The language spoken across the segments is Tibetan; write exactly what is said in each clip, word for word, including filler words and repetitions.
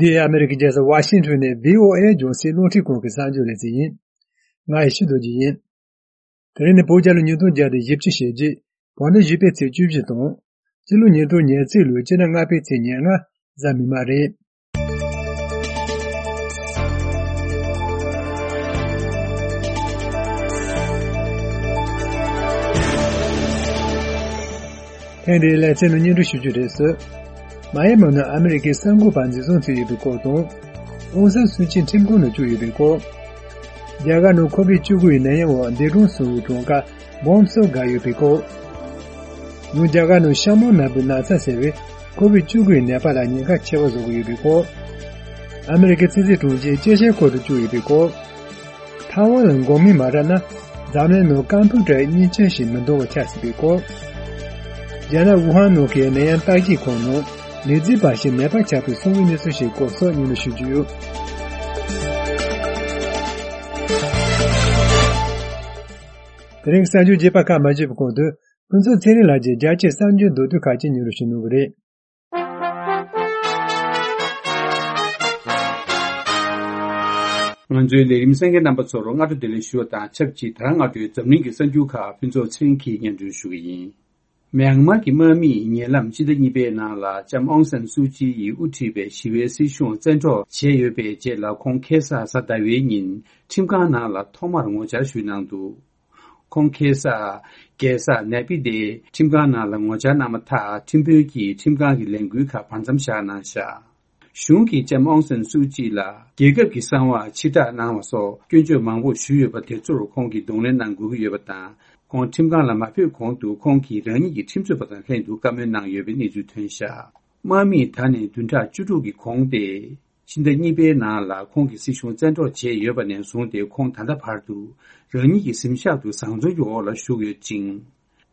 འདི་ཨ་མེ་རི་ཀའི་རྒྱལ་ས་ཝ་ཤིང་ཊོན་ནས་བྷི་ཨོ་ཨེ་རྒྱང་སྲིང་རླུང་འཕྲིན་ཁང་གི་གསར་འགྱུར་ལེ་ཚན་ཡིན། ང་ཡེ་ཤེས་རྡོ་རྗེ་ཡིན། དེ་རིང་ནི་བོད་རྒྱལ་ལོ་ཉིས་སྟོང་བརྒྱ་དང་བཞི་བཅུ་ཞེ་བརྒྱད། བོད་ཟླ་བཞི་པའི་ཚེས་བཅུ་བཞི་དང་། སྤྱི་ལོ་ཉིས་སྟོང་ཉེར་གཅིག་ལོའི་སྤྱི་ཟླ་ལྔ་པའི་ཚེས་ཉེར་ལྔ། གཟའ་མིག་དམར་རེད། ཐེངས་འདིའི་ལེ་ཚན་ནང་སྙན་སྒྲོན་ཞུ་རྒྱུ་རེད་ཟེར། མ་ཡ་མ་ནང་ཨ་མེ་རི་ཀའི་གསར་འགོད་པ་འཛིན་བཟུང་བྱས་ཡོད་པའི་སྐོར་དང་། ཨོང་སན་སུའུ་ཅི་ཁྲིམས་ཁང་ནང་བཅུག་ཡོད་པའི་སྐོར། རྒྱ་གར་ནང་ཁོ་བིད་བཅུ་དགུ་ཡི་ནད་ཡམས་འོག་འདས་གྲོངས་སོང་བའི་གྲངས་ཀ་སྦོམ་སུ་བརྒལ་ཡོད་པའི་སྐོར། ཡང་རྒྱ་གར་ནང་ཤ་མོང་ནད་འབུའི་ན་ཚ་ཟེར་བའི་ཁོ་བིད་བཅུ་དགུ་ཡི་ནད་པ་ལ་ཉེན་ཁ་ཆེ་བ་བཟོ་གི་ཡོད་པའི་སྐོར། ཨ་མེ་རི་ཀའི་ཕྱི་སྲིད་དྲུང་ཆེ་ཅེ་ཤན་ཁོ་ཏུ་བཅུག་ཡོད་པའི་སྐོར། ཐའེ་ཝན་ལ་འགོག་སྨན་མ་རག་ན། འཛམ་གླིང་ནང་ཀམ་པུ་ཊར་གཉིས་ཆ་ཞིག་མི་འདང་བ་ཆགས་སྲིད་པའི་སྐོར། རྒྱ་ནག་ཝུ་ཧན་ནང་གི་ནད་ཡམས་བརྟག་དཔྱད་ཁང་ནང་ནད་རྫས་འབའ་ཞིག་མེད་པ་ཆགས་པའི་གསང་བའི་གནས་ཚུལ་ཞིག་སྐོར་སོགས་སྙན་སྒྲོན་ཞུ་རྒྱུ་ཡོད། དེ་རིང་གི་གསར་འགྱུར་རྒྱས་པ་ཁག་མ་བརྗོད་པའི་གོང་དུ། ཕུན་ཚོགས་ཚེ་རིང་ལགས་ཀྱིས་རྒྱལ་སྤྱིའི་གསར་འགྱུར་མདོར་བསྡུས་ཁག་ཅིག་སྙན་སྒྲོན་ཞུ་གནང་གི་རེད། ང་ཚོའི་ལས་རིམ་གསན་མཁན་རྣམ་པ་ཚོར་སྔ་དྲོ་བདེ་ལེགས་ཞུ་བ་དང་ཆབས་ཅིག་ད་རང་སྔ་དྲོའི་འཛམ་གླིང་གི་གསར་འགྱུར་ཁག་ཕུན་ཚོགས་ཚེ་རིང་གིས་སྙན་སྒྲོན་ཞུ་གི་ཡིན། མྱན་མར་གྱི་དམག་མིས་ཉེ་ལམ་སྤྱི་ཟླ་གཉིས་པའི་ནང་ལ་ལྕམ་ཨོང་སན་སུའུ་ཅི་ཡིས་དབུ་ཁྲིད་པའི་ཞི་བའི་སྲིད་གཞུང་བཙན་འཕྲོག་བྱས་ཡོད་པའི་རྗེས་ལ་ཁོང་ཁ་སང་གཟའ་ཟླ་བའི་ཉིན་ཁྲིམས་ཁང་ནང་ལ་ཐོག་མར་ངོ་བཅར་ཞུས་གནང་འདུག་ཁོང་ཁ་སང་རྒྱལ་ས་ནེ་པི་ཏའི་ཁྲིམས་ཁང་ནང་ལ་ངོ་བཅར་གནང་བ་ཐག་ཁྲིམས་དཔོན་གྱིས་ཁྲིམས་ཁང་གི་ལས་འགུལ་ཁག་བར་མཚམས་བཞག་གནང་བཞག་གཞུང་གིས་ལྕམ་ཨོང་སན་སུའུ་ཅི་ལ་རྒྱལ་ཁབ་ཀྱི་གསང་བ་ཕྱིར་བསྒྲགས་གནང་བ་སོགས་སྐྱོན་བརྗོད་མང་པོ་ཞུས་ཡོད་པ་དེ་ཚོར་ཁོང་གིས་གདོང་ལེན་གནང་དགོས་ཀྱི་ཡོད་པ་དང་། ཁོང་ཁྲིམས་ཁང་ལ་མ་ཕེབས་གོང་དུ་ཁོང་གིས་རང་ཉིད་ཀྱི་ཁྲིམས་རྩོད་པ་དང་ལྷན་དུ་བཀའ་མོལ་གནང་ཡོད་པའི་གནས་ཚུལ་ཐོན་བཞག་དམག་མིས་ད་ནས་བདུན་ཕྲག་བཅུ་དྲུག་གི་གོང་སྟེ། ཕྱི་ཟླ་གཉིས་པའི་ནང་ལ་ཁོང་གི་སྲིད་གཞུང་བཙན་འཕྲོག་བྱས་ཡོད་པ་ནས་བཟུང་སྟེ་ཁོང་ད་ལྟ་བར་དུ་རང་ཉིད་ཀྱི་གཟིམ་ཤག་ཏུ་བཟང་བཙོན་གྱི་འོག་ལ་བཞུགས་ཡོད་ཅིང་།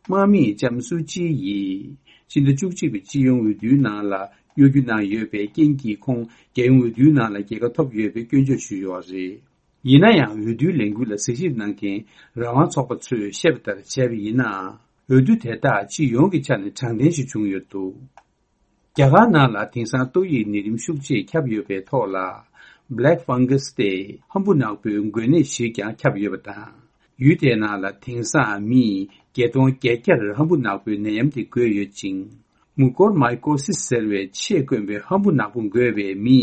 དམག་མིས་ལྕམ་སུའུ་ཅི་ཡིས་ཕྱི་ཟླ་བཅུ་གཅིག་པའི་སྤྱི་ཡོངས་འོས་བསྡུའི་ནང་ལ་གཡོ་སྒྱུ་གནང་ཡོད་པའི་རྐྱེན་གྱིས་ཁོང་རྒྱལ་ཡོངས་འོས་བསྡུའི་ནང་ལ་རྒྱལ་ཁ་ཐོབ་ཡོད་པའི་སྐྱོན་བརྗོད་ཞུས་ཡོད་པ་རེད། ཡིན་ན་ཡང་འོས་བསྡུའི་ལས་འགུལ་ལ་གཟིགས་ཞིབ་གནང་མཁན་རང་དབང་ཚོགས་པ་ཚོས་བཤད་པ་ལྟར་བྱས་པ་ཡིན་ནའང་། འོས་བསྡུ་དེ་དག་སྤྱི་ཡོངས་ཀྱི་ཆ་ནས་དྲང་བདེན་ཞིག་བྱུང་ཡོད་འདུག་རྒྱ་གར་ནང་ལ་དེང་སང་ཏོག་དབྱིབས་ནད་རིམས་ཤུགས་ཆེ་ཁྱབ་ཡོད་པའི་ཐོག་ལ། Black Fungus སྟེ་ཧམ་བུ་ནག་པོའི་འགོས་ནད་ཞིག་ཀྱང་ཁྱབ་ཡོད་པ་དང་། ཡུལ་དེའི་ནང་ལ་དེང་སང་མི་བརྒྱད་སྟོང་བརྒྱད་བརྒྱ་ཧམ་བུ་ནག་པོའི་ནད་ཡམས་དེ་འགོས་ཡོད་ཅིང་། Mucormycosis ཟེར་བའི་ཆས་གོན་པའི་ཧམ་བུ་ནག་པོ་འགོས་པའི་མི་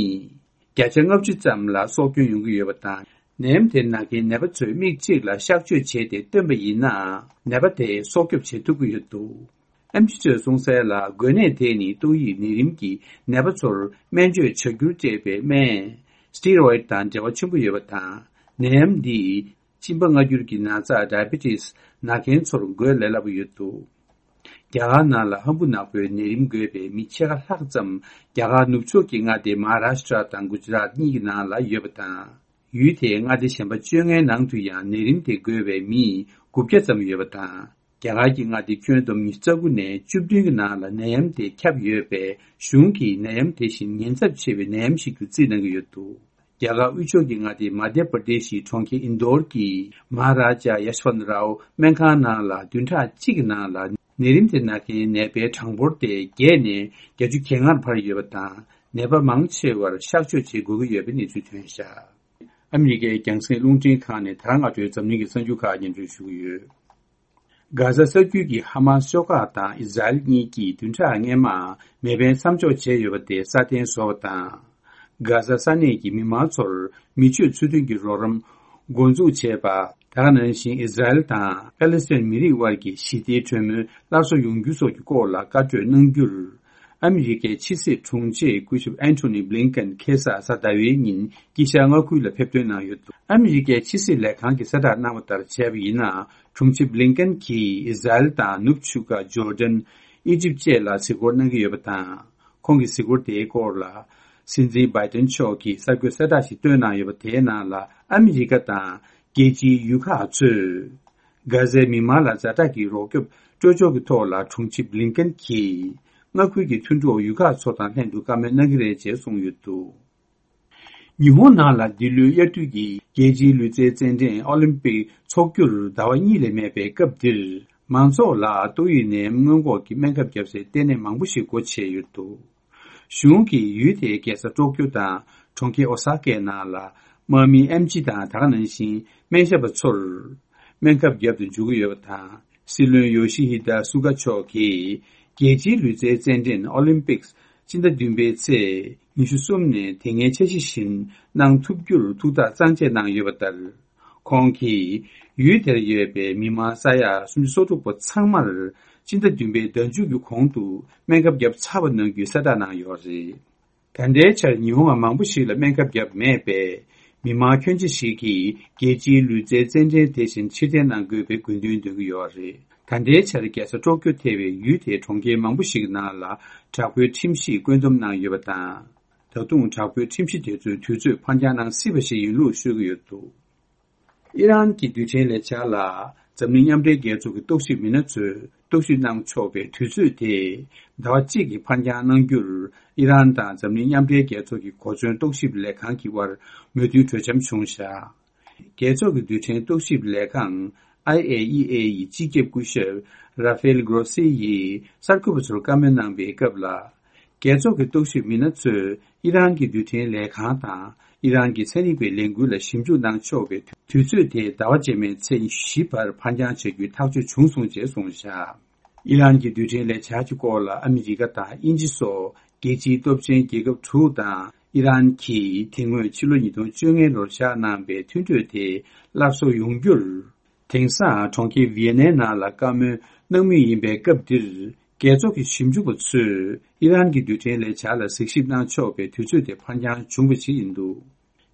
བརྒྱ་ཆ་ལྔ་བཅུ་ཙམ་ལ་སྲོག་སྐྱོན་ཡོང་གི་ཡོད་པ་དང་། ནད་ཡམས་དེ་ན་མཁན་ནད་པ་ཚོས་མིག་གཅིག་ལ་གཤག་བཅོས་བྱས་ཏེ་བཏོན་པ་ཡིན་ནའང་ནད་པ་དེ་སྲོག་སྐྱོབ་བྱེད་ཐུབ་ཀྱི་ཡོད་འདུག་ཨེམ་ཆི་ཚོས་གསུངས་གསལ་ལ། འགོས་ནད་དེ་ནི་ཏོག་དབྱིབས་ནད་རིམས་ཀྱིས་ནད་པ་ཚོར་སྨན་བཅོས་བྱ་རྒྱུར་སྤྲད་པའི་སྨན་Steroid དང་འབྲེལ་བ་ཆེན་པོ་ཡོད་པ་དང་། ནད་ཡམས་འདིས་གཅིན་པ་མངར་འགྱུར་གྱི་ན་ཚ་Diabetes ན་མཁན་ཚོར་འགོས་ལས་སླ་པོ་ཡོད་འདུག་རྒྱ་གར་ནང་ལ་ཧམ་བུ་ནག་པོའི་ནད་རིམས་འགོས་པའི་མི་ཕྱེད་ཀ་ལྷག་ཙམ་རྒྱ་གར་ནུབ་ཕྱོགས་ཀྱི་མངའ་སྡེ་Maharashtra དང་Gujarat གཉིས་ཀྱི་ནང་ལ་ཡོད་པ་དང་། ཡུལ་དེའི་མངའ་སྡེ་གཞན་པ་བཅོ་ལྔའི་ནང་དུ་ཡང་ནད་རིམས་དེ་འགོས་པའི་མི་དགུ་བརྒྱ་ཙམ་ཡོད་པ་དང་། རྒྱ་གར་གྱི་མངའ་སྡེ་ཁྱོན་བསྡོམས་ཉི་ཤུ་རྩ་དགུ་ནས་བཅུ་བདུན་གྱི་ནང་ལ་ནད་ཡམས་དེ་ཁྱབ་ཡོད་པས། གཞུང་གིས་ནད་ཡམས་དེ་བཞིན་ཉེན་ཚབས་ཆེ་བའི་ནད་ཡམས་ཤིག་ཏུ་རྩིས་གནང་གི་ཡོད་འདུག་རྒྱ་གར་དབུས་ཕྱོགས་ཀྱི་མངའ་སྡེ་མ་དྷྱ་པར་དེ་ཤི་གྲོང་ཁྱེར་ཨིན་དོར་གྱི་Maharaja Yashwantrao སྨན་ཁང་ནང་ལ་བདུན་ཕྲག་གཅིག་གི་ནང་ལ་ནད་རིམས་དེ་ན་མཁན་ནད་པའི་གྲངས་འབོར་དེ་བརྒྱད་ནས་བརྒྱད་ཅུ་གྱ་ལྔར་འཕར་ཡོད་པ་དང་། ནད་པ་མང་ཆེ་བར་གཤག་བཅོས་བྱེད་དགོས་ཀྱི་ཡོད་པའི་གནས་ཚུལ་ཐོན་བཞག་ཨ་མི་རི་ཀའི་རྒྱང་སྲིང་རླུང་འཕྲིན་ཁང་ནས་ད་རང་སྔ་དྲོའི་འཛམ་གླིང་གི་གསར་འགྱུར་ཁག་སྙན་སྒྲོན་ཞུ་གི་ཡོད། གྷ་ཟ་ས་རྒྱུད་ཀྱི་ཧ་མཱ་སི་ཤོག་ཁག་དང་ཨི་ཟ་རེལ་གཉིས་ཀྱིས་བདུན་ཕྲག་སྔོན་མ་མེ་འཕེན་མཚམས་འཇོག་བྱས་ཡོད་པ་དེ་སྲ་བརྟན་བཟོ་བ་དང་། གྷ་ཟ་ས་གནས་ཀྱི་མི་མང་ཚོར་མི་སྤྱོད་ཚུལ་མཐུན་གྱི་རོགས་རམ་འགོ་འཛུགས་བྱས་པ། ད་ག་ནང་བཞིན་ཨི་ཟ་རེལ་དང་ཕ་ལེ་སི་ཐན་མི་རིགས་དབར་གྱི་ཞི་བདེའི་གྲོས་མོལ་སླར་གསོ་ཡོང་རྒྱུ་སོགས་ཀྱི་སྐོར་ལ་བཀའ་གྲོས་གནང་རྒྱུར། ཨ་མི་རི་ཀའི་ཕྱི་སྲིད་དྲུང་ཆེ་སྐུ་ཞབས་ཨན་ཐོ་ནི་བྷི་ལིན་ཀན་ཁ་སང་གཟའ་ཟླ་བའི་ཉིན་དཀྱིལ་ཤར་མངའ་ཁུལ་ལ་ཕེབས་ཐོན་གནང་ཡོད་འདུག་ཨ་མི་རི་ཀའི་ཕྱི་སྲིད་ལས་ཁང་གིས་གསལ་བསྒྲགས་གནང་བ་ལྟར་བྱས་པ་ཡིན་ན། དྲུང་ཆེ་བྷི་ལིན་ཀན་གྱིས་ཨི་ཟ་རེལ་དང་ནུབ་ཆུ་ཁ་ཇོར་ཌན། ཨི་ཇིབ་བཅས་ལ་གཟིགས་སྐོར་གནང་གི་ཡོད་པ་དང་། ཁོང་གི་གཟིགས་སྐོར་དེའི་སྐོར་ལ། སྲིད་འཛིན་བྷའི་ཏན་མཆོག་གིས་གསར་འགོད་གསལ་བསྒྲགས་ཤིག་བཏོན་གནང་ཡོད་པ་དེའི་ནང་ལ་ཨ་མི་རི་ཀ་དང་རྒྱལ་སྤྱིའི་ཡུལ་ཁག་ཚོས། གྷ་ཟའི་མི་མང་ལ་ཛ་དྲག་གི་རོགས་སྐྱོབ་སྤྲོད་ཕྱོགས་ཀྱི་ཐོག་ལ་དྲུང་ཆེ་བྷི་ལིན་ཀན་གྱིས། མངའ་ཁུལ་གྱི་མཐུན་གྲོགས་ཡུལ་ཁག་ཚོ་དང་ལྷན་དུ་བཀའ་མོལ་གནང་གི་རེད་ཅེས་གསུངས་ཡོད་འདུག་ཉི་ཧོང་ནང་ལ་འདི་ལོའི་དབྱར་དུས་ཀྱི་རྒྱལ་སྤྱིའི་ལུས་རྩལ་རྩེད་འགྲན་ཨོ་ལིམ་པིག་འཚོགས་རྒྱུར་ཟླ་བ་གཉིས་ལས་མེད་པའི་སྐབས་འདིར། མང་ཚོགས་ལ་ཏོག་དབྱིབས་ནད་ཡམས་སྔོན་འགོག་གི་སྨན་ཁབ་བརྒྱབ་སའི་ལྟེ་གནས་མང་པོ་ཞིག་སྒོ་ཕྱེ་ཡོད་འདུག་གཞུང་གིས་ཡུལ་དེའི་རྒྱལ་ས་ཀྲོ་ཀྱོ་དང་གྲོང་ཁྱེར་ཨོ་ས་ཀའི་ནང་ལ་དམག་མི་ཨེམ་ཆི་དང་ད་ག་ནང་བཞིན་སྨན་ཞབས་པ་ཚོར་སྨན་ཁབ་བརྒྱབ་ཏུ་འཇུག་གི་ཡོད་པ་དང་། སྲིད་བློན་ཡོ་ཤི་ཧི་ད་སུ་ག་མཆོག་གིས་རྒྱལ་སྤྱིའི་ལུས་རྩལ་རྩེད་འགྲན་ཨོ་ལིམ་པིག་སྤྱི་ཟླ་བདུན་པའི་ཚེས་ཉི་ཤུ་གསུམ་ནས་དེ་སྔའི་འཆར་གཞི་བཞིན་གནང་ཐུབ་རྒྱུར་ཐུགས་ཐག་གཙང་བཅད་གནང་ཡོད་པ་ལྟར། ཁོང་གིས་ཡུལ་དེར་ཡོད་པའི་མི་མང་ས་ཡ་སུམ་ཅུ་སོ་དྲུག་པོ་ཚང་མར་སྤྱི་ཟླ་བདུན་པའི་ཟླ་མཇུག་གི་གོང་དུ་སྨན་ཁབ་བརྒྱབ་ཚར་བ་གནང་རྒྱུའི་གསལ་བསྒྲགས་གནང་ཡོད་རེད། ད་ལྟའི་ཆར་ཉི་ཧོང་མང་པོ་ཞིག་ལ་སྨན་ཁབ་བརྒྱབ་མེད་པས། མི་མང་ཁྱོན་ཆེ་ཞིག་གིས་རྒྱལ་སྤྱིའི་ལུས་རྩལ་རྩེད་འགྲན་དེ་བཞིན་ཕྱིར་འཐེན་གནང་དགོས་པའི་དགོས་འདུན་འདོན་གྱི་ཡོད་རེད། ད་ལྟའི་ཆར་རྒྱལ་ས་ཀྲོ་ཀྱོ་ཐེ་བའི་ཡུལ་དེའི་གྲོང་ཁྱེར་མང་པོ་ཞིག་ནང་ལ་དྲག་པོའི་ཁྲིམས་གཞི་བཀོད་འདོམས་གནང་ཡོད་པ་དང་། ད་དུང་དྲག་པོའི་ཁྲིམས་གཞི་དེ་ཚོའི་དུས་ཚོད་ཕར་འགྱངས་གནང་སྲིད་པ་ཞིག་ཡིན་ལུགས་ཤོད་ཀྱི་ཡོད་འདུག་ཨི་རན་གྱི་རྡུལ་ཕྲན་ལས་འཆར་ལ་འཛམ་གླིང་མཉམ་འབྲེལ་རྒྱལ་ཚོགས་ཀྱི་རྟོག་ཞིབ་མི་སྣ་ཚོས་རྟོག་ཞིབ་གནང་ཆོག་པའི་དུས་ཚོད་དེ་ཟླ་བ་གཅིག་གིས་ཕར་འགྱངས་གནང་རྒྱུར་ཨི་རན་དང་འཛམ་གླིང་མཉམ་འབྲེལ་རྒྱལ་ཚོགས་ཀྱི་གོ་མཚོན་རྟོག་ཞིབ་ལས་ཁང་གི་དབར་མོས་མཐུན་གྲོས་འཆམ་བྱུང་བཞག་རྒྱལ་ཚོགས་ཀྱི་རྡུལ་ཕྲན་རྟོག་ཞིབ་ལས་ཁང་ཨའི་ཨེ་ཨི་ཨེ་ཡི་སྤྱི་ཁྱབ་སྐུ་ཞབས་ར་ཧྥེལ་གྷོ་རོ་སི་ཡིས་གསར་འགོད་པ་ཚོར་བཀའ་མོལ་གནང་པའི་སྐབས་ལ། རྒྱལ་ཚོགས་ཀྱི་རྟོག་ཞིབ་མི་སྣ་ཚོས་ཨི་རན་གྱི་རྡུལ་ཕྲན་ལས་ཁང་དང་ཨི་རན་གྱི་ཚན་རིག་པའི་ལས་འགུལ་ལ་ཞིབ་འཇུག་གནང་ཆོག་པའི་དུས་ཚོད་དེ་ཟླ་བ་རྗེས་མའི་ཚེས་བཞི་བར་ཕར་འགྱངས་བྱ་རྒྱུའི་ཐག་གཅོད་བྱུང་སོང་ཅེས་གསུངས་བཞག་ཨི་རན་གྱི་རྡུལ་ཕྲན་ལས་འཆར་གྱི་སྐོར་ལ་ཨ་མི་རི་ཀ་དང་དབྱིན་ཇི་སོགས་རྒྱལ་སྤྱིའི་སྟོབས་ཆེན་རྒྱལ་ཁབ་དྲུག་དང་ཨི་རན་གྱིས་དེ་སྔོན་ཕྱི་ལོ་ཉིས་སྟོང་བཅོ་ལྔའི་ལོར་བཞག་གནང་པའི་མཐུན་གྲོས་དེ་སླར་གསོ་ཡོང་རྒྱུར། དེང་སང་གྲོང་ཁྱེར་ཝི་ཡེ་ནའི་ནང་ལ་བཀའ་མོལ་གནང་མུས་ཡིན་པའི་སྐབས་འདིར། རྒྱལ་ཚོགས་ཀྱི་ཞིབ་འཇུག་པ་ཚོས་ཨི་རན་གྱི་རྡུལ་ཕྲན་ལས་འཆར་ལ་གཟིགས་ཞིབ་གནང་ཆོག་པའི་དུས་ཚོད་དེ་ཕར་འགྱངས་བྱུང་བ་ཞིག་ཡིན་འདུག་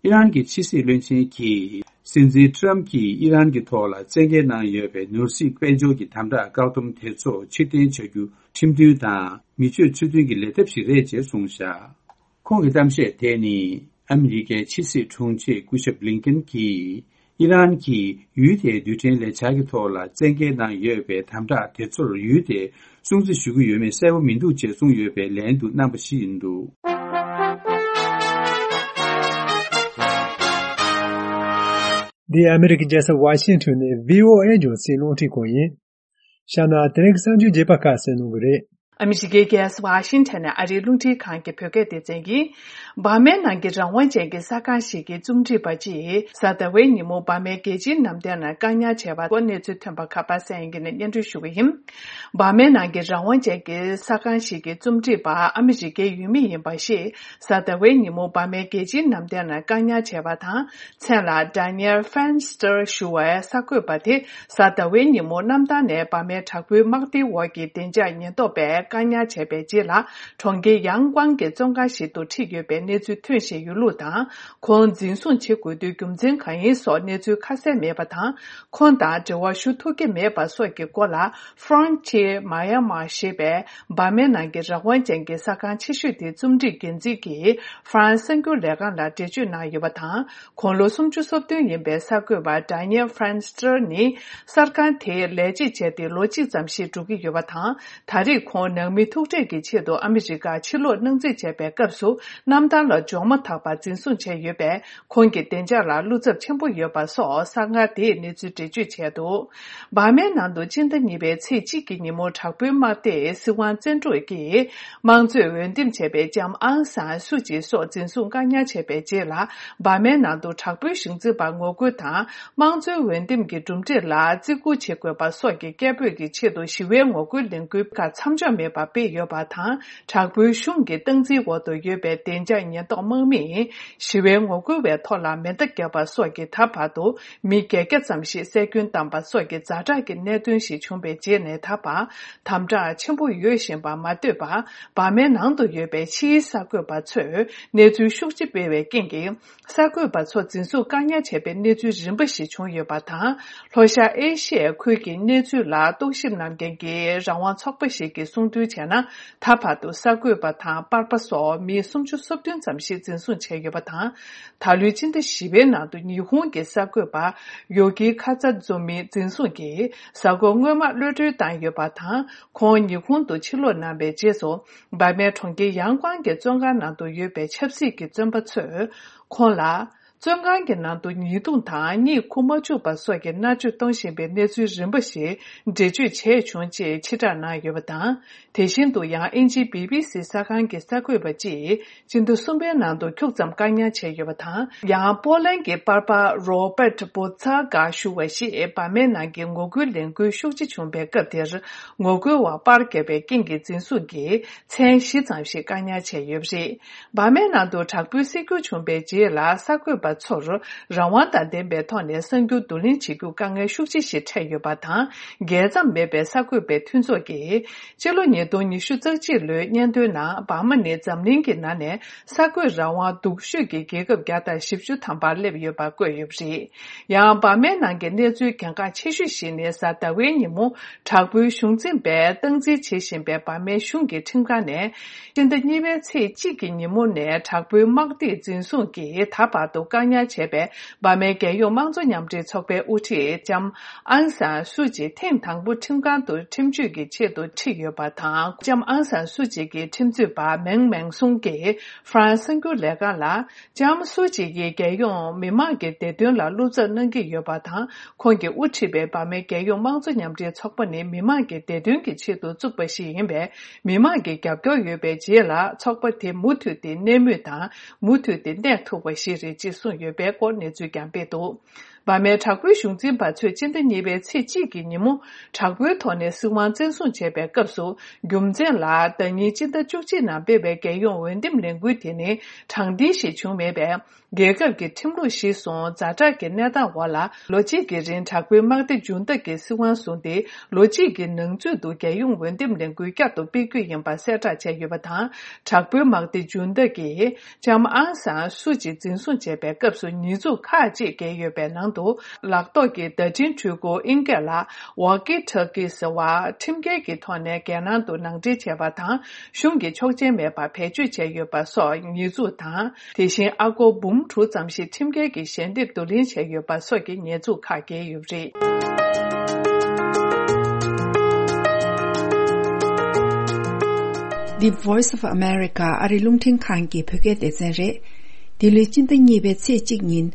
ཨི་རན་གྱི་ཕྱི་སྲིད་བློན་ཆེན་གྱིས། སྲིད་འཛིན་ཊམ་གྱིས་ཨི་རན་གྱི་ཐོག་ལ་བཙན་འགེལ་གནང་ཡོད་པའི་ནོར་སྲིད་དཔལ་འབྱོར་གྱི་དམ་དྲག་བཀག་སྡོམ་དེ་ཚོ་ཕྱིར་འཐེན་བྱ་རྒྱུ་ཁྲིམས་མཐུན་དང་མི་ཆོས་ཚུལ་མཐུན་གྱི་ལས་ཐབས་ཤིག་རེད་ཅེས་གསུངས་བཞག་ཁོང་གི་གཏམ་བཤད་དེ་ནི་ཨ་མི་རི་ཀའི་ཕྱི་སྲིད་དྲུང་ཆེ་སྐུ་ཞབས་བླིང་ཀིན་གྱིས་ཨི་རན་གྱིས་ཡུལ་དེའི་རྡུལ་ཕྲན་ལས་འཆར་གྱི་ཐོག་ལ་བཙན་འགེལ་གནང་ཡོད་པའི་དམ་དྲག་དེ་ཚོར་ཡུལ་དེས་སྲུང་བརྩི་ཞུ་གི་ཡོད་མེད་གསལ་པོ་མི་འདུག་ཅེས་གསུངས་ཡོད་པའི་ལན་དུ་གནང་པ་ཞིག་ཡིན་འདུག་འདི་ཨ་མི་རི་ཀའི་རྒྱལ་ས་ཝ་ཤིང་ཊོན་ནས་བྷི་ཨོ་ཨེ་རྒྱང་སྲིང་རླུང་འཕྲིན་ཁང་ཡིན། ཤ་ན་དེ་རིང་གི་གསར་འགྱུར་རྒྱས་པ་ཁག་གསན་གནང་གི་རེད། ཨ་མི་རི་ཀའི་རྒྱལ་ས་ཝ་ཤིང་ཊོན་ནས་ཨ་རིའི་རླུང་འཕྲིན་ཁང་གི་བོད་སྐད་སྡེ་ཚན་གྱིས། འབར་མའི་ནང་གི་རང་དབང་ཅན་གྱི་གསར་ཁང་ཞིག་གི་རྩོམ་སྒྲིག་པ་གཅིག་གཟའ་ཟླ་བའི་ཉིན་མོ་འབར་མའི་རྒྱལ་སྤྱིའི་ནམ་ཟླའི་ནང་བཀག་ཉར་བྱས་པ་སྐོར་གནས་ཚུལ་ཐོན་པ་ཁ་པར་གསན་མཁན་ནས་སྙན་སྒྲོན་ཞུ་གི་ཡིན། འབར་མའི་ནང་གི་རང་དབང་ཅན་གྱི་གསར་ཁང་ཞིག་གི་རྩོམ་སྒྲིག་པ་ཨ་མི་རི་ཀའི་ཡུལ་མི་ཡིན་པ་ཞིག་གཟའ་ཟླ་བའི་ཉིན་མོ་འབར་མའི་རྒྱལ་སྤྱིའི་ནམ་ཟླའི་ནང་བཀག་ཉར་བྱས་པ་དང་། མཚན་ལ་Daniel Fenster ཞུ་བའི་གསར་འགོད་པ་དེ་གཟའ་ཟླ་བའི་ཉིན་མོ་གནམ་ཐང་ནས་འབར་མའི་དྲག་པོའི་དམག་སྡེའི་འོག་གི་བདེ་འཇགས་ཉེན་རྟོག་པས་བཀག་ཉར་བྱས་པའི་རྗེས་ལ་གྲོང་ཁྱེར་ཡང་ཀོང་གི་བཙོན་ཁང་ཞིག་ཏུ་ཁྲིད་ཡོད་པའི་གནས་ཚུལ་ཐོན་བཞིན་ཡོད་ལུགས་དང་། ཁོང་འཛིན་བཟུང་བྱེད་དགོས་དུས་རྒྱུ་མཚན་གང་ཡིན་སོགས་གནས་ཚུལ་ཁ་གསལ་མེད་པ་དང་། ཁོང་དང་འབྲེལ་བ་ཞུ་ཐུབ་ཀྱི་མེད་པ་སོགས་ཀྱི་སྐོར་ལ། Frontier Myanmar ཞེས་པའི་འབར་མའི་ནང་གི་རང་དབང་ཅན་གྱི་གསར་ཁང་ཆེ་ཤོས་དེའི་རྩོམ་སྒྲིག་འགན་འཛིན་གྱིས་ཧྥ་རན་སི་གསར་འགྱུར་ལས་ཁང་ལ་འགྲེལ་བརྗོད་གནང་ཡོད་པ་དང་། དགུང་ལོ་སུམ་ཅུ་སོ་བདུན་ཡིན་པའི་གསར་འགོད་པ་Daniel Fenster ནི་གསར་ཁང་དེའི་ལས་བྱེད་བྱས་ཏེ་ལོ་གཅིག་ཙམ་ཞིག་འགྲོ་གི་ཡོད་པ་དང་། ད་རེས་ཁོང་ནང་མི་ཐུག་འཕྲད་ཀྱི་ཆེད་དུ་ཨ་མི་རི་ཀར་ཕྱིར་ལོག་གནང་རྩིས་བྱས་པའི་སྐབས་སུ་གནམ་ཐང་ལ་འབྱོར་མ་ཐག་པར་འཛིན་བཟུང་བྱས་ཡོད་པས། ཁོང་གི་བདེ་འཇགས་ལ་བློ་འཚབ་ཆེན་པོ་ཡོད་པ་སོགས་གསར་ཁང་དེས་གནས་ཚུལ་འགྲེལ་བརྗོད་བྱས་འདུག་འབར་མའི་ནང་དུ་སྤྱི་ཟླ་གཉིས་པའི་ཚེས་གཅིག་གི་ཉིན་མོ་དྲག་པོའི་དམག་སྡེས་སྲིད་དབང་བཙན་འཕྲོག་གིས་དམངས་གཙོས་འོས་འདེམས་བྱས་པའི་ལྕམ་ཨང་སང་སུ་ཅི་སོགས་འཛིན་བཟུང་བཀག་ཉར་བྱས་པའི་རྗེས་ལ། འབར་མའི་ནང་དུ་དྲག་པོའི་གཞུང་འཛིན་པར་ངོ་རྒོལ་དང་། དམངས་གཙོའི་འོས་འདེམས་ཀྱི་གྲུབ་འབྲས་ལ་བརྩི་བཀུར་བྱེད་དགོས་པ་སོགས་ཀྱི་སྐད་འབོད་ཀྱི་ཆེད་དུ་ཞི་བའི་ངོ་རྒོལ་ལས་འགུལ་ཁག་མཚམས་འཇོག་མེད་པར་སྤེལ་ཡོད་པ་དང་། དྲག་པོའི་གཞུང་གི་སྟངས་འཛིན་འོག་ཏུ་ཡོད་པའི་བདེ་འཇགས་ཉེན་རྟོག་དམག་མིས་ཞི་བའི་ངོ་རྒོལ་བའི་ཐོག་ལ་མེ་མདའ་བརྒྱབ་པ་སོགས་ཀྱིས་ད་བར་དུ་མི་བརྒྱད་བརྒྱ་ཙམ་ཞིག་བསད་སྐྱོན་བཏང་པ་སོགས་ཀྱི་ཛ་དྲག་གི་གནད་དོན་ཞིག་བྱུང་བའི་རྗེས་ནས་ད་བར་དམ་དྲག་ཆེན་པོ་ཡོད་བཞིན་པ་མ་ལྟོས་པར། འབར་མའི་ནང་དུ་ཡོད་པའི་ཕྱིའི་གསར་འགོད་པ་ཚོས་གནས་ཚུལ་ཤུགས་ཆེ་སྤེལ་བའི་རྐྱེན་གྱིས། གསར་འགོད་པ་ཚོ་འཛིན་བཟུང་བཀག་ཉར་བྱས་པའི་གནས་ཚུལ་རིམ་པ་ཞིག་བྱུང་ཡོད་པ་དང་། ལྷོ་ཤར་ཨེ་ཤི་ཡའི་ཁུལ་གྱི་གནས་ཚུལ་ལ་རྟོག་ཞིབ་གནང་མཁན་གྱི་རང་དབང་ཚོགས་པ་ཞིག་གིས་གསུངས་དོན་བྱས་ན། ད་བར་དུ་གསར་འགོད་པ་དང་པར་པ་སོགས་མི་སུམ་ཅུ་སོ་བདུན་ཙམ་ཞིག་འཛིན་བཟུང་བྱས་ཡོད་པ་དང་། ད་ལོའི་སྤྱི་ཟླ་བཞི་པའི་ནང་དུ་ཉི་ཧོང་གི་གསར་འགོད་པ་ཡོ་ཀི་ཁ་ཚ་ཛོ་མི་འཛིན་བཟུང་གིས་གཟའ་འཁོར་སྔོན་མ་གློད་གྲོལ་བཏང་ཡོད་པ་དང་། ཁོང་ཉི་ཧོང་དུ་ཕྱིར་ལོག་གནང་བའི་རྗེས་སུ། འབར་མའི་གྲོང་ཁྱེར་ཡང་ཀོང་གི་བཙོན་ཁང་ནང་དུ་ཡོད་པའི་ཆབ་སྲིད་ཀྱི་བཙོན་པ་ཚོས་ཁོང་ལ། བཙོན་ཁང་གི་ནང་དུ་ཉེས་རྡུང་དང་གཉིད་ཁུག་མ་བཅུག་པ་སོགས་ཀྱི་མནར་གཅོད་གཏོང་བཞིན་པའི་གནས་ཚུལ་རིམ་པ་ཞིག་འགྲེལ་བརྗོད་བྱས་བྱུང་ཅེས་ཕྱིར་བསྒྲགས་གནང་ཡོད་པ་དང་། དེ་བཞིན་དུ་ཡང་ཨིན་ཇིའི་བི་བི་སི་གསར་ཁང་གི་གསར་འགོད་པ་གཅིག་སྤྱི་ཟླ་གསུམ་པའི་ནང་དུ་ཁྱུག་ཙམ་བཀག་ཉར་བྱས་ཡོད་པ་དང་། ཡང་པོ་ལན་གྱི་པར་པ་རོ་པར་བྷོ་ཚ་ག་ཞུ་བ་ཞིག་འབར་མའི་ནང་གི་ངོ་རྒོལ་ལས་འགུལ་ཤུགས་ཆེ་བྱུང་བའི་སྐབས་དེར། ངོ་རྒོལ་བ་པར་བརྒྱབ་པའི་རྐྱེན་གྱིས་འཛིན་བཟུང་གིས་མཚན་བཞི་ཙམ་ཞིག་བཀག་ཉར་བྱས་ཡོད་པ་རེད། འབར་མའི་ནང་དུ་དྲག་པོའི་སྲིད་འགྱུར་བྱུང་བའི་རྗེས་ལ་གསར་འགོད་པ་ཚོར་རང་དབང་དང་ལྡན་པའི་ཐོག་ནས་གསར་འགྱུར་བསྡུ་ལེན་བྱེད་རྒྱུར་དཀའ་ངལ་ཤུགས་ཆེ་ཞིག་འཕྲད་ཡོད་པ་དང་། རྒྱལ་མཚམས་མེད་པའི་གསར་འགོད་པའི་མཐུན་ཚོགས་ཀྱིས། སྤྱི་ལོ་ཉིས་སྟོང་ཉི་ཤུ་རྩ་གཅིག་ལོའི་སྙན་ཐོའི་ནང་འབར་མ་ནི་འཛམ་གླིང་གི་ནང་ནས་གསར་འགོད་རང་དབང་སྡུག་ཤོས་ཀྱི་རྒྱལ་ཁབ་བརྒྱ་དང་བཞི་བཅུ་ཐམ་པར་སླེབས་ཡོད་པ་བཀོད་ཡོད་པ་རེད། ཡང་འབར་མའི་ནང་གི་གནས་ཚུལ་གལ་འགངས་ཆེ་ཤོས་ཤིག་ནི་གཟའ་ཟླ་བའི་ཉིན་མོ་དྲག་པོའི་གཞུང་འཛིན་པས་སྟངས་འཛིན་བྱེད་བཞིན་པའི་འབར་མའི་གཞུང་གི་ཁྲིམས་ཁང་ནས། སྤྱི་ཟླ་གཉིས་པའི་ཚེས་གཅིག་གི་ཉིན་མོ་ནས་དྲག་པོའི་དམག་སྡེས་འཛིན་བཟུང་གིས་ད་བར་དུ་བཀག་ཉར་བྱས་པའི་འབར་མའི་རྒྱལ་ཡོངས་དམངས་གཙོ་མཉམ་འབྲེལ་ཚོགས་པའི་དབུ་ཁྲིད་ལྕམ་ཨང་སང་སུ་ཅི་ཐེངས་དང་པོ་ཁྲིམས་ཁང་དུ་ཁྲིམས་གཅོད་ཀྱི་ཆེད་དུ་ཁྲིད་ཡོད་པ་དང་། ལྕམ་ཨང་སང་སུ་ཅི་གི་ཁྲིམས་རྩོད་པ་མེང་མེང་སུང་གིས་ཧྥ་རན་སི་གསར་འགྱུར་ལས་ཁང་ལ། ལྕམ་སུ་ཅི་ཡིས་རྒྱལ་ཡོངས་མི་མང་གི་བདེ་དོན་ལ་བློ་འཚབ་གནང་གི་ཡོད་པ་དང་། ཁོང་གིས་དབུ་ཁྲིད་པའི་འབར་མའི་རྒྱལ་ཡོངས་དམངས་གཙོ་མཉམ་འབྲེལ་ཚོགས་པ་ནི་མི་མང་གི་བདེ་དོན་གྱི་ཆེད་དུ་བཙུགས་པ་ཞིག་ཡིན་པས། མི་མང་གི་རྒྱབ་སྐྱོར་ཡོད་པའི་རྗེས་ལ་ཚོགས་པ་དེ་མུ་མཐུད་དེ་གནས་མུས་དང་། མུ་མཐུད་དེ་གནས་ཐུབ་པ་ཞིག་རེད་ཅེས་གསུངས་ཡོད་པའི་སྐོར་གནས་ཚུལ་ཀྱང་སྤེལ་འདུག་འབར་མའི་དྲག་པོའི་གཞུང་འཛིན་པ་ཚོས་སྤྱི་ཟླ་གཉིས་པའི་ཚེས་གཅིག་གི་ཉིན་མོ་དྲག་པོའི་ཐོག་ནས་སྲིད་དབང་བཙན་བཟུང་བྱས་པའི་སྐབས་སུ། རྒྱུ་མཚན་ལ་ཟླ་ཉིན་སྤྱི་ཟླ་བཅུ་གཅིག་ནང་སྤེལ་བའི་རྒྱལ་ཡོངས་འོས་འདེམས་ལས་འགུལ་དེ་ནི་དྲང་བདེན་ཞིག་བྱུང་མེད་པས། རྒྱལ་ཁབ་ཀྱི་ཁྲིམས་ལུགས་གཞིར་བཟུང་ཛ་དྲག་གི་གནས་སྟངས་འོག་ལ་ལོ་གཅིག་གི་རིང་དྲག་པོའི་དམག་སྡེ་ཇུན་ཏ་གིས་སྲིད་དབང་བཟུང་སྟེ། ལོ་གཅིག་གི་ནང་ཚུད་དུ་རྒྱལ་ཡོངས་འོས་འདེམས་ལས་འགུལ་བསྐྱར་དུ་སྤེལ་རྒྱུ་ཡིན་པ་གསལ་བསྒྲགས་བྱས་ཡོད་པ་དང་། དྲག་པོའི་དམག་སྡེ་ཇུན་ཏ་གིས་ལྕམ་ཨང་སང་སུ་ཅི་འཛིན་བཟུང་བྱས་པའི་སྐབས་སུ་ཉེས་འཛུགས་ཁག་ཅིག་འགེལ་ཡོད་པའི་ནང་དུ། ལག་ཐོག་གི་བརྡ་འཕྲིན་འཕྲུལ་འཁོར་ཨིན་སྐད་ལ་ཝོག་ཀི་ཊོག་ཀི་ཟེར་བ་ཁྲིམས་འགལ་གྱི་ཐོག་ནས་རྒྱལ་ནང་དུ་ནང་འདྲེན་བྱས་པ་དང་། གཞུང་གི་ཆོག་མཆན་མེད་པར་བེད་སྤྱོད་བྱས་ཡོད་པ་སོགས་ཉེས་འཛུགས་དང་། དེ་བཞིན་ཨ་སྒོར་འབུམ་དྲུག་ཙམ་ཞིག་ཁྲིམས་འགལ་གྱི་ཞལ་འདེབས་བསྡུ་ལེན་བྱས་ཡོད་པ་སོགས་ཀྱི་ཉེས་འཛུགས་ཁག་འགེལ་ཡོད་པ་རེད། The Voice of America ཨ་རི་རླུང་འཕྲིན་ཁང་གི་བོད་སྐད་སྡེ་ཚན་རེད། འདི་ལོའི་སྤྱི་ཟླ་གཉིས་པའི་ཚེས་གཅིག་ཉིན།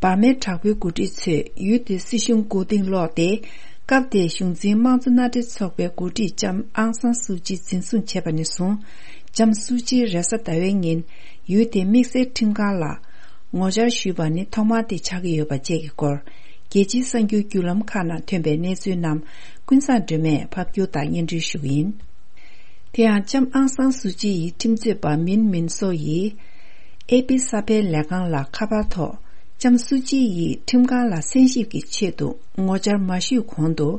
འབར་མའི་དྲག་པོའི་འགོ་ཁྲིད་ཚོས་ཡུལ་དེའི་སྲིད་གཞུང་མགོ་རྟིང་སློག་སྟེ། སྐབས་དེའི་གཞུང་འཛིན་དམངས་གཙོ་མནའ་འབྲེལ་ཚོགས་པའི་འགོ་ཁྲིད་ལྕམ་ཨང་སང་སུའུ་ཅི་འཛིན་བཟུང་བྱས་པ་ནས་བཟུང་། ལྕམ་སུའུ་ཅིས་རེས་གཟའ་ཟླ་བའི་ཉིན་ཡུལ་དེའི་དམིགས་བསལ་ཁྲིམས་ཁང་ལ་ངོ་བཅར་ཞུས་པ་ནི་ཐོག་མ་དེ་ཆགས་ཀྱི་ཡོད་པ་བཅས་ཀྱི་སྐོར། རྒྱལ་སྤྱིའི་གསར་འགྱུར་བརྒྱུད་ལམ་ཁག་ནང་ཐོན་པའི་གནས་ཚུལ་རྣམས་ཀུན་བཟང་སྒྲོལ་མས་ཕབ་སྒྱུར་དང་སྙན་སྒྲོན་ཞུ་གི་ཡིན། དེ་ཡང་ལྕམ་ཨང་སང་སུའུ་ཅི་ཡི་ཁྲིམས་རྩོད་པ་མིན་མིན་སོ་ཡིས། ཨེ་པི་གསར་སྤེལ་ལས་ཁང་ལ་ཁ་པར་ཐོག་ལྕམ་སུའུ་ཅི་ཡིས་ཁྲིམས་ཁང་ལ་གསན་ཞིབ་ཀྱི་ཆེད་དུ་ངོ་བཅར་མ་ཞུས་གོང་དུ།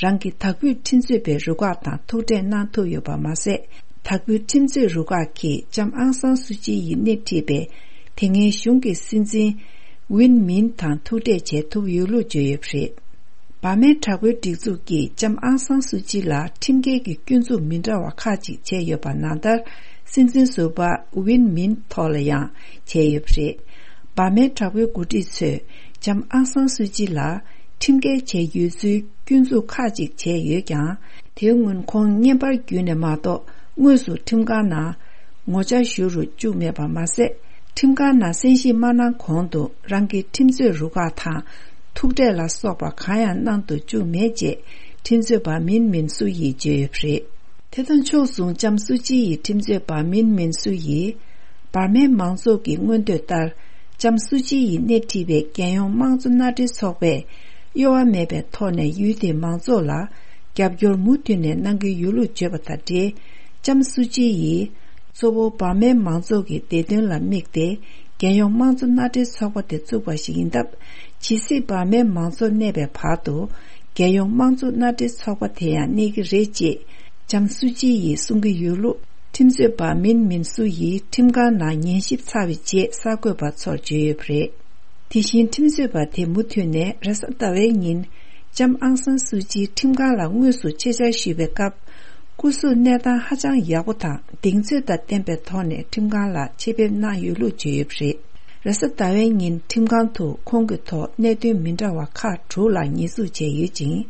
རང་གི་དྭགས་བོད་ཁྲིམས་རྩོད་པའི་རུ་ཁག་དང་ཐུག་འཕྲད་གནང་ཐུབ་ཡོད་པ་མ་ཟད། དྭགས་བོད་ཁྲིམས་རྩོད་རུ་ཁག་གིས་ལྕམ་ཨང་སང་སུའུ་ཅི་ཡིས་སྣེ་ཁྲིད་པའི་དེ་སྔའི་གཞུང་གི་སྲིད་འཛིན་ཝིན་མིན་དང་ཐུག་འཕྲད་བྱེད་ཐུབ་ཡོད་ལུགས་བརྗོད་ཡོད་པ་རེད། འབར་མའི་དྲག་པོའི་སྒྲིག་འཛུགས་ཀྱིས་ལྕམ་ཨང་སང་སུའུ་ཅི་ལ་ཁྲིམས་འགལ་གྱི་སྐྱོན་འཛུགས་མི་འདྲ་བ་ཁག་ཅིག་བྱས་ཡོད་པ་ནང་ལྟར། སྲིད་འཛིན་ཟུར་པ་ཝིན་མིན་ཐོག་ལ་ཡང་བྱས་ཡོད་པ་རེད། འབར་མའི་དྲག་པོའི་འགོ་ཁྲིད་ཚོས་ལྕམ་ཨང་སང་སུའུ་ཅི་ལ་ཁྲིམས་འགལ་བྱས་ཡོད་ཚུལ་སྐྱོན་འཛུགས་ཁག་ཅིག་བྱས་ཡོད་ཀྱང་། དེའི་སྔོན་ཁོང་བརྙན་པར་བརྒྱུད་ནས་མ་གཏོགས་དངོས་སུ་ཁྲིམས་ཁང་ནང་ངོ་བཅར་ཞུ་རུ་བཅུག་མེད་པ་མ་ཟད། ཁྲིམས་ཁང་ནང་གསན་ཞིབ་མ་གནང་གོང་དུ་རང་གི་ཁྲིམས་རྩོད་རུ་ཁག་དང་ཐུག་འཕྲད་ལ་སོགས་པ་གང་ཡང་གནང་དུ་བཅུག་མེད་ཅེས་ཁྲིམས་རྩོད་པ་མིན་མིན་སུ་ཡིས་བརྗོད་ཡོད་པ་རེད། དེ་དང་ཕྱོགས་མཚུངས་ལྕམ་སུ་ཅི་ཡི་ཁྲིམས་རྩོད་པ་མིན་མིན་སུ་ཡིས། འབར་མའི་མང་ཚོགས་ཀྱི་མངོན་འདོད་ལྟར། ལྕམ་སུ་ཅི་ཡིས་སྣེ་ཁྲིད་པའི་རྒྱལ་ཡོངས་དམངས་གཙོ་མནའ་འབྲེལ་ཚོགས་པས། གཡོ་བ་མེད་པའི་ཐོག་ནས་ཡུལ་དེའི་མང་ཚོགས་ལ། རྒྱབ་སྐྱོར་མུ་མཐུད་ནས་གནང་གི་ཡོད་ལུགས་བརྗོད་པ་དང་འབྲེལ། ལྕམ་སུ་ཅི་ཡིས། གཙོ་བོ་འབར་མའི་མང་ཚོགས་ཀྱི་བདེ་དོན་ལ་དམིགས་ཏེ། རྒྱལ་ཡོངས་དམངས་གཙོ་མནའ་འབྲེལ་ཚོགས་པ་དེ་བཙུགས་པ་ཞིག་ཡིན་སྟབས། ཇི་སྲིད་འབར་མའི་མང་ཚོགས་གནས་པའི་བར་དུ། རྒྱལ་ཡོངས་དམངས་གཙོ་མནའ་འབྲེལ་ཚོགས་པ་དེ་ཡང་གནས་ཀྱི་རེད་ཅེས། ལྕམ་སུ་ཅི་ཡིས་གསུང་གི་ཡོད་ལུགས། ཁྲིམས་རྩོད་པ་མིན་མིན་སུ་ཡིས་ཁྲིམས་ཁང་ནང་ཉན་ཞིབ་ཚར་བའི་རྗེས་གསར་འགོད་པ་ཚོར་བརྗོད་ཡོད་པ་རེད། དེ་བཞིན་ཁྲིམས་རྩོད་པ་དེ་མུ་མཐུད་ནས་རེས་གཟའ་ཟླ་བའི་ཉིན། ལྕམ་ཨང་སང་སུ་ཅི་ཁྲིམས་ཁང་ལ་དངོས་སུ་ཆེད་བཅར་ཞུས་པའི་སྐབས། སྐུ་གཟུགས་གནས་སྟངས་ཧ་ཅང་ཡག་པོ་དང་གདེང་ཚོད་དང་ལྡན་པའི་ཐོག་ནས་ཁྲིམས་ཁང་ལ་ཆེད་ཕེབས་གནང་ཡོད་ལུགས་བརྗོད་ཡོད་པ་རེད། རེས་གཟའ་ཟླ་བའི་ཉིན་ཁྲིམས་ཁང་དུ་ཁོང་གི་ཐོག་གནད་དོན་མི་འདྲ་བ་ཁག་དྲུག་ལ་ཉེས་འཛུགས་བྱས་ཡོད་ཅིང་།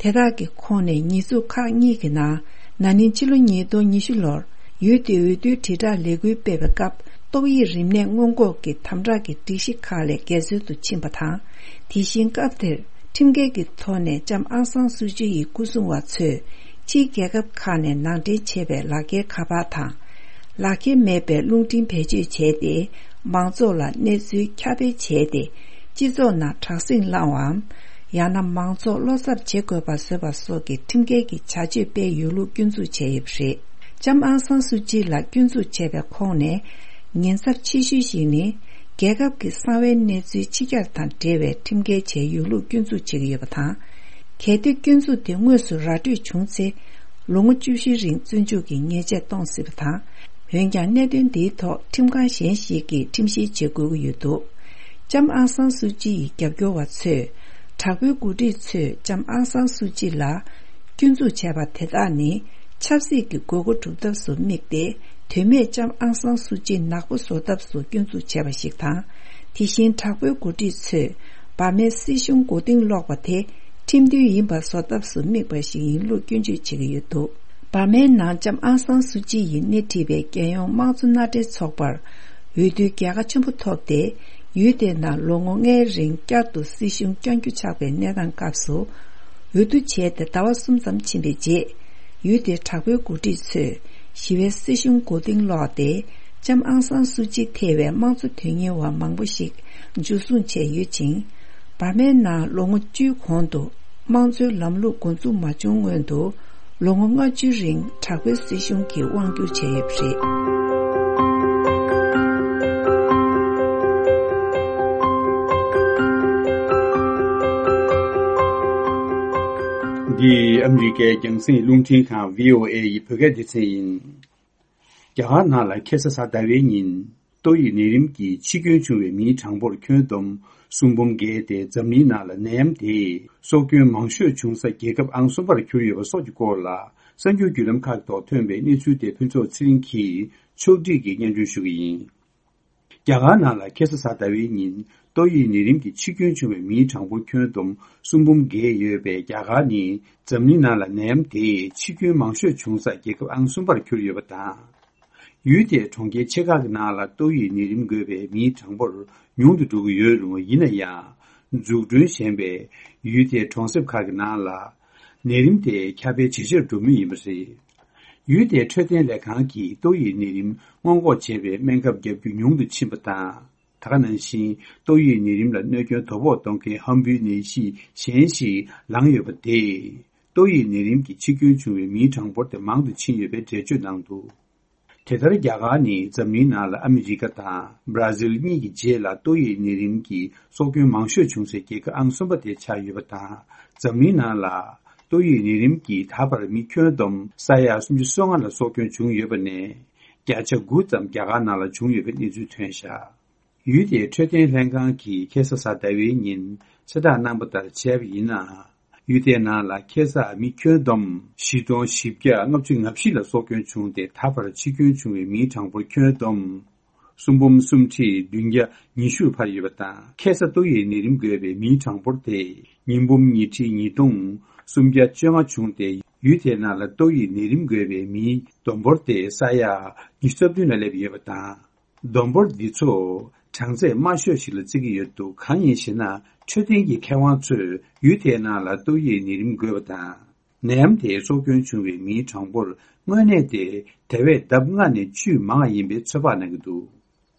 དེ་དག་གི་ཁོངས་ནས་ཉེས་འཛུགས་ཁག་གཉིས་ཀྱི་ནང་། ན་ནིང་ཕྱི་ལོ་ཉིས་སྟོང་ཉི་ཤུ་ལོར་ཡུལ་དེའི་འོས་བསྡུའི་དྲིལ་བསྒྲགས་ལས་འགུལ་སྤེལ་བའི་སྐབས། ཏོག་དབྱིབས་རིམས་ནད་སྔོན་འགོག་གི་དམ་དྲག་གི་སྒྲིག་གཞི་ཁག་ལས་འགལ་འཛོལ་དུ་ཕྱིན་པ་དང་། དེ་བཞིན་སྐབས་དེར་ཁྲིམས་འགལ་གྱི་ཐོག་ནས་ལྕམ་ཨང་སང་སུའུ་ཅི་ཡི་སྐུ་སྲུང་བ་ཚོས་ཕྱིའི་རྒྱལ་ཁབ་ཁག་ནས་ནང་འདྲེན་བྱས་པའི་ལག་འཁྱེར་ཁ་པར་དང་། ལག་འཁྱེར་མེད་པའི་རླུང་འཕྲིན་བེད་སྤྱོད་བྱས་ཏེ། མང་ཚོགས་ལ་གནས་ཚུལ་ཁྱབ་སྤེལ་བྱས་ཏེ། སྤྱི་ཚོགས་ནང་དྲག་ཟིང་བསླངས་པའམ། ཡང་ན་མང་ཚོགས་བློ་འཚབ་བྱེད་དགོས་པ་བཟོས་པ་སོགས་ཀྱི་ཁྲིམས་འགལ་གྱི་བྱ་སྤྱོད་སྤེལ་ཡོད་ལུགས་སྐྱོན་འཛུགས་བྱས་ཡོད་པ་རེད། ལྕམ་ཨང་སང་སུའུ་ཅི་ལ་སྐྱོན་འཛུགས་བྱས་པའི་ཁོངས་ནས། ཉེན་ཚབས་ཆེ་ཤོས་ཤིག་ནི། རྒྱལ་ཁབ་ཀྱི་གསང་བའི་གནས་ཚུལ་ཕྱི་གྱར་དང་འབྲེལ་བའི་ཁྲིམས་འགལ་བྱས་ཡོད་ལུགས་སྐྱོན་འཛུགས་བྱེད་ཀྱི་ཡོད་པ་དང་། གལ་ཏེ་སྐྱོན་འཛུགས་དེ་དངོས་སུ་ར་སྤྲོད་བྱུང་ཚེ། ལོ་ངོ་བཅུ་བཞིའི་རིང་བཙོན་འཇུག་གི་ཉེས་ཆད་གཏོང་སྲིད་པ་དང་། འོན་ཀྱང་། གནད་དོན་འདིའི་ཐོག་ཁྲིམས་ཁང་གཞན་ཞིག་གིས་ཁྲིམས་བཤེར་བྱེད་དགོས་ཀྱི་ཡོད་འདུག་ལྕམ་ཨང་སང་སུའུ་ཅི་ཡི་རྒྱབ་སྐྱོར་བ་ཚོས། དྲག་པོའི་འགོ་ཁྲིད་ཚོས་ལྕམ་ཨང་སང་སུའུ་ཅི་ལ། སྐྱོན་འཛུགས་བྱས་པ་དེ་དག་ནི། ཆབ་སྲིད་ཀྱི་དགོས་མཁོ་སྒྲུབ་ཐབས་སུ་དམིགས་ཏེ། དོན་མེད་ལྕམ་ཨང་སང་སུའུ་ཅི་ནག་པོ་བཟོ་ཐབས་སུ་སྐྱོན་འཛུགས་བྱས་པ་ཞིག་དང་། དེ་བཞིན་དྲག་པོའི་འགོ་ཁྲིད་ཚོས། འབར་མའི་སྲིད་གཞུང་མགོ་རྟིང་སློག་པ་དེ། ཁྲིམས་མཐུན་ཡིན་པ་བཟོ་ཐབས་སུ་དམིགས་པ་ཞིག་ཡིན་ལུགས་སྐྱོན་བརྗོད་བྱེད་ཀྱི་ཡོད་འདུག་འབར་མའི་ནང་ལྕམ་ཨང་སང་སུའུ་ཅི་ཡིས་སྣེ་ཁྲིད་པའི་རྒྱལ་ཡོངས་དམངས་གཙོ་མནའ་འབྲེལ་ཚོགས་པར། འོས་བསྡུའི་རྒྱལ་ཁ་ཆེན་པོ་ཐོབ་སྟེ། ཡུལ་དེའི་ནང་ལོ་ངོ་ལྔའི་རིང་བསྐྱར་དུ་སྲིད་གཞུང་བསྐྱང་རྒྱུ་ཆགས་པའི་གནས་སྟངས་སྐབས་སུ། འོས་བསྡུ་བྱས་ཏེ་ཟླ་བ་གསུམ་ཙམ་ཕྱིན་པའི་རྗེས། ཡུལ་དེའི་དྲག་པོའི་འགོ་ཁྲིད་ཚོས་ཞི་བའི་སྲིད་གཞུང་མགོ་རྟིང་སློག་སྟེ། ལྕམ་ཨང་སང་སུའུ་ཅི་ཐེ་བའི་དམངས་གཙོ་དོན་གཉེར་བ་མང་པོ་ཞིག་འཇུ་བཟུང་བྱས་ཡོད་ཅིང་། འབར་མའི་ནང་ལོ་ངོ་བཅུའི་གོང་དུ་དམངས་གཙོའི་ལམ་ལུགས་འགོ་འཛུགས་མ་བྱུང་སྔོན་དུ། ལོ་ངོ་ལྔ་བཅུའི་རིང་དྲག་པོའི་སྲིད་གཞུང་གིས་དབང་བསྒྱུར་བྱས་ཡོད་པ་རེད། འདི་ཨ་མི་རི་ཀའི་རྒྱང་སྲིང་རླུང་འཕྲིན་ཁང་བྷི་ཨོ་ཨེ་ཡི་བོད་སྐད་སྡེ་ཚན་ཡིན། རྒྱ་གར་ནང་ལ་ཁ་སང་གཟའ་ཟླ་བའི་ཉིན། ཏོག་དབྱིབས་ནད་རིམས་ཀྱིས་འཆི་སྐྱོན་བྱུང་བའི་མིའི་གྲངས་འབོར་ཁྱོན་བསྡོམས་སུམ་འབུམ་བརྒལ་ཏེ། འཛམ་གླིང་ནང་ལ་ནད་ཡམས་དེས་སྲོག་སྐྱོན་མང་ཤོས་བྱུང་ས་རྒྱལ་ཁབ་ཨང་གསུམ་པར་གྱུར་ཡོད་པ་སོགས་ཀྱི་སྐོར་ལ། གསར་འགྱུར་བརྒྱུད་ལམ་ཁག་ཐོག་ཐོན་པའི་གནས་ཚུལ་དེ་ཕུན་ཚོགས་ཚེ་རིང་གིས་ཕྱོགས་སྒྲིག་གིས་སྙན་སྒྲོན་ཞུ་གི་ཡིན། རྒྱ་གར་ནང་ལ་ཁ་སང་གཟའ་ཟླ་བའི་ཉིན་ཏོག་དབྱིབས་ནད་རིམས་ཀྱིས་འཆི་སྐྱོན་བྱུང་བའི་མིའི་གྲངས་འབོར་ཁྱོན་བསྡོམས་སུམ་འབུམ་བརྒལ་ཡོད་པའི་རྒྱ་གར་ནི། འཛམ་གླིང་ནང་ལ་ནད་ཡམས་དེས་འཆི་སྐྱོན་མང་ཤོས་བྱུང་ས་རྒྱལ་ཁབ་ཨང་གསུམ་པར་གྱུར་ཡོད་པ་དང་། ཡུལ་དེའི་གྲོང་ཁྱེར་ཆེ་ཁག་གི་ནང་ལ་ཏོག་དབྱིབས་ནད་རིམས་འགོས་པའི་མིའི་གྲངས་འབོར་ཉུང་དུ་འགྲོ་གི་ཡོད་རུང་། ཡིན་ན་ཡང་། འཛུགས་སྐྲུན་ཞན་པའི་ཡུལ་དེའི་གྲོང་གསེབ་ཁག་གི་ནང་ལ། ནད་རིམས་དེ་ཁྱབ་སྤེལ་ཇེ་ཆེར་འགྲོ་མུས་ཡིན་པ་རེད། ཡུལ་དེའི་འཕྲོད་བསྟེན་ལས་ཁང་གིས་ཏོག་དབྱིབས་ནད་རིམས་སྔོན་འགོག་བྱེད་པའི་སྨན་ཁབ་བརྒྱབ་རྒྱུ་ཉུང་དུ་ཕྱིན་པ་དང་། ད་ག་ནང་བཞིན་ཏོག་དབྱིབས་ནད་རིམས་ལ་གནོད་སྐྱོན་དོ་ཕོག་གཏོང་མཁན་ཧམ་འབུའི་ནད་གཞི་གཞན་ཞིག་ལངས་ཡོད་པ་དེས། ཏོག་དབྱིབས་ནད་རིམས་ཀྱིས་འཆི་སྐྱོན་བྱུང་བའི་མིའི་གྲངས་འབོར་དེ་མང་དུ་ཕྱིན་ཡོད་པའི་འགྲེལ་བརྗོད་གནང་འདུག་དེ་ལྟར་རྒྱ་གར་ནི་འཛམ་གླིང་ནང་ལ་ཨ་མི་རི་ཀ་དང་བྷ་ར་ཟིལ་གཉིས་ཀྱི་རྗེས་ལ་ཏོག་དབྱིབས་ནད་རིམས་ཀྱིས་སྲོག་སྐྱོན་མང་ཤོས་བྱུང་སའི་རྒྱལ་ཁབ་ཨང་གསུམ་པ་དེ་ཆགས་ཡོད་པ་དང་། འཛམ་གླིང་ནང་ལ་ཏོག་དབྱིབས་ནད་རིམས་ཀྱིས་ད་བར་མི་ཁྱོན་བསྡོམས་ས་ཡ་སུམ་ཅུ་སོ་ལྔ་ལ་སྲོག་སྐྱོན་བྱུང་ཡོད་པ་ནས། བརྒྱ་ཆ་དགུ་ཙམ་རྒྱ་གར་ནང་ལ་བྱུང་ཡོད་པའི་གནས་ཚུལ་ཐོན་བཞག་ཡུལ་དེའི་འཕྲོད་བསྟེན་ལྷན་ཁང་གིས་ཁ་སང་གཟའ་ཟླ་བའི་ཉིན་གསལ་བསྒྲགས་གནང་པ་ལྟར་བྱས་པ་ཡིན་ན། ཡུལ་དེའི་ནང་ལ་ཁ་སང་མི་ཁྱོན་བསྡོམས་བཞི་སྟོང་བཞི་བརྒྱ་ལྔ་བཅུ་ང་བཞི་ལ་སྲོག་སྐྱོན་བྱུང་སྟེ། ད་བར་འཆི་སྐྱོན་བྱུང་བའི་མིའི་གྲངས་འབོར་ཁྱོན་བསྡོམས་སུམ་འབུམ་སུམ་ཁྲི་བདུན་བརྒྱ་ཉི་ཤུར་འཕར་ཡོད་པ་དང་། ཁ་སང་ཏོག་དབྱིབས་ནད་རིམས་འགོས་པའི་མིའི་གྲངས་འབོར་དེ་ཉིས་འབུམ་ཉི་ཁྲི་ཉིས་སྟོང་སུམ་བརྒྱ་བཅོ་ལྔ་བྱུང་སྟེ། ཡུལ་དེའི་ནང་ལ་ཏོག་དབྱིབས་ནད་རིམས་འགོས་པའི་མིའི་བསྡོམས་འབོར་དེ་ས་ཡ་ཉི་ཤུ་རྩ་བདུན་ལ་སླེབས་ཡོད་པ་དང་། བསྡོམས་འབོར་འདི་ཚོ་གྲངས་ཚད་དམའ་ཤོས་ཤིག་ལ་བརྩི་གི་ཡོད་འདུག་གང་ཡིན་ཞེ་ན། འཕྲོད་བསྟེན་གྱི་མཁས་དབང་ཚོས་ཡུལ་དེའི་ནང་ལ་ཏོག་དབྱིབས་ནད་རིམས་འགོས་པ་དང་། ནད་ཡམས་དེས་སྲོག་སྐྱོན་བྱུང་བའི་མིའི་གྲངས་འབོར་དངོས་གནས་དེ་དེ་བས་ལྡབ་ལྔ་ནས་བཅུས་མང་བ་ཡིན་པའི་ཚོད་དཔག་གནང་གི་འདུག་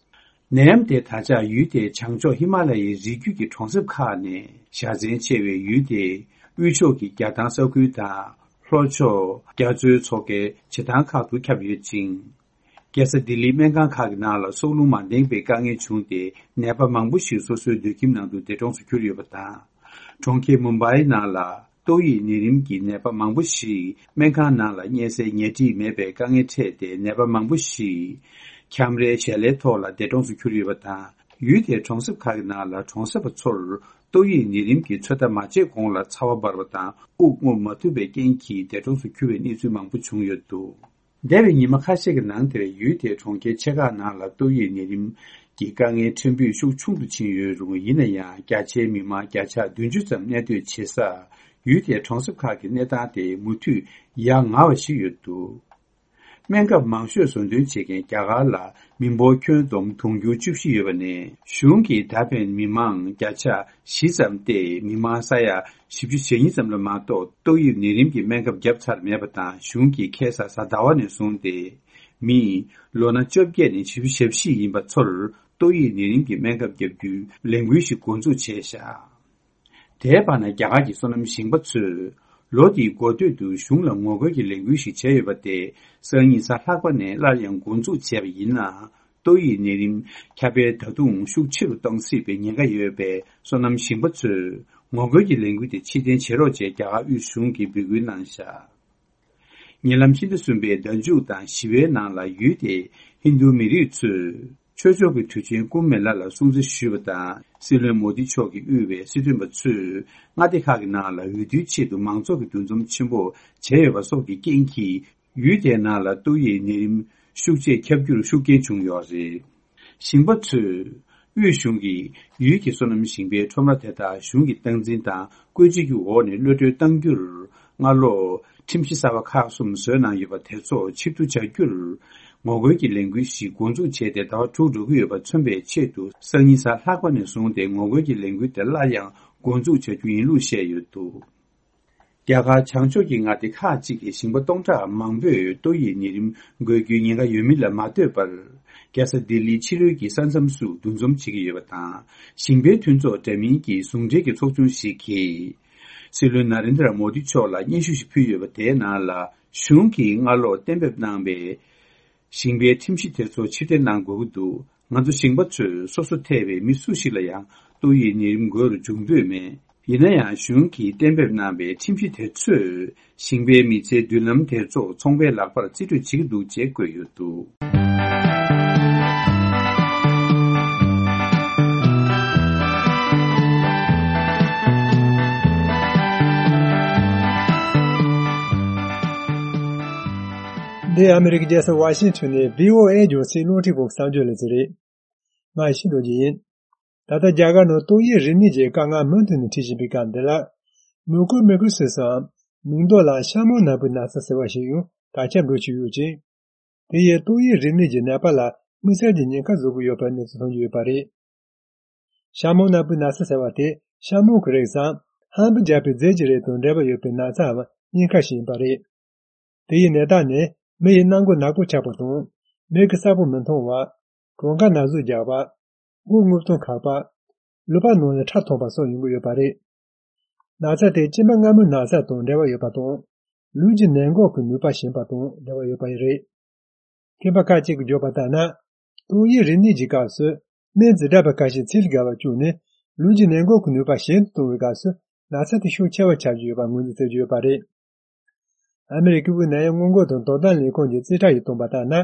ནད་ཡམས་དེ་ད་ཆ་ཡུལ་དེའི་བྱང་ཕྱོགས་ཧི་མ་ལ་ཡའི་རི་རྒྱུད་ཀྱི་གྲོང་གསེབ་ཁག་ནས་ཤ་ཚན་ཆེ་བའི་ཡུལ་དེའི་དབུས་ཕྱོགས་ཀྱི་རྒྱ་ཐང་ས་ཁུལ་དང་། ལྷོ་ཕྱོགས་རྒྱ་མཚོའི་མཚོ་ཁའི་བྱེ་ཐང་ཁག་ཏུ་ཁྱབ་ཡོད་ཅིང་། རྒྱལ་ས་ལྡི་ལིའི་སྨན་ཁང་ཁག་གི་ནང་ལ་སྲོག་རླུང་མ་ལྡན་པའི་དཀའ་ངལ་བྱུང་སྟེ། ནད་པ་མང་པོ་ཞིག་སོ་སོའི་སྡོད་ཁྱིམ་ནང་དུ་འདས་གྲོངས་སུ་གྱུར་ཡོད་པ་དང་། གྲོང་ཁྱེར་མུམ་བྷའི་ནང་ལ་ཏོག་དབྱིབས་ནད་རིམས་ཀྱི་ནད་པ་མང་པོ་ཞིག་སྨན་ཁང་ནང་ལ་བསྙལ་སའི་ཉལ་ཁྲི་མེད་པའི་དཀའ་ངལ་འཕྲད་དེ། ནད་པ་མང་པོ་ཞིག་ཁྱམས་རའི་ཞལ་ལའི་ཐོག་ལ་འདས་གྲོངས་སུ་གྱུར་ཡོད་པ་དང་། ཡུལ་དེའི་གྲོང་གསེབ་ཁག་གི་ནང་ལ་གྲོང་གསེབ་པ་ཚོར་ཏོག་དབྱིབས་ནད་རིམས་ཀྱི་ཚོད་ལྟ་མ་བྱས་གོང་ལ་ཚ་བ་འབར་བ་དང་། དབུགས་རྔུབ་མ་ཐུབ་པའི་རྐྱེན་གྱིས་འདས་གྲོངས་སུ་གྱུར་བའི་གནས་ཚུལ་མང་པོ་བྱུང་ཡོད་འདུག་འདས་པའི་ཉི་མ་ཁ་ཤས་ཀྱི་ནང་དེར་ཡུལ་དེའི་གྲོང་ཁྱེར་ཆེ་ཁག་ནང་ལ་ཏོག་དབྱིབས་ནད་རིམས་ཀྱི་དཀའ་ངལ་ཕྲན་བུ་ཤུགས་ཆུང་དུ་ཕྱིན་ཡོད་རུང་། ཡིན་ན་ཡང་། བརྒྱ་ཆའི་མི་མང་བརྒྱ་ཆ་བདུན་ཅུ་ཙམ་གནས་སྡོད་བྱེད་ས་ཡུལ་དེའི་གྲོང་གསེབ་ཁག་གི་གནས་སྟངས་དེ་མུ་མཐུད་ཡ་ང་བ་ཞིག་ཡོད་འདུག་སྨན་ཁབ་མང་ཤོས་བཟོ་འདོན་བྱེད་མཁན་རྒྱ་གར་ལ་མི་འབོར་ཁྱོན་བསྡོམས་དུང་ཕྱུར་བཅུ་བཞི་ཡོད་པ་ནས། གཞུང་གིས་ད་ཕན་མི་མང་བརྒྱ་ཆ་བཞི་ཙམ་སྟེ་མི་མང་ས་ཡ་བཞི་བཅུ་ཞེ་གཉིས་ཙམ་ལ་མ་གཏོགས་ཏོག་དབྱིབས་ནད་རིམས་ཀྱི་སྨན་ཁབ་བརྒྱབ་ཚར་མེད་པ་དང་། གཞུང་གིས་ཁ་སང་གཟའ་ཟླ་བ་ནས་བཟུང་སྟེ་མི་ལོ་ན་བཅོ་བརྒྱད་ནས་བཞི་བཅུ་ཞེ་བཞི་ཡིན་པ་ཚོར་ཏོག་དབྱིབས་ནད་རིམས་ཀྱི་སྨན་ཁབ་བརྒྱབ་རྒྱུའི་ལས་འགུལ་ཞིག་འགོ་འཛུགས་བྱས་བཞག་དེའི་བར་ན་རྒྱ་གར་གྱི་སོ་ནམ་ཞིང་པ་ཚོས་ལོ་འདིའི་འགོ་སྟོད་དུ་གཞུང་ལ་ངོ་རྒོལ་གྱི་ལས་འགུལ་ཞིག་བྱས་ཡོད་པ་དེ་སང་ཉིན་གཟའ་ལྷག་པ་ནས་སླར་ཡང་འགོ་འཛུགས་བྱས་པ་ཡིན་ན། ཏོག་དབྱིབས་ནད་རིམས་ཁྱབ་སྤེལ་ད་དུང་ཤུགས་ཆེ་རུ་གཏོང་སྲིད་པའི་ཉེན་ཁ་ཡོད་པས། སོ་ནམ་ཞིང་པ་ཚོས་ངོ་རྒོལ་གྱི་ལས་འགུལ་དེ་ཕྱིར་འཐེན་བྱེད་རོགས་ཞེས་རྒྱ་གར་དབུས་གཞུང་གིས་འབོད་སྐུལ་གནང་བཞག་ཉེ་ལམ་ཕྱི་ཟླ་གསུམ་པའི་ཟླ་མཇུག་དང་བཞི་པའི་ནང་ལ་ཡུལ་དེའི་ཧིན་རྡུ་མི་རིགས་ཚོས་ཆོས་ཕྱོགས་ཀྱི་དུས་ཆེན་ཀུམ་མེ་ལ་ལ་སྲུང་བརྩི་ཞུས་པ་དང་། སྲིད་བློན་མོ་དི་མཆོག་གིས་དབུས་པའི་སྲིད་དོན་པ་ཚོས་མངའ་སྡེ་ཁག་གི་ནང་ལ་འོས་བསྡུའི་ཆེད་དུ་མང་ཚོགས་ཀྱི་འདུ་འཛོམས་ཆེན་པོ་བྱས་ཡོད་པ་སོགས་ཀྱི་རྐྱེན་གྱིས། ཡུལ་དེའི་ནང་ལ་ཏོག་དབྱིབས་ནད་རིམས་ཤུགས་ཆེ་ཁྱབ་རྒྱུར་ཤུགས་རྐྱེན་བྱུང་ཡོད་རེད། ཞིང་པ་ཚོས་དབུས་གཞུང་གིས་ཡུལ་གྱི་སོ་ནམ་ཞིང་པའི་ཁྲོམ་ར་དེ་དག་གཞུང་གི་སྟངས་འཛིན་དང་བཀོད་སྒྲིག་གི་འོག་ནས་གློད་གྲོལ་གཏང་རྒྱུར། སྔ་ལོགས་ཁྲིམས་གཞི་གསར་པ་ཁག་གསུམ་བཟོས་གནང་ཡོད་པ་དེ་ཚོ་ཕྱིར་བསྡུ་བྱ་རྒྱུར། ངོ་རྒོལ་གྱི་ལས་འགུལ་ཞིག་འགོ་འཛུགས་བྱས་ཏེ་ཟླ་བ་དྲུག་འགྲོ་གི་ཡོད་པ་མཚོན་པའི་ཆེད་དུ། སང་ཉིན་གཟའ་ལྷག་པ་ནས་བཟུང་སྟེ་ངོ་རྒོལ་གྱི་ལས་འགུལ་དེ་སླར་ཡང་འགོ་འཛུགས་བྱ་རྒྱུ་ཡིན་ལུགས་བཤད་ཡོད་འདུག་རྒྱ་གར་བྱང་ཕྱོགས་ཀྱི་མངའ་སྡེ་ཁག་ཅིག་གི་ཞིང་པ་སྟོང་ཕྲག་མང་པོས་ཏོག་དབྱིབས་ནད་རིམས་འགོས་རྒྱུའི་ཉེན་ཁ་ཡོད་མིན་ལ་མ་ལྟོས་པར། རྒྱལ་ས་ལྡི་ལིའི་ཕྱི་རོལ་གྱི་ས་མཚམས་སུ་འདུ་འཛོམས་བྱེད་ཀྱི་ཡོད་པ་དང་། ཞིང་པའི་མཐུན་ཚོགས་འདྲ་མིན་གྱི་ཟུང་འབྲེལ་གྱི་ཚོགས་ཆུང་ཞིག་གིས། སྲིད་བློན་ན་རེན་དྲ་མོ་དི་མཆོག་ལ་སྙན་ཞུ་ཞིག་ཕུལ་ཡོད་པ། དེའི་ནང་ལ་གཞུང་གིས་སྔ་ལོགས་གཏན་འབེབས་གནང་པའི་ཞིང་པའི་ཁྲིམས་གཞི་དེ་ཚོ་ཕྱིར་འཐེན་གནང་དགོས་ཀྱི་འདུག་ང་ཚོ་ཞིང་པ་ཚོས་སོ་སོ་ཐེ་བའི་མི་སུ་ཞིག་ལ་ཡང་ཏོག་དབྱིབས་ནད་རིམས་འགོས་རུ་འཇུག་འདོད་མེད། ཡིན་ན་ཡང་གཞུང་གིས་གཏན་འབེབས་གནང་པའི་ཁྲིམས་གཞི་དེ་ཚོས་ཞིང་པའི་མི་ཚེའི་མདུན་ལམ་དེ་ཚོ་ཚོང་པའི་ལག་པར་རྩིས་སྤྲོད་བྱེད་ཀྱི་འདུག་ཅེས་བཀོད་ཡོད་འདུག་འདི་ཨ་མི་རི་ཀའི་རྒྱལ་ས་ཝ་ཤིང་ཊོན་ནས་བྷི་ཨོ་ཨེ་རྒྱང་སྲིང་རླུང་འཕྲིན་ཁང་གི་གསར་འགྱུར་ལས་ཚན་རེད། ང་ཡེ་ཤེས་རྡོ་རྗེ་ཡིན། ད་ལྟ་རྒྱ་གར་ནང་ཏོག་དབྱིབས་རིམས་ནད་ཀྱི་དཀའ་ངལ་མུ་མཐུད་ནས་འཕྲད་བཞིན་པའི་སྐབས་འདི་ལ། མུ་ཀོ་མི་ཀོ་སི་སམ་མིང་འདོགས་ལ་ཤ་མོང་ནག་པོའི་ན་ཚ་ཟེར་བ་ཞིག་ཡང་དར་ཁྱབ་འགྲོ་བཞིན་ཡོད་ཅིང་། དེ་ཡིས་ཏོག་དབྱིབས་རིམས་ནད་ཀྱི་ནད་པ་ལ་དམིགས་བསལ་གྱི་ཉེན་ཁ་བཟོ་གི་ཡོད་པའི་གནས་ཚུལ་ཐོན་གྱི་ཡོད་པ་རེད། ཤ་མོང་ནག་པོའི་ན་ཚ་ཟེར་བ་དེ་ཤ་མོང་གི་རིགས་སམ་ཧམ་བུ་རྒྱག་པའི་རྫས་ཀྱི་རིགས་དང་འབྲེལ་བ་ཡོད་པའི་ན་ཚའམ་སྙིང་ཁ་ཞིག་ཡིན་པ་རེད། དེ་ཡི་ནད་རྟགས་ནི་མི་ཡི་སྣ་མགོ་ནག་པོ་ཆགས་པ་དང་། མིག་གིས་གསལ་པོ་མི་མཐོང་བ། གྲོད་ཁ་ན་ཟུག་རྒྱག་པ། མགོ་རྔུབ་སྟངས་ཁག་པ། ལུད་པ་ནང་ལ་ཁྲག་འཐུང་བ་སོགས་ཡོང་གི་ཡོད་པ་རེད། ན་ཚ་དེ་གཅིན་པ་མངར་མོའི་ན་ཚ་དང་འབྲེལ་བ་ཡོད་པ་དང་། ལུས་ཀྱི་ནད་འགོག་གི་ནུས་པ་ཞན་པ་དང་འབྲེལ་བ་ཡོད་པ་རེད། མཁས་པ་ཁ་ཅིག་གིས་བརྗོད་པ་ལྟར་ན། ཏོག་དབྱིབས་རིམས་ནད་ཀྱི་སྐབས་སུ། སྨན་འཛིན་གྲྭ་པ་ཁ་ཤས་ཚིལ་དགའ་བ་བཅུག་ནས་ལུས་ཀྱི་ནད་འགོག་གི་ནུས་པ་ཞན་དུ་གཏོང་བའི་སྐབས་སུ་ན་ཚ་དེ་ཤུགས་ཆེ་བ་ཆགས་ཀྱི་ཡོད་པ་ངོས་འཛིན་བྱེད་ཀྱི་ཡོད་པ་རེད། ཨ་མི་རི་ཀའི་དབུས་ནད་ཡམས་སྔོན་འགོག་དང་དོ་དམ་ལས་ཁུངས་ཀྱི་རྩིས་ཁྲ་ཡིས་བཏོན་པ་ལྟར་ན།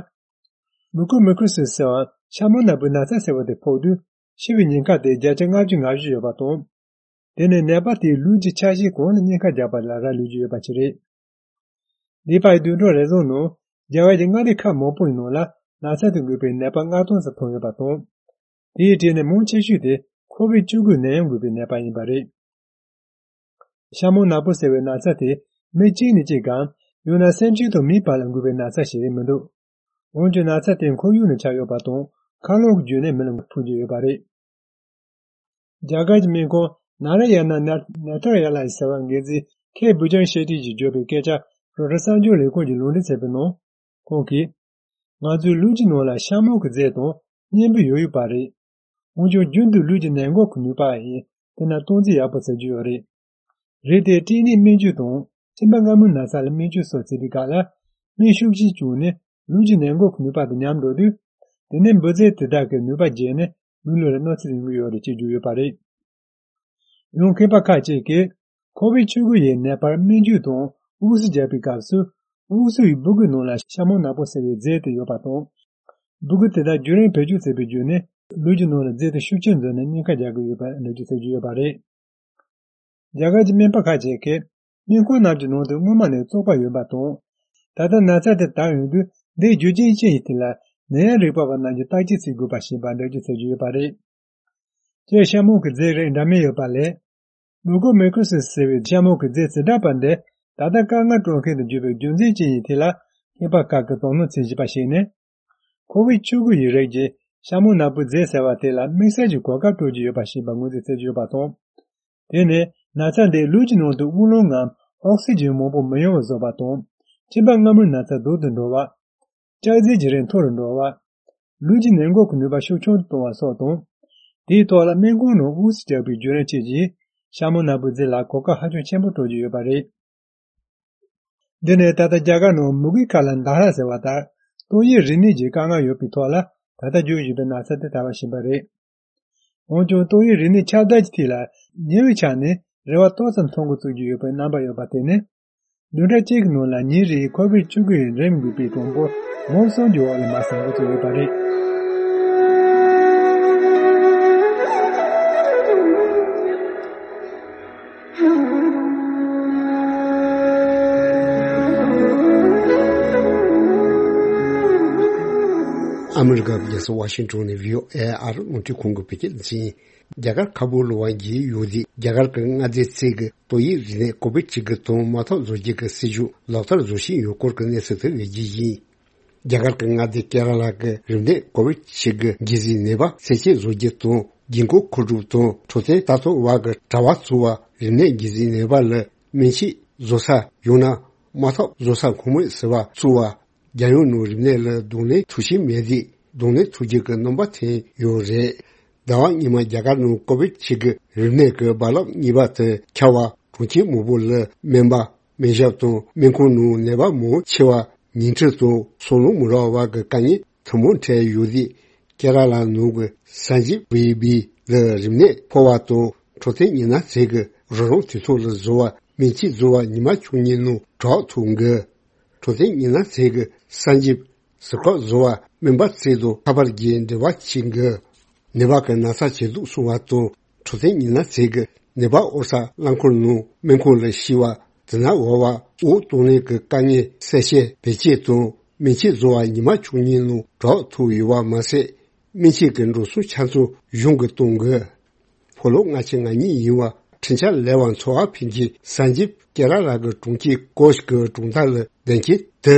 མུ་ཀོ་མི་ཀོ་སི་སི་འམ་ཤ་མོང་ནག་པོའི་ན་ཚ་ཟེར་བ་དེ་ཕོག་དུས་འཆི་བའི་ཉེན་ཁ་དེ་བརྒྱ་ཆ་ལྔ་བཅུ་ང་བཞི་ཡོད་པ་དང་། དེ་ནི་ནད་པ་དེའི་ལུས་ཀྱི་ཆ་ཤས་གང་ལ་སྙིང་ཁ་རྒྱག་པ་ལ་རག་ལུས་ཀྱི་ཡོད་པ་ཞིག་རེད། འདས་པའི་བདུན་ཕྲག་རེ་ཟུང་ནང་རྒྱ་གར་གྱི་མངའ་སྡེ་ཁག་མང་པོའི་ནང་ལ་ན་ཚ་དེ་འགོས་པའི་ནད་པ་ལྔ་སྟོང་ཙམ་ཐོན་ཡོད་པ་དང་། དེའི་གྲས་ནས་མང་ཆེ་ཤོས་དེ་ཁོ་བིད་བཅུ་དགུ་ནད་ཡམས་འགོས་པའི་ནད་པ་ཡིན་པ་རེད། ཤ་མོང་ནག་པོ་ཟེར་བའི་ན་ཚ་དེ་མི་གཅིག་ནས་གཅིག་གམ། ཡང་ན་སེམས་ཅན་དང་མིའི་བར་ལ་འགོས་པའི་ན་ཚ་ཞིག་མི་འདུག་འོན་ཀྱང་ན་ཚ་དེ་ཁོར་ཡུག་ནས་ཁྱབ་ཡོད་པ་དང་། མཁའ་རླུང་གི་བརྒྱུད་ནས་མི་ལ་འཕུར་གྱི་ཡོད་པ་རེད། རྒྱ་གར་གྱི་སྨན་ཁང་ན་ར་ཡ་ན་ནེ་ཐར་ཡ་ལ་ཟེར་བ་འགན་འཛིན་ཁེ་བུ་ཅང་ཤེ་ཏི་གྱིས་བརྗོད་པའི་སྐད་ཆ་རོའི་ཊར་གསར་འགྱུར་ལས་ཁུངས་ཀྱིས་ལུང་འདྲེན་བྱས་པའི་ནང་། ཁོང་གིས། ང་ཚོའི་ལུས་ཀྱི་ནང་ལ་ཤ་མོང་གི་རྫས་དང་གཉན་འབུ་ཡོད་ཡོད་པ་རེད། འོན་ཀྱང་རྒྱུན་དུ་ལུས་ཀྱི་ནད་འགོག་གི་ནུས་པ་ཡིན། དེ་ན་སྟངས་འཛིན་ཡག་པོ་བྱེད་རྒྱུ་ཡོད་རེད། རེད་དེ་སྐྲན་ནད་སྨན་བཅོས་དང་གཅིན་པ་མངར་མོའི་ན་ཚ་ལ་སྨན་བཅོས་སོགས་བྱེད་པའི་སྐབས་ལ་སྨན་ཤུགས་ཆེ་བྱུང་ནས་ལུས་ཀྱི་ནད་འགོག་གི་ནུས་པ་དང་ཉམས་འགྲོ་དུས། དེ་ནས་འབུ་རྫས་དེ་དག་གི་ནུས་པ་རྒྱས་ནས་མིའི་ལུས་ལ་གནོད་འཚེ་ཡོང་གི་ཡོད་རེད་ཅེས་བརྗོད་ཡོད་པ་རེད། ཡང་མཁས་པ་ཁག་ཅིག་གིས་ཁོ་བིད་བཅུ་དགུ་ཡི་ནད་པར་སྨན་བཅོས་དང་དབུགས་སུ་བརྒྱབ་པའི་སྐབས་སུ་དབུགས་སུ་ཡི་སྦུ་གུའི་ནང་ལ་ཤ་མོང་ནག་པོ་ཟེར་བའི་རྫས་དེ་ཡོད་པ་དང་། སྦུ་གུ་དེ་དག་རྒྱུན་རིང་བེད་སྤྱོད་བྱས་པའི་བརྒྱུད་ནས་ལུས་ཀྱི་ནང་ལ་རྫས་དེ་ཤུགས་ཆེར་འཛུལ་ནས་སྙིང་ཁ་རྒྱག་གི་ཡོད་པ་འགྲེལ་བརྗོད་བྱེད་ཀྱི་ཡོད་པ་རེད། རྒྱ་གར་གྱི་སྨན་པ་ཁག་ཅིག་གིས་སྨན་ཁང་རྣམས་ཀྱི་ནང་དུ་སྔོན་མ་ནས་བཙོག་པ་ཡོད་པ་དང་། ད་ལྟ་ན་ཚ་དེ་དར་ཡོང་དུས་འདིའི་རྒྱུ་རྐྱེན་ཅི་ཡིན་ཐད་ལ་ནད་ཡམས་རིག་པ་བ་རྣམས་ཀྱིས་བརྟག་དཔྱད་བྱེད་དགོས་པ་ཞིག་ཡིན་པ་འགྲེལ་བརྗོད་བྱེད་ཀྱི་ཡོད་པ་རེད། སྤྱིར་ཤ་མོང་གི་རྫས་རིགས་འདྲ་མིན་ཡོད་པ་ལས། མུ་ཀོ་མི་ཀོ་སི་ཟེར་བའི་ཤ་མོང་གི་རྫས་རྩིས་གྲགས་པ་འདི་ད་ལྟ་དཀའ་ངལ་སྤྲོད་མཁན་དུ་གྱུར་པའི་རྒྱུ་མཚན་ཅི་ཡིན་ཐད་ལ་ ཨེ་པ་ཀ་གི་དོ་སྣང་བྱེད་བཞིན་པ་ཞིག་ནི། ཁོ་བིད་བཅུ་དགུ་ཡི་རིགས་ཀྱི་ཤ་མོ་ནག་པོའི་རྫས་ཟེར་བ་དེ་ལ་དམིགས་བསལ་གྱི་གོ་སྐབས་སྤྲོད་ཀྱི་ཡོད་པ་ཞིག་ཡིན་པ་ངོས་འཛིན་བྱེད་ཀྱི་ཡོད་པ་དང་། དེ་ནི་ན་ཚ་འདིས་ལུས་ཀྱི་ནང་དུ་དབུགས་ལམ་ངམ་ཨོག་སི་ཇན་མང་པོ་མི་ཡོང་བར་བཟོ་བ་དང་། གཅིན་པ་སྔ་མོའི་ན་ཚ་སྡུག་ཏུ་འགྲོ་བ། ལྕགས་རྫས་ཀྱི་རིགས་མཐོ་རུ་འགྲོ་བ། ལུས་ཀྱི་ནད་འགོག་གི་ནུས་པ་ཤུགས་ཆུང་དུ་གཏོང་བ་སོགས་དང་། དེའི་ཐོག་ལ་སྨན་ཁང་ནང་དབུགས་སུ་བཅུག་པའི་བརྒྱུད་རིམ་བཅས་ཀྱིས་ཤ་མོ་ནག་པོའི་རྫས་ལ་གོ་སྐབས་ཧ་ཅང་ཆེན་པོ་སྤྲོད་ཀྱི་ཡོད་པ་རེད། འདི་ནི་ད་ལྟ་རྒྱ་གར་ནང་མུ་གེའི་ཁ་ལ་མདའ་ཧྲག་ཟེར་བ་ལྟར། ཏོག་དབྱིབས་རིམས་ནད་ཀྱི་དཀའ་ངལ་ཡོད་པའི་ཐོག་ལ་ད་ལྟ་འབྱུང་བཞིན་པའི་ན་ཚ་དེ་དར་བ་ཞིག་ཡིན་པ་རེད། འོན་ཀྱང་ཏོག་དབྱིབས་རིམས་ནད་ཁྱབ་གདལ་གྱི་ཐད་ལ་ཉེ་བའི་ཆར་ནས་རེ་བ་ཏོག་ཙམ་མཐོང་འགོ་བཙུགས་ཀྱི་ཡོད་པའི་རྣམ་པ་ཡོད་པ་དེ་ནི། བདུན་ཕྲག་གཅིག་གི་ནང་ལ་ཉིན་རེའི་ཁོ་བིད་བཅུ་དགུ་ཡི་རིམས་འགོས་པའི་གྲངས་འབོར་མང་སུམ་གྱི་འོག་ལ་མར་ཟག་འགོ་བཙུགས་ཡོད་པ་རེད། ཨ་མི་རི་ཀ་རྒྱལ་ས་ཝ་ཤིང་ཊོན་ནས་བྷི་ཨོ་ཨེ་ཨར་རླུང་འཕྲིན་ཁང་གི་བོད་སྐད་སྡེ་ཚན། རྒྱ་གར་ཁ་བོ་ལོ་བ་གྱི་ཡུལ་དེ་རྒྱ་གར་གྱི་མངའ་སྡེ་ཚོས་ཀྱི་ཏོག་དབྱིབས་རིམས་ནད་ཀོ་བིད་བཅུ་དགུ་དང་དམག་འཐབ་བཟོ་རྒྱུ་གི་སྲིད་ཇུས་ལག་བསྟར་བཟོ་བཞིན་ཡོད་སྐོར་གྱི་གནས་ཚུལ་དེ་ཡོད་རྒྱུ་ཡིན། རྒྱ་གར་གྱི་མངའ་སྡེ་ཀེ་ར་ལ་གྱི་རིམས་ནད་ཀོ་བིད་བཅུ་དགུ་འགོས་ཟིན་ནད་པ་གསལ་བཤད་བཟོ་རྒྱུ་དང་། རྒྱུན་འཁོར་མཁོ་སྒྲུབ་དང་འཕྲོད་བསྟེན་ལྟ་རྟོག་བར་གྱི་དྲ་བ་བཙུགས་པ། རིམས་ནད་འགོས་ཟིན་ནད་པ་ལ་སྨན་ཆས་བཟོ་ས་ཡང་ན་དམག་འཐབ་བཟོ་ས་ཁོངས་མི་ཟེར་བ་བཙུགས་པ། རྒྱལ་ཡོངས་ནང་རིམས་ནད་ལ་གདོང་ལེན་ཐུབ་བཞིན་མེད་དུས་གདོང་ལེན་ཐུབ་རྒྱུ་གི་རྣམ་པ་ཐོན་ཡོད་རེད། ཟླ་བ་སྔོན་མ་རྒྱ་གར་ནང་ཀོ་བིད་བཅུ་དགུ་རིམས་ནད་ཀྱི་རྦ་རླབས་གཉིས་པ་དེ་ཁྱབ་པ། གྲོང་ཁྱེར་མང་པོ་ལ་སྨན་པ། སྨན་ཞབས་དང་སྨན་ཁང་ནང་ནད་པ་མང་ཆེ་བ་ཉིང་ཁྲི་དང་སོ་ལོང་མི་རག་པ་གི་དཀའ་ངལ་ཐུན་མོང་འཕྲད་ཡོད་དུས། ཀེ་ར་ལ་ནང་གི་སན་ཇིབ་བི་བི་ལ་རིམས་ནད་ཕོག་པ་དང་འཕྲོད་བསྟེན་ཉི་ན་ཟས་ཀྱི་རོགས་རམ་དུས་ཐོག་ལ་བཟོ་བ། སྨན་ཆས་བཟོ་བ་ཉི་མ་བཅུ་གཉིས་ནང་གྲོགས་ཐུག་གི། འཕྲོད་བསྟེན་ཉི་ན་ཟས་ཀྱི་སན་ཇིབ་ཟུར་བཀག་བཟོ་བ་སྨན་པ་ཚོ་དང་ཁ་པར་གྱི་འབྲེལ་བ་བྱེད་དགོས། ནད་པ་གི་ན་ཚ་ཇེ་སྡུག་སོང་བ་དང་འཕྲོད་བསྟེན་ཉི་ན་ཟས་ཀྱི་ནད་པ་དབོར་ས་རླངས་འཁོར་ནང་སྨན་ཁང་ལ་སྐྱེལ་བ། དེ་ན་འོ་བ་དབུགས་གཏོང་ལེན་གྱི་དཀའ་ངལ་གསལ་བཤད་བེད་སྤྱོད་དང་སྨན་ཆས་བཟོ་བ་ཉི་མ་བཅུ་གཉིས་ནང་གྲོགས་ཐུག་ཡོད་པ་མ་ཟད། སྨན་ཆས་ཀྱི་འགྲོ་སོང་ཆ་ཚང་གཞུང་གིས་གཏོང་དགོས། ཕོ་ལོ་ལྔ་བཅུ་ང་གཉིས་ཡིན་པ་འཕྲིན་བཅར་ལས་པ་འཚོ་བ་ཕིན་གྱིས་སན་ཇིབ་ཀེ་ར་ལ་གི་གྲོང་ཁྱེར་ཀོཆ་གི་གྲོང་རྡལ་ལ་བསྡད་མཁན་དེ་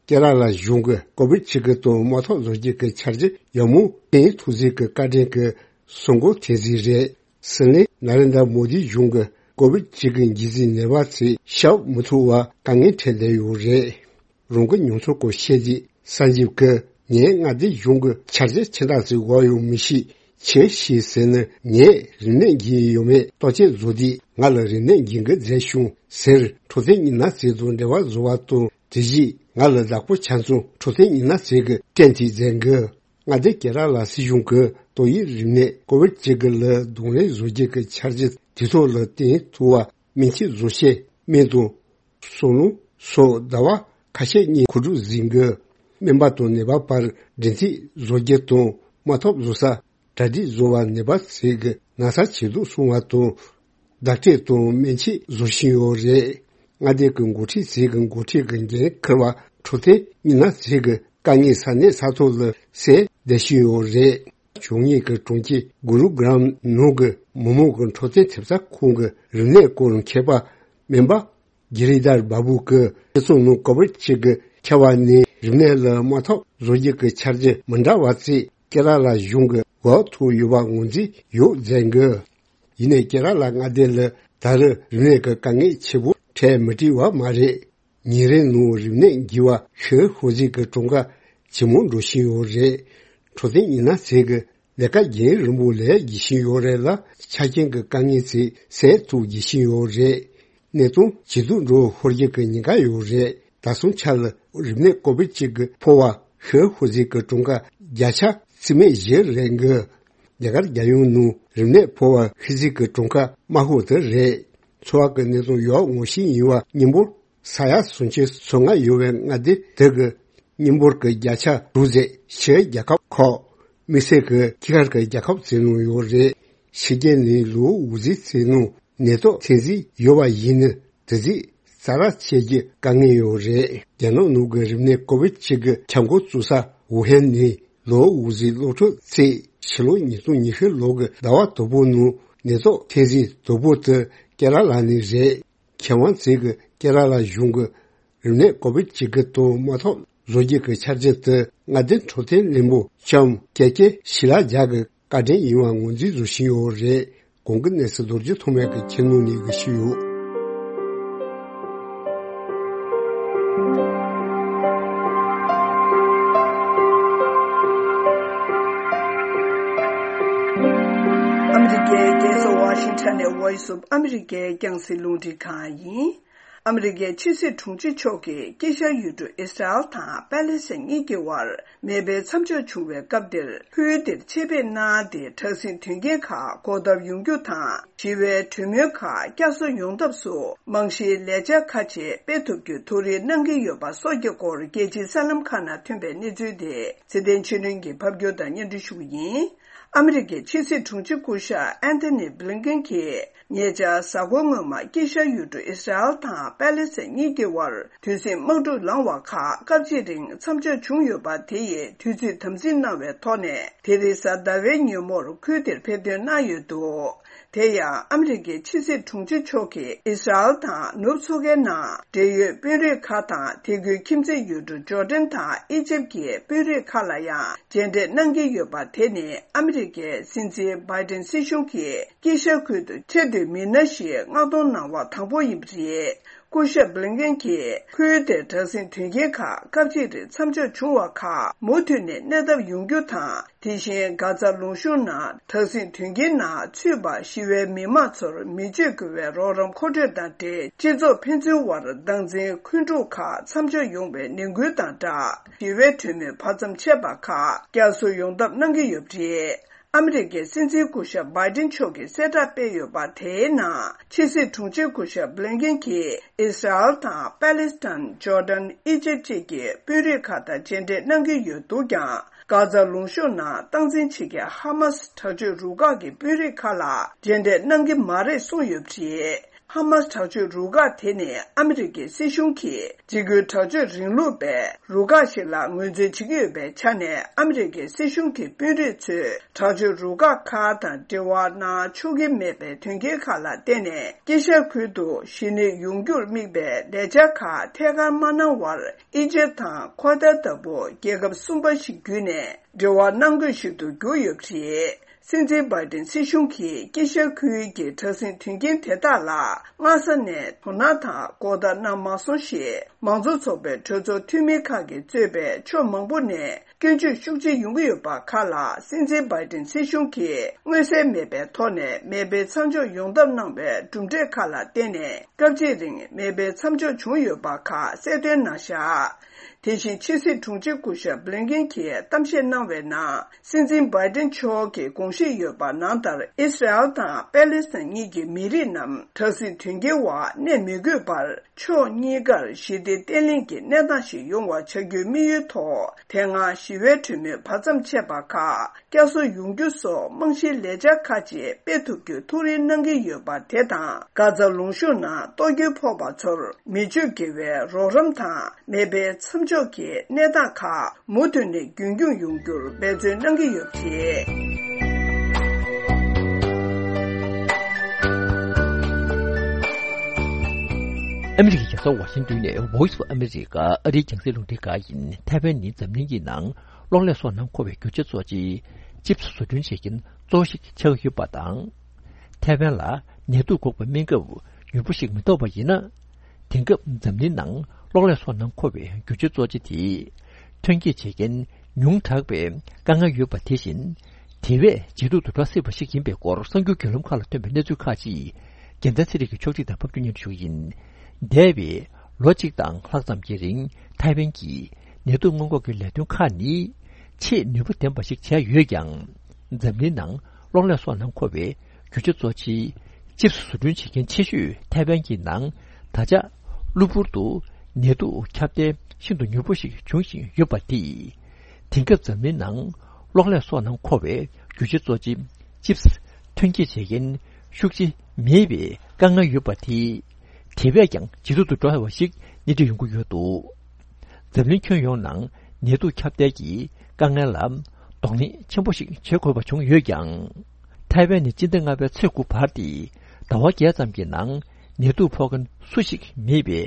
ཀེ་ར་ལ་གཞུང་གི་ཀོ་བིད་བཅུ་དགུ་དང་དམག་འཐབ་བཟོ་རྒྱུ་གི་འཆར་གཞི་ཡག་མོ་བཏིང་ཐུབ་ཟིག་གི་བཀའ་དྲིན་གི་གསོལ་མགོ་ཐེབས་ཟིག་རེད། སྲིད་བློན་ན་རེན་དྲ་མོ་དིའི་གཞུང་གི་ཀོ་བིད་བཅུ་དགུ་འགོས་ཟིན་ནད་པ་ཚོས་ཤ་འུབ་མི་ཐུབ་པ་དཀའ་ངལ་འཕྲད་བསྡད་ཡོད་རེད། རང་གི་མྱོང་ཚོར་སྐོར་བཤད་རྗེས་སན་ཇིབ་ཀྱིས་ངའི་མངའ་སྡེ་གཞུང་གི་འཆར་གཞི་ཆེ་འདྲ་ཟིག་འོག་ཡོང་མི་ཤེས། ཆེ་ཤེས་ཟེར་ནས་ངས་རིམས་ནད་འགོས་ཡོད་མེད་རྟོག་དཔྱད་བཟོ་དུས་ང་ལ་རིམས་ནད་འགོས་འགོ་མཛད་བྱུང་ཟེར། འཕྲོད་བསྟེན་ཉི་ན་ཟས་དང་འབྲེལ་བ་བཟོ་བ་དང་དེ་བཞིན་ང་ལ་བདག་པོ་ཆ་ཚང་འཕྲོད་བསྟེན་ཉི་ན་ཟས་ཀྱི་སྐྲན་དེ་མཛད་འགོ། མངའ་སྡེ་ཀེ་ར་ལ་སྲིད་གཞུང་གིས་ཏོག་དབྱིབས་རིམས་ནད་ཀོ་བིད་བཅུ་དགུ་ལ་གདོང་ལེན་བཟོ་རྒྱུ་གི་འཆར་གཞི་དུས་ཐོག་ལ་བཏིང་ཐུབ་པ་སྨན་ཆས་བཟོ་ཆས་སྨན་དང་། སོ་ལོང་སོགས་ཟླ་བ་ཁ་ཤས་གཉིས་མཁོ་སྒྲུབ་ཟིན་དགོས། སྨན་པ་དང་ནད་པ་བར་སྒྲིག་འཛུགས་བཟོ་རྒྱུ་དང་དམག་འཐབ་བཟོ་ས་གྲ་སྒྲིག་བཟོ་བ་ནད་པ་ཚོས་ཀྱི་ན་ཚ་ཇེ་སྡུག་སོང་བ་དང་བརྡ་སྤྲོད་དང་སྨན་ཆས་བཟོ་བཞིན་ཡོད་རེད། མངའ་སྡེ་གི་འགོ་ཁྲིད་ཚོས་ཀྱི་འགོ་ཁྲིད་ཀྱི་འགན་འཁུར་བ་འཕྲོད་བསྟེན་ཉི་ན་ཟས་ཀྱི་དཀའ་ངལ་ས་གནས་ས་ཐོག་ལ་སེལ་བསྡད་བཞིན་ཡོད་རེད། བྱུང་ཉེས་ཀྱི་གྲོང་ཁྱེར་གུ་རུ་གྲམ་ནང་གི་མི་མང་གི་འཕྲོད་བསྟེན་ཐེབས་རྩ་ཁང་གི་རིམས་ནད་སྐོར་མཁས་པ་སྨན་པ་གྷི་རི་དར་བྷ་བུ་གིས་སྤྱི་ཚོགས་ནང་ཀོ་བིད་བཅུ་དགུ་ཁྱབ་པ་ནས་རིམས་ནད་ལ་དམག་འཐབ་བཟོ་རྒྱུ་གི་འཆར་གཞི་མི་འདྲ་བ་བརྩིས། ཀེ་ར་ལ་གཞུང་གིས་འགོག་ཐུབ་ཡོད་པ་ངོས་འཛིན་ཡོད་མཛད་འགོ། ཡིན་ནའི་ཀེ་ར་ལ་མངའ་སྡེ་ལ་ད་རེས་རིམས་ནད་ཀྱི་དཀའ་ངལ་ཆེ་པོ་འཕྲད་མི་སྲིད་པ་མ་རེད། ཉིན་རེའི་ནང་རིམས་ནད་འགོས་པ་ཤི་ཤོར་ཟིག་གི་གྲངས་ཀ་ཇེ་མང་འགྲོ་བཞིན་ཡོད་རེད། འཕྲོད་བསྟེན་ཉི་ན་ཟས་ཀྱི་ལས་ཀ་རྒྱུན་རིང་པོ་ལས་བགྱིད་བཞིན་ཡོད་རེད་ལ། ཆ་རྐྱེན་གྱི་དཀའ་ངལ་ཚོ་སེལ་ཐུབ་བགྱིད་བཞིན་ཡོད་རེད། གནས་སྟངས་ཇེ་སྡུག་འགྲོ་ཤོར་རྒྱུ་གི་ཉེན་ཁ་ཡོད་རེད། ད་སོང་ཆ་ལ་རིམས་ནད་ཀོ་བིད་བཅུ་དགུ་ཕོག་པ་ཤི་ཤོར་ཟིག་གི་གྲངས་ཀ་བརྒྱ་ཆ་རྩིས་མེད་བཞི་རེད་འགོ། རྒྱ་གར་རྒྱལ་ཡོངས་ནང་རིམས་ནད་ཕོག་པ་ཤི་ཟིག་གི་གྲངས་ཀ་དམའ་ཤོས་དེ་རེད། འཚོ་བ་གི་གནས་སྟངས་ཡག་ངོ་ཤེས་ཡིན་པ་མཉམ་པོར། ས་ཡ་སུམ་ཅུ་སོ་ལྔ་ཡོད་པའི་མངའ་སྡེ་དེ་གི་མཉམ་འབོར་གྱི་བརྒྱ་ཆ་དྲུག་ཙམ་ཕྱིའི་རྒྱལ་ཁབ་ཁག་དམིགས་བསལ་གྱི་ཁྱི་ཁར་གྱི་རྒྱལ་ཁབ་ཚོའི་ནང་ཡོད་རེད། ཕྱི་རྒྱལ་ནས་ལོ་དགུ་ཙམ་ཚོའི་ནང་ནད་རྟགས་ཐོན་ཟིན་ཡོད་པ་ཡིན་ན་དེ་ཚོས་གསལ་བསྒྲགས་བྱེད་རྒྱུ་དཀའ་ངལ་ཡོད་རེད། རྒྱ་ནག་ནང་གི་རིམས་ནད་ཀོ་བིད་བཅུ་དགུ་ཁྱབ་འགོ་བཙུགས་ས་ཝུ་ཧན་ནས་ལོ་དགུ་ཙམ་སློབ་ཕྲུག་ཚོས་ཕྱི་ལོ་ཉིས་སྟོང་ཉི་ཤུ་ལོ་གི་ཟླ་བ་དང་པོ་ནང་ནད་རྟགས་ཐོན་ཟིན་དང་པོ་དེ་ཀེ་ར་ལ་ནས་རེད། མཁས་དབང་ཚོས་ཀྱི་ཀེ་ར་ལ་གཞུང་གི་རིམས་ནད་ཀོ་བིད་བཅུ་དགུ་དང་དམག་འཐབ་ བཟོ་རྒྱུ་གི་ཆ་རྐྱེན་དེ་མངའ་སྡེ་འཕྲོད་བསྟེན་ལེན་པོ་ལྕམ་ཀེ་ཀེ་ཤི་ལ་ཇག་གི་བཀའ་དྲིན་ཡིན་པ་ངོས་འཛིན་བཟོ་བཞིན་ཡོད་རེད། གོང་གི་གནས་ཚུལ་རྡོ་རྗེ་ཐོགས་མེད་ཀྱིས་ཁྱེར་ནོ་ནས་གི་ཞུས་ཡོད། ཨ་མི་རི་ཀའི་རྒྱལ་ས་ཝ་ཤིང་ཊོན་ནས་Voice of America རྒྱང་སྲིང་རླུང་འཕྲིན་ཁང་ཡིན། ཨ་མི་རི་ཀའི་ཕྱི་སྲིད་དྲུང་ཆེ་མཆོག་གིས་དཀྱིལ་ཤར་ཡུལ་གྲུ་ཨི་སི་རལ་དང་པེ་ལེ་སི་ཐན་གཉིས་ཀྱི་དབར་མེ་འཕེན་མཚམས་འཇོག་བྱུང་བའི་སྐབས་འདིར། ཁུལ་དེར་ཆེད་ཕེབས་གནང་སྟེ། དྲག་ཟིང་དོན་རྐྱེན་ཁག་འགོག་ཐབས་ཡོང་རྒྱུ་དང་། ཞི་བའི་གྲོས་མོལ་ཁག་བསྐྱར་གསོ་ཡོང་ཐབས་སུ་རྨང་གཞིའི་ལས་འཆར་ཁག་ཅིག་སྤེལ་ཐུབ་རྒྱུའི་ཐུགས་རེ་གནང་གི་ཡོད་པ་སོགས་ཀྱི་སྐོར། རྒྱལ་སྤྱིའི་གསར་ལམ་ཁག་ནང་ཐོན་པའི་གནས་ཚུལ་དེ་ཚེ་བརྟན་ཆོས་སྒྲོན་གྱིས་ཕབ་སྒྱུར་དང་སྙན་སྒྲོན་ཞུ་གི་ཡིན། ཨ་མི་རི་ཀའི་ཕྱི་སྲིད་དྲུང་ཆེ་སྐུ་ཞབས་ཨན་ཐོ་ནི་བྷི་ལིན་ཀེན་གྱིས། ཉེ་ཆར་གཟའ་འཁོར་སྔོན་མ་དཀྱིལ་ཤར་ཡུལ་གྲུ་ཨི་སི་རལ་དང་པེ་ལེ་སི་ཐན་གཉིས་ཀྱི་དབར་དུས་ཟིང་དམག་འཁྲུག་ལངས་པ་ཁག་སྐབས་གཅིག་རིང་མཚམས་འཇོག་བྱུང་ཡོད་པ་དེ་ཡི་དུས་ཚོད་དམ་འཛིན་གནང་བའི་ཐོག་ནས། དེ་རིང་གཟའ་ཟླ་བའི་ཉིན་མོར་ཁུལ་དེར་ཕེབས་ཐོན་གནང་ཡོད་འདུག། དེ་ཡང་ཨ་མི་རི་ཀའི་ཕྱི་སྲིད་དྲུང་ཆེ་མཆོག་གིས་ཨི་སི་རལ་དང་ནུབ་མཚོ་ཁའི་ནང་འབྲེལ་ཡོད་དཔོན་རིགས་ཁག་དང་། དེ་ཁུལ་ཁྱིམ་མཚེས་ཡུལ་གྲུ་ཇོར་ཌན་དང་ཨི་ཇེབ་ཀྱི་དཔོན་རིགས་ཁག་ལ་ཡང་མཇལ་འཕྲད་གནང་གི་ཡོད་པ། དེ་ནི་ཨ་མི་རི་ཀའི་སྲིད་འཛིན་བྷའི་ཏིན་སྲིད་གཞུང་གིས་དཀྱིལ་ཤར་ཁུལ་དུ་ཆེས་མཐོའི་མི་སྣ་ཞིག་མངགས་གཏོང་གནང་བ་དང་པོ་ཡིན་པ་རེད། སྐུ་ཞབས་བྷི་ལིན་ཀེན་གྱིས་ཁུལ་དེར་དྲག་ཟིང་དོན་རྐྱེན་ཁག་སྐབས་གཅིག་རིང་མཚམས་འཇོག་བྱུང་བ་ཁག་མུ་མཐུད་ནས་གནས་ཐབས་ཡོང་རྒྱུ་དང་། དེ་བཞིན་གྷ་ཛ་ལུང་གཤོང་ནང་དྲག་ཟིང་དོན་རྐྱེན་ནང་ཚུད་པ་ཞི་བའི་མི་མང་ཚོར་མི་སྤྱོད་དགོས་པའི་རོགས་རམ་མཁོ་སྤྲོད་དང་འབྲེལ། སྤྱི་ཚོགས་ཕན་ཚུན་དབར་སྟངས་འཛིན་འཁོན་འཁྲུག་ཁག་མཚམས་འཇོག་ཡོང་བའི་ནན་སྐུལ་དང་སྦྲགས། ཞི་བའི་གྲོས་མོལ་བར་མཚམས་ཆད་པ་ཁག་བསྐྱར་གསོ་ཡོང་ཐབས་གནང་གི་ཡོད་པ་རེད། ཨ་མི་རི་ཀའི་སྲིད་འཛིན་སྐུ་ཞབས་བྷའི་ཏིན་མཆོག་གིས་གསལ་བསྒྲགས་སྤེལ་ཡོད་པ་དེའི་ནང་། ཕྱི་སྲིད་དྲུང་ཆེ་སྐུ་ཞབས་བྷི་ལིན་ཀེན་གྱིས་ཨི་སི་རལ་དང་པེ་ལེ་སི་ཐན། ཇོར་ཌན། ཨི་ཇེབ་བཅས་ཀྱི་དཔོན་རིགས་ཁག་དང་མཇལ་འཕྲད་གནང་གི་ཡོད་འདུག་ཀྱང་། གྷ་ཛ་ལུང་གཤོང་ནང་སྟངས་འཛིན་བྱེད་མཁན་ཧ་མ་སི་དྲག་སྤྱོད་རུ་ཁག་གི་དཔོན་རིགས་ཁག་ལ་མཇལ་འཕྲད་གནང་གི་མ་རེད་གསུངས་ཡོད་པ་རེད། ཧ་མ་སི་དྲག་སྤྱོད་རུ་ཁག་དེ་ནི་ཨ་མི་རི་ཀའི་སྲིད་གཞུང་གིས་འཇིགས་སྐུལ་དྲག་སྤྱོད་རིང་ལུགས་པའི་རུ་ཁག་ཞིག་ལ་ངོས་འཛིན་བྱེད་ཀྱི་ཡོད་པའི་ཆ་ནས། ཨ་མི་རི་ཀའི་སྲིད་གཞུང་གི་དཔོན་རིགས་ཚོས་དྲག་སྤྱོད་རུ་ཁག་ཁག་དང་འབྲེལ་བ་གནང་ཆོག་གི་མེད་པའི་དོན་རྐྱེན་ཁག་ལ་བརྟེན་ནས། དཀྱིལ་ཤར་ཁུལ་དུ་ཞི་གནས་ཡོང་རྒྱུར་དམིགས་པའི་ལས་འཆར་ཁག་ཐད་ཀར་མ་གནང་བར། ཨི་ཇེབ་དང་ཁོ་ཐར་ལྟ་བུ་རྒྱལ་ཁབ་གསུམ་པ་ཞིག་བརྒྱུད་ནས་འབྲེལ་བ་གནང་དགོས་ཤིག་ཏུ་གྱུར་ཡོད་པ་རེད། སྲིད་འཛིན་བྷའི་ཏིན་སྲིད་གཞུང་གིས་དཀྱིལ་ཤར་ཁུལ་གྱི་དྲག་ཟིང་དོན་རྐྱེན་དེ་དག་ལ་སྔ་ས་ནས་དོ་སྣང་དང་གོ་བརྡ་གནང་མ་སོང་ཞེས། མང་གཙོ་ཚོགས་པའི་གྲོས་ཚོགས་འཐུས་མི་ཁག་གིས་གཙོས་པའི་ཕྱོགས་མང་པོ་ནས་སྐྱོན་བརྗོད་ཤུགས་ཆེ་ཡོང་གི་ཡོད་པ་ཁག་ལ། སྲིད་འཛིན་བྷའི་ཏིན་སྲིད་གཞུང་གིས་མངོན་གསལ་མེད་པའི་ཐོག་ནས་མེ་འཕེན་མཚམས་འཇོག་ཡོང་ཐབས་གནང་བའི་གྲུབ་འབྲས་ཁག་ལ་བརྟེན་ནས། སྐབས་གཅིག་རིང་མེ་འཕེན་མཚམས་འཇོག་བྱུང་ཡོད་པ་ཁག་གསལ་སྟོན་གནང་བཞག། དེ་བཞིན་ཕྱི་སྲིད་དྲུང་ཆེ་སྐུ་ཞབས་བྷི་ལིན་ཀེན་གྱིས་གཏམ་བཤད་གནང་བའི་ནང་། སྲིད་འཛིན་བྷའི་ཏིན་མཆོག་གིས་དགོངས་བཞེས་ཡོད་པ་ནང་ལྟར། ཨི་སི་རལ་དང་པེ་ལེ་སི་ཐན་གཉིས་ཀྱི་མི་རིགས་རྣམས་དྲག་ཟིང་དོན་རྐྱེན་འོག་གནས་མི་དགོས་པར། ཕྱོགས་གཉིས་ཀར་ཞི་བདེ་བརྟན་ལྷིང་གི་གནས་སྟངས་ཤིག་ཡོང་བ་བྱ་རྒྱུའི་དམིགས་ཡུལ་ཐོག། དེ་སྔ་ཞི་བའི་གྲོས་མོལ་བར་མཚམས་ཆད་པ་ཁག་བསྐྱར་གསོ་ཡོང་རྒྱུ་སོགས་རྨང་གཞིའི་ལས་འཆར་ཁག་ཅིག་སྤེལ་ཐུབ་རྒྱུའི་ཐུགས་རེ་གནང་གི་ཡོད་པ་དེ་དང་། གྷ་ཛ་ལུང་གཤོང་ནང་གཏོར་སྐྱོན་ཕོག་པ་ཚོར་མི་སྤྱོད་དགེ་བའི་རོགས་རམ་དང་། མེ་འཕེན་མཚམས་འཇོག་གི་གནས་སྟངས་ཁག་མུ་མཐུད་ནས་རྒྱུན་འཁྱོངས་ཡོང་རྒྱུར་འབད་བརྩོན་གནང་གི་ཡོད་པ་རེད། ཨ་མི་རི་ཀའི་རྒྱལ་ས་ཝ་ཤིང་ཏོན་ནས་Voice of America ཨ་རིའི་རྒྱང་སྲིང་རླུང་འཕྲིན་ཁང་ཡིན། ཐའེ་ཝན་ནི་འཛམ་གླིང་གི་ནང་གློག་ཀླད་སོགས་ནང་མཁོ་བའི་རྒྱུ་ཆ་གཙོ་ཆེ་ཅིབ་སི་བཟོ་སྐྲུན་བྱེད་མཁན་གཙོ་བོ་ཞིག་ཆགས་ཡོད་པ་དང་། ཐའེ་ཝན་ལ་ནད་དུག་འགོག་པའི་སྨན་ཁབ་མྱུར་པོ་ཞིག་མི་ཐོབ་པ་ཡིན་ན། དེང་སྐབས་འཛམ་གླིང་ནང་གློག་ཀླད་སོགས་ནང་མཁོ་བའི་རྒྱུ་ཆ་གཙོ་ཆེ་དེ་ཐོན་སྐྱེད་བྱེད་མཁན་ཉུང་དྲགས་པའི་དཀའ་ངལ་ཡོད་པ། དེ་བཞིན་དེ་བས་ཇེ་སྡུག་ཏུ་འགྲོ་སྲིད་པ་ཞིག་ཡིན་པའི་སྐོར་གསར་འགྱུར་བརྒྱུད་ལམ་ཁག་ལ་ཐོན་པའི་གནས་ཚུལ་ཁག་ཅིག་རྒྱལ་མཚན་ཚེ་རིང་གིས་ཕྱོགས་སྒྲིག་དང་ཕབ་སྒྱུར་སྙན་ཞུ་ཡིན། འདས་པའི་ལོ་གཅིག་དང་ལྷག་ཙམ་གྱི་རིང་ཐའེ་ཝན་གྱིས་ནད་དུག་སྔོན་འགོག་གི་ལས་དོན་ཁག་ནི་ཆེས་ནུས་པ་ལྡན་པ་ཞིག་བྱས་ཡོད་ཀྱང་། འཛམ་གླིང་ནང་གློག་ཀླད་སོགས་ནང་མཁོ་བའི་རྒྱུ་ཆ་གཙོ་ཆེའི་ཅིབ་སི་བཟོ་སྐྲུན་བྱེད་མཁན་ཆེ་ཤོས་ཐའེ་ཝན་གྱི་ནང་ད་ཆ་གློ་བུར་དུ་ནད་དུག་ཁྱབ་གདལ་ཤིན་ཏུ་མྱུར་པོ་ཞིག་འབྱུང་བཞིན་ཡོད་པ་དེས། དེང་སྐབས་འཛམ་གླིང་ནང་གློག་ཀླད་སོགས་ནང་མཁོ་བའི་རྒྱུ་ཆ་གཙོ་ཆེ་ཅིབ་སི་ཐོན་སྐྱེད་བྱེད་མཁན་ཤུགས་ཆེ་མེད་པའི་དཀའ་ངལ་ཡོད་པ་དེས། དེ་བས་ཀྱང་ཇེ་སྡུག་ཏུ་འགྲོ་བ་ཞིག་སྣེ་ཁྲིད་ཡོང་གི་ཡོད་འདུག། འཛམ་གླིང་ཁྱོན་ཡོངས་ནང་ནད་དུག་ཁྱབ་གདལ་གྱི་དཀའ་ངལ་ལ་གདོང་ལེན་ཆེན་པོ་ཞིག་བྱེད་དགོས་པ་བྱུང་ཡོད་ཀྱང་། ཐའེ་ཝན་ནི་སྤྱི་ཟླ་ལྔ་པའི་ཚེས་དགུ་བར་དེ་ཟླ་བ་བརྒྱད་ཙམ་གྱི་ནང་ནད་དུག་ཕོག་མཁན་སུ་ཞིག་མེད་པའི་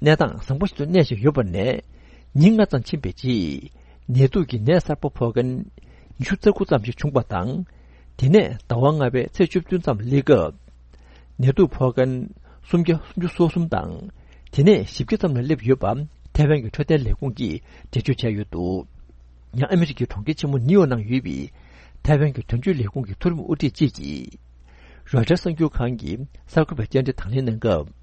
གནས་སྟངས་བཟང་པོ་ཞིག་ཏུ་གནས་བཞིན་ཡོད་པ་ནས། ཉིན་ལྔ་ཙམ་ཕྱིན་པའི་རྗེས། ནད་དུག་གི་ནད་གསར་པ་ཕོག་མཁན་ཉི་ཤུ་རྩ་དགུ་ཙམ་ཞིག་བྱུང་བ་དང་། དེ་ནས་ཟླ་བ་ལྔ་པའི་ཚེས་བཅུ་བདུན་ཙམ་སླེབས་སྐབས། ནད་དུག་ཕོག་མཁན་སུམ་བརྒྱ་སུམ་ཅུ་སོ་གསུམ་དང་། དེ་ནས་བཞི་བརྒྱ་ཙམ་ལ་སླེབས་ཡོད་པ་ཐའེ་ཝན་གྱི་འཕྲོད་བསྟེན་ལས་ཁུངས་ཀྱིས་འགྲེལ་བརྗོད་བྱས་ཡོད་འདུག། ཡང་ཨ་མི་རི་ཀའི་གྲོང་ཁྱེར་ཆེན་མོ་ནིའུ་ཡོག་ནང་ཡོད་པའི་ཐའེ་ཝན་གྱི་དོན་གཅོད་ལས་ཁུངས་ཀྱི་མཐོ་རིམ་དབུ་ཁྲིད་ཅིག་གིས། རོའི་ཊར་གསར་འགྱུར་ཁང་གི་གསར་འགོད་པའི་བཅར་འདྲི་དང་ལེན་གནང་སྐབས།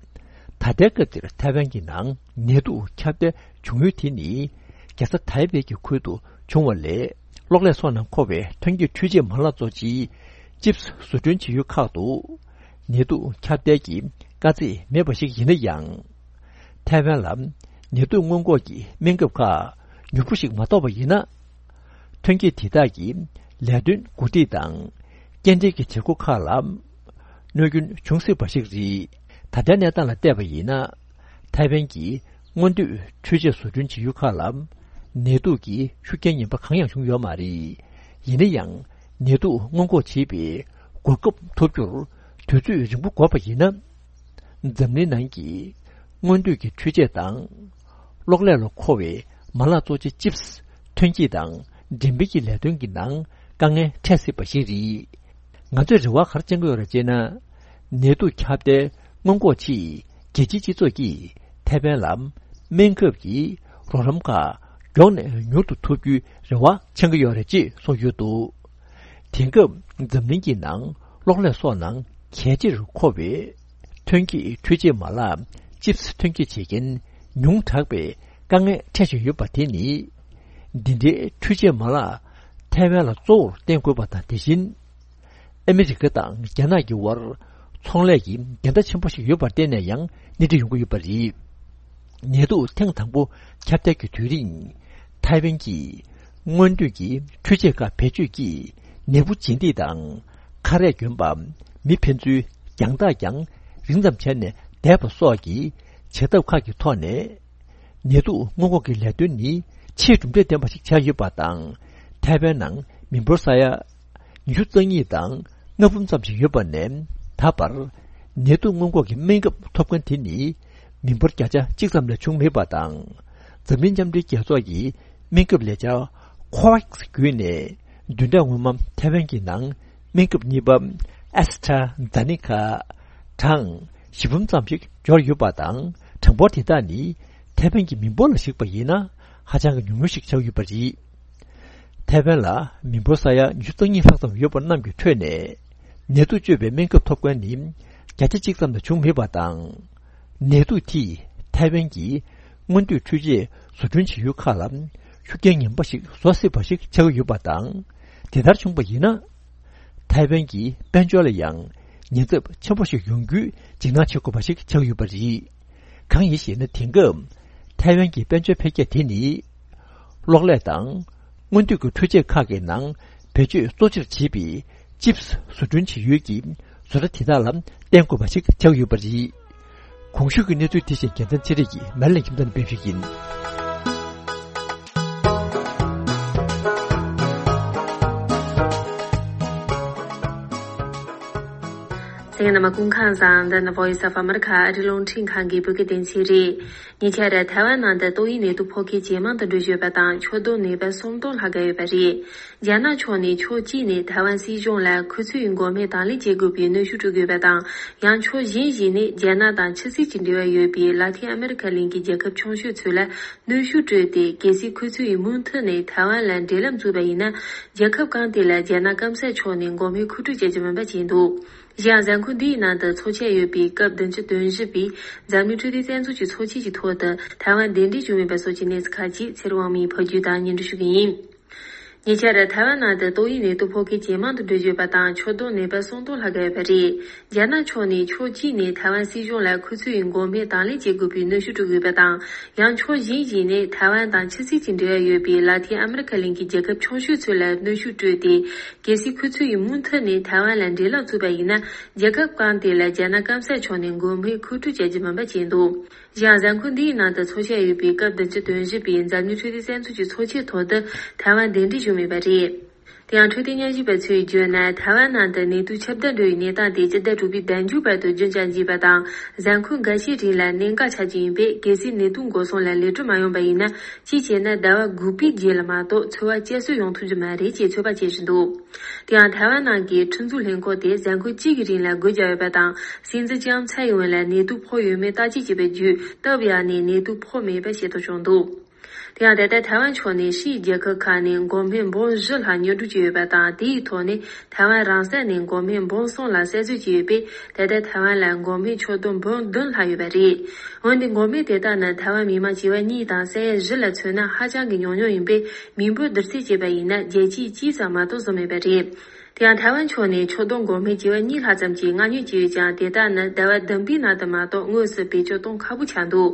ད་ལྟའི་སྐབས་འདིར་ཐའེ་ཝན་གྱི་ནང་ནད་དུག་ཁྱབ་གདལ་བྱུང་ཡུལ་དེ་ནི། རྒྱལ་ས་ཐའེ་པེ་གྱི་ཁུལ་དུ་བྱུང་བ་ལས། གློག་ཀླད་སོགས་ནང་མཁོ་བའི་ཐོན་སྐྱེད་འཕྲུལ་ཆས་མ་ལག་གཙོ་ཆེའི་ཅིབ་སི་བཟོ་སྐྲུན་བྱེད་ཡུལ་ཁག་ཏུ། ནད་དུག་ཁྱབ་གདལ་གྱི་དཀའ་ཚེགས་མེད་པ་ཞིག་ཡིན་ན་ཡང་། ཐའེ་ཝན་ལ་ནད་དུག་སྔོན་འགོག་གི་སྨན་ཁབ་ཁག་མྱུར་པོ་ཞིག་མ་ཐོབ་པ་ཡིན་ན། ཐོན་སྐྱེད་དེ་དག་གི་ལས་དོན་འགོ་ཁྲིད་དང་སྐྱེལ་འདྲེན་གྱི་བྱེད་སྒོ་ཁག་ལ་གནོད་སྐྱོན་འབྱུང་སྲིད་པ་ཞིག་རེད། ད་ལྟའི་གནས་སྟངས་ལ་བལྟས་པ་ཡིན་ན། ཐའེ་ཝན་གྱི་སྔོན་སྡོད་འཕྲུལ་ཆས་བཟོ་སྐྲུན་བྱེད་ཡུལ་ཁག་ལ་ནད་དུག་གི་ཤུགས་རྐྱེན་ངན་པ་གང་ཡང་བྱུང་ཡོད་མ་རེད། ཡིན་ན་ཡང་། ནད་དུག་སྔོན་འགོག་བྱེད་པའི་གོ་སྐབས་ཐོབ་རྒྱུར་དུས་ཚོད་རིང་པོ་འགོར་བ་ཡིན་ན། འཛམ་གླིང་ནང་གི་སྔོན་སྡོད་ཀྱི་འཕྲུལ་ཆས་དང་། གློག་ཀླད་ལ་མཁོ་བའི་མ་ལག་གཙོ་ཆེ་ཅིབ་སི་ཐོན་སྐྱེད་དང་འགྲེམས་སྤེལ་གྱི་ལས་དོན་གྱི་ནང་དཀའ་ངལ་འཕྲད་སྲིད་པ་ཞིག་རེད། ང་ཚོས་རེ་བ་ག་རེ་བཅང་གི་ཡོད་རེད་ཅེ་ན། ནད་དུག་ཁྱབ་གདལ་སྔོན་འགོག་ཆེད་རྒྱལ་སྤྱིའི་སྤྱི་ཚོགས་ཀྱིས་ཐའེ་ཝན་ལ་སྨན་ཁབ་ཀྱི་རོགས་རམ་ཁག་མགྱོགས་ནས་མྱུར་དུ་ཐོབ་རྒྱུའི་རེ་བ་བཅང་གི་ཡོད་རེད་ཅེས་གསུངས་ཡོད་འདུག། དེང་སྐབས་འཛམ་གླིང་གི་ནང་གློག་ཀླད་སོགས་ནང་གལ་ཆེར་མཁོ་བའི་ཐོན་སྐྱེད་འཕྲུལ་ཆས་མ་ལག་ཅིབ་སི་ཐོན་སྐྱེད་བྱེད་མཁན་ཉུང་དྲགས་པའི་དཀའ་ངལ་འཕྲད་བཞིན་ཡོད་པ་དེ་ནི། འདི་འདྲའི་འཕྲུལ་ཆས་མ་ལག་ཐའེ་ཝན་ལ་གཙོ་བོར་བརྟེན་དགོས་པ་དང་། དེ་བཞིན་ཨ་མི་རི་ཀ་དང་རྒྱ་ནག་གི་དབར་ཚོང་ལས་ཀྱི་འགལ་ཟླ་ཆེན་པོ་ཞིག་ཡོད་པར་བརྟེན་ནས་ཡང་སྣེ་ཁྲིད་ཡོང་གི་ཡོད་པ་རེད། ནད་དུག་ཐེངས་དང་པོ་ཁྱབ་གདལ་གྱི་དུས་རིང་། ཐའེ་ཝན་གྱིས་སྔོན་སྡོད་ཀྱི་འཕྲུལ་ཆས་ཁག་བེད་སྤྱོད་ཀྱིས་ནད་འབུ་འབྱིན་འདེད་དང་ཁ་རས་གྱོན་པ། མི་ཕན་ཚུན་རྒྱང་ཐག་ཀྱང་རིང་ཙམ་བྱས་ནས་བསྡད་པ་སོགས་ཀྱི་བྱེད་ཐབས་ཁག་གི་ཐོག་ནས། ནད་དུག་སྔོན་འགོག་གི་ལས་དོན་ནི་ཆེས་གྲུབ་འབྲས་ལྡན་པ་ཞིག་ཆགས་ཡོད་པ་དང་། ཐའེ་ཝན་ནང་མི་འབོར་ས་ཡ་ཉི་ཤུ་རྩ་གཉིས་དང་ལྔ་འབུམ་ཙམ་ཞིག་ཡོད་པ་ནས། ད་བར་ནད་དུག་སྔོན་འགོག་གི་སྨན་ཁབ་ཐོབ་མཁན་དེ་ནི་མི་འབོར་བརྒྱ་ཆ་གཅིག་ཙམ་ལས་བྱུང་མེད་པ་དང་། འཛམ་གླིང་མཉམ་འབྲེལ་རྒྱལ་ཚོགས་ཀྱི་སྨན་ཁབ་ལས་འཆར་ཁོ་ཝེག་སི་བརྒྱུད་ནས་བདུན་ཕྲག་སྔོན་མ་ཐའེ་ཝན་གྱི་ནང་སྨན་ཁབ་གཉིས་པ་ཨེ་སི་ཊ་ར་ཛེ་ནེ་ཀ་གྲངས་བཞི་འབུམ་ཙམ་ཞིག་འབྱོར་ཡོད་པ་དང་། གྲངས་འབོར་དེ་དག་ནི་ཐའེ་ཝན་གྱི་མི་འབོར་ལ་གཞིགས་པ་ཡིན་ན་ཧ་ཅང་གི་ཉུང་ཉུང་ཞིག་ཆགས་ཡོད་པ་རེད། ཐའེ་ཝན་ལ་མི་འབོར་ས་ཡ་ཉི་ཤུ་རྩ་གཉིས་ལྷག་ཙམ་ཡོད་པ་རྣམས་ཀྱི་ཁྲོད་ནས་ནད་དུག་བཅོས་པའི་སྨན་ཁབ་ཐོབ་མཁན་ནི་བརྒྱ་ཆ་གཅིག་ཙམ་ལས་བྱུང་མེད་པ་དང་། ནད་དུག་དེས་ཐའེ་ཝན་གྱི་སྔོན་སྡོད་འཕྲུལ་ཆས་བཟོ་སྐྲུན་བྱེད་ཡུལ་ཁག་ལ་ཤུགས་རྐྱེན་ངན་པ་ཞིག་བཟོ་སྲིད་པ་ཞིག་ཆགས་ཀྱི་ཡོད་པ་དང་། དེ་ལྟར་བྱུང་བ་ཡིན་ན། ཐའེ་ཝན་གྱི་དཔལ་འབྱོར་ལ་ཡང་ཉེན་ཚབས་ཆེན་པོ་ཞིག་ཡོང་རྒྱུའི་འཇིགས་སྣང་བྱེད་དགོས་པ་ཞིག་ཆགས་ཀྱི་ཡོད་པ་རེད། གང་ཡིན་ཞེ་ན། དེང་སྐབས་ཐའེ་ཝན་གྱི་དཔལ་འབྱོར་འཕེལ་རྒྱས་དེ་ནི། གློག་ཀླད་དང་སྔོན་སྡོད་ཀྱི་འཕྲུལ་ཆས་ཁག་གི་ནང་བེད་སྤྱོད་གཙོ་ཆེར་བྱེད་པའི་ཅིབ་སི་བཟོ་སྐྲུན་བྱེད་ཡུལ་གྱི་བཟོ་གྲྭ་དེ་དག་ལ་བརྟེན་དགོས་པ་ཞིག་ཆགས་ཡོད་པ་རེད། གོང་ཞུས་ཀྱི་གནས་ཚུལ་དེ་བཞིན་རྒྱལ་མཚན་ཚེ་རིང་གིས་མེ་ལན་ཁྱིམ་ཚང་ནས་སྤེལ་ཞུས་ཡིན། གསན་མཁན་རྣམ་པ་སྐུ་ཁམས་བཟང་། འདི་ནི་Voice of America ཨ་རིའི་རླུང་འཕྲིན་ཁང་གི་བོད་སྐད་སྡེ་ཚན་རེད། ཉེ་ཆར་ཐའེ་ཝན་ནང་དུ་ཏོག་དབྱིབས་ནད་དུག་ཕོག་མཁན་ཇེ་མང་དུ་འགྲོ་བཞིན་ཡོད་པ་དང་། ཆོག་རྡུང་ནད་པ་སུམ་སྟོང་ལྷག་ག་ཡོད་པ་རེད། རྒྱ་ནག་ཕྱོགས་ནས་ཕྱོགས་གཅིག་ནས་ཐའེ་ཝན་སྲིད་གཞུང་ལ་ཁོ་ཚོའི་འགོག་སྨན་དང་ལེན་བྱེད་དགོས་པའི་གནོན་ཤུགས་སྤྲོད་ཀྱི་ཡོད་པ་དང་། ཡང་ཕྱོགས་གཞན་ཞིག་ནས་རྒྱ་ནག་དང་ཕྱི་སྲིད་ཀྱི་འབྲེལ་བ་ཡོད་པའི་ལ་ཏིན་ཨ་མེ་རི་ཁ་གླིང་གི་རྒྱལ་ཁབ་ཆུང་ཤོས་ཚོ་ལ་གནོན་ཤུགས་སྤྲོད་དེ། གལ་སྲིད་ཁོ་ཚོས་མུ་མཐུད་ནས་ཐའེ་ཝན་ལ་འབྲེལ་ལམ་བཙུགས་པ་ཡིན་ན། རྒྱལ་ཁབ་གང་དེ་ལ་རྒྱ་ནག་སྐམ་ས་ཕྱོགས་ནས་འགོག་སྨན་མཁོ་སྤྲོད་བྱ་རྒྱུ་མིན་པ་བྱས་འདུག། གཞན་ཡང་། གཟའ་འཁོར་འདིའི་ནང་དུ་ཚོགས་ཆགས་ཡོད་པའི་སྐབས་བདུན་ཅུ་དོན་བཞི་པའི་འཛམ་གླིང་འཕྲོད་བསྟེན་རྩ་འཛུགས་ཀྱི་ཚོགས་ཆེན་གྱི་ཐོག་ཏུ་ཐའེ་ཝན་གདན་འདྲེན་བྱུང་མེད་པ་སོགས་ཀྱི་གནས་ཚུལ་ཁག་ཅིག་ཚེ་རིང་དབང་མོས་ཕབ་སྒྱུར་དང་སྙན་སྒྲོན་ཞུ་གི་ཡིན། ཉེ་ཆར་ཐའེ་ཝན་ནང་དུ་ཏོག་དབྱིབས་ནད་དུག་ཕོག་མཁན་ཇེ་མང་དུ་འགྲོ་བཞིན་ཡོད་པ་དང་། ཆོག་རྡུང་ནད་པ་སུམ་སྟོང་ལྷག་ག་ཡོད་པ་རེད། རྒྱ་ནག་ཕྱོགས་ནས་ཕྱོགས་གཅིག་ནས་ཐའེ་ཝན་སྲིད་གཞུང་ལ་ཁོ་ཚོའི་འགོག་སྨན་དང་ལེན་བྱེད་དགོས་པའི་གནོན་ཤུགས་སྤྲོད་ཀྱི་ཡོད་པ་དང་། ཡང་ཕྱོགས་གཞན་ཞིག་ནས་ཐའེ་ཝན་དང་ཕྱི་སྲིད་ཀྱི་འབྲེལ་བ་ཡོད་པའི་ལ་ཏིན་ཨ་མེ་རི་ཁ་གླིང་གི་རྒྱལ་ཁབ་ཆུང་ཤོས་ཚོ་ལ་གནོན་ཤུགས་སྤྲོད་དེ། གལ་སྲིད་ཁོ་ཚོས་མུ་མཐུད་ནས་ཐའེ་ཝན་ལ་འབྲེལ་ལམ་བཙུགས་པ་ཡིན་ན། རྒྱལ་ཁབ་གང་དེ་ལ་རྒྱ་ནག་སྐམ་ས་ཕྱོགས་ནས་འགོག་སྨན་མཁོ་སྤྲོད་བྱ་རྒྱུ་མིན་པ་བྱས་འདུག། གཞན་ཡང་། གཟའ་འཁོར་འདིའི་ནང་དུ་ཚོགས་བཞག་ཡོད་པའི་སྐབས་བདུན་ཅུ་དོན་བཞི་པའི་འཛམ་གླིང་འཕྲོད་བསྟེན་རྩ་འཛུགས་ཀྱི་ཚོགས་ཆེན་ཐོག་ཏུ་ཐའེ་ཝན་གདན་འདྲེན་བྱུང་མེད་པ་རེད། དེ་ཡང་འཕྲོད་བསྟེན་ཉམས་ཞིབ་པ་ཚོས་བརྗོད་ན། ཐའེ་ཝན་ནང་དུ་ནད་དུག་ཁྱབ་གདལ་འགྲོ་བའི་གནས་སྟངས་དེ་སྤྱི་ཟླ་དྲུག་པའི་ཟླ་མཇུག་བར་དུ་རྒྱུན་བསྐྱངས་ཀྱི་ཡོད་པ་དང་། གཟའ་འཁོར་འགའ་ཤས་རིང་ལ་གནད་འགག་ཆགས་ཀྱི་ཡིན་པས། གལ་སྲིད་ནད་དུག་འགོག་སྲུང་ལ་ལེགས་གྲུབ་མ་ཡོང་པ་ཡིན་ན། གཅིག་བྱས་ན་ཟླ་བ་དགུ་པའི་རྗེས་ལ་མ་གཏོགས་འཚོ་བ་བསྐྱར་གསོ་ཡོང་ཐུབ་རྒྱུ་མ་རེད་ཅེས་ཚོད་དཔག་བྱེད་བཞིན་འདུག་དེ་ཡང་ཐའེ་ཝན་ནང་གི་ཁྲིམས་འཛུགས་ལྷན་ཁང་དེ་གཟའ་འཁོར་གཅིག་གི་རིང་ལ་སྒོ་བརྒྱབ་ཡོད་པ་དང་། སྲིད་འཛིན་ལྕམ་ཚའེ་ཡིན་ཝེན་ལ་ནད་དུག་ཕོག་ཡོད་མེད་བརྟག་དཔྱད་བྱས་པའི་བརྒྱུད། སྟབས་ཡག་ནས་ནད་དུག་ཕོག་མེད་པ་ཤེས་རྟོགས་བྱུང་འདུག་དེ་ཡང་ད་ལྟ་ཐའེ་ཝན་ཕྱོགས་ནས་ཕྱིའི་རྒྱལ་ཁབ་ཁག་ནས་འགོག་སྨན་འབུམ་བཞི་ལྷག་ཉོ་སྒྲུབ་བྱས་ཡོད་པ་དང་། དེའི་ཐོག་ནས་ཐའེ་ཝན་རང་ས་ནས་འགོག་སྨན་འབུམ་གསུམ་ལ་གསར་བཟོས་བྱས་ཡོད་པས། ད་ལྟ་ཐའེ་ཝན་ལ་འགོག་སྨན་ཁྱོན་བསྡོམས་འབུམ་བདུན་ལྷག་ཡོད་པ་རེད། འོན་ཏེ་འགོག་སྨན་དེ་དག་ནི་ཐའེ་ཝན་མི་མང་བྱེ་བ་གཉིས་དང་ས་ཡ་བཞི་ལ་མཚོན་ན་ཧ་ཅང་གི་ཉུང་ཉུང་ཡིན་པས། མི་འབོར་བསྡུར་ཚད་བྱས་པ་ཡིན་ན་བརྒྱ་ཆ་གཅིག་ཙམ་མ་གཏོགས་བཟོ་མེད་པ་རེད། དེ་ཡང་ཐའེ་ཝན་ཕྱོགས་ནས་ཁྱོན་བསྡོམས་འགོག་སྨན་བྱེ་བ་གཉིས་ལྷག་ཙམ་གྱི་མངགས་ཉོ་བྱས་ཡོད་ཀྱང་། དེ་དག་ནི་ཟླ་བ་བདུན་པའི་ནང་དུ་མ་གཏོགས་དངོས་སུ་བེད་སྤྱོད་གཏོང་ཁག་པོ་ཆགས་འདུག་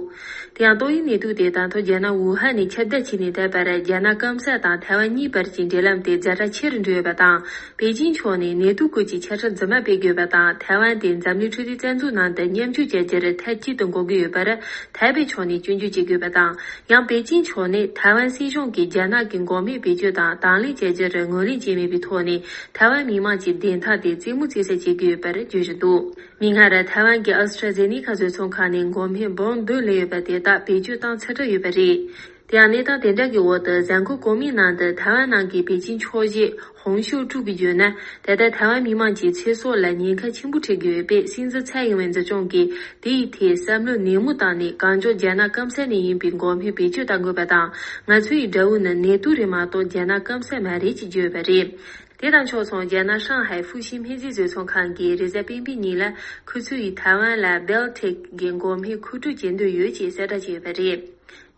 དེ་ཡང་ཏོག་དབྱིབས་ནད་དུག་དེ་ད་ཐེངས་རྒྱ་ནག་ཝུ་ཧན་ནས་ཁྱབ་གདལ་བྱས་ནས་ད་བར་རྒྱ་ནག་སྐམ་ས་དང་ཐའེ་ཝན་གཉིས་བར་གྱི་འབྲེལ་ལམ་དེ་ཛ་དྲག་ཆེ་རུ་འགྲོ་ཡོད་པ་དང་། པེ་ཅིན་ཕྱོགས་ནས་ནད་དུག་སྐོར་གྱི་ཆ་འཕྲིན་རྫུན་མ་སྤེལ་དགོས་པ་དང་། ཐའེ་ཝན་དེ་འཛམ་གླིང་འཕྲོད་བསྟེན་རྩ་འཛུགས་ནང་དུ་མཉམ་ཞུགས་བྱ་རྒྱུར་མཐའ་གཅིག་ཏུ་འགོག་གི་ཡོད་པར་ཐའེ་པེ་ཕྱོགས་ནས་སྐྱོན་བརྗོད་བྱེད་དགོས་པ་དང་། ཡང་པེ་ཅིན་ཕྱོགས་ནས་ཐའེ་ཝན་སྲིད་གཞུང་གིས་རྒྱ་ནག་གི་འགོག་སྨན་བེད་སྤྱོད་དང་དང་ལེན་བྱ་རྒྱུར་ངོས་ལེན་བྱས་མེད་པའི་ཐོག་ནས། ཐའེ་ཝན་མི་མང་གི་བདེན་མཐའ་དེ་རྩེད་མོ་རྩེ་ས་བྱེད་ཀྱི་ཡོད་པར་བརྗོད་བཞིན་འདུག་མིག་སྔར་ཐའེ་ཝན་གྱི་ཨ་སི་ཊྲ་ཛེ་ནི་ཁ་བཟོ་ཚོང་ཁང་ནས་འགོག་སྨན་འབུམ་བདུན་ལེན་ཡོད་པ་དེ་དག་བེད་སྤྱོད་བཏང་ཚར་གྲབས་ཡོད་པ་རེད། དེ་ཡང་གནས་སྟངས་དེ་འདྲ་གི་འོག་ཏུ། གཟའ་འཁོར་གོང་མའི་ནང་དུ་ཐའེ་ཝན་ནང་གི་པེ་ཅིན་ཕྱོགས་བཞི་ཧོང་ཤིའུ་ཀྲུའུ་གིས་བརྗོད་ན། ད་ལྟ་ཐའེ་ཝན་མི་མང་གི་ཚེ་སྲོག་ལ་ཉེན་ཁ་ཆེན་པོ་འཕྲད་ཀྱི་ཡོད་པས། སྲིད་འཛིན་ཚའེ་ཡིན་ཝེན་འཛིན་སྐྱོང་གིས་དེ་ཡི་ཐད་བསམ་བློ་ནན་མོ་བཏང་ནས། གང་མགྱོགས་རྒྱ་ནག་སྐམ་ས་ནས་ཡིན་པའི་འགོག་སྨན་བེད་སྤྱོད་གཏང་དགོས་པ་དང་། ང་ཚོ་ཡི་དགྲ་བོ་ནི་ནད་དུག་རེད་མ་གཏོགས་རྒྱ་ནག་སྐམ་ས་མ་རེད་ཅེས་བརྗོད་ཡོད་པ་རེད། དེ་དང་ཕྱོགས་མཚུངས། རྒྱ་ནག་ཧྲང་ཧའེ་ཧྥུ་ཤི་སྨན་རྫས་བཟོ་ཚོང་ཁང་གིས་རེས་གཟའ་སྤེན་པའི་ཉིན་ལ་ཁོ་ཚོ་ཡིས་ཐའེ་ཝན་ལ་སྦེལ་ཐེག་གི་འགོག་སྨན་མཁོ་སྤྲོད་བྱེད་འདོད་ཡོད་ཅེས་གསལ་བསྒྲགས་བྱས་ཡོད་པ་རེད།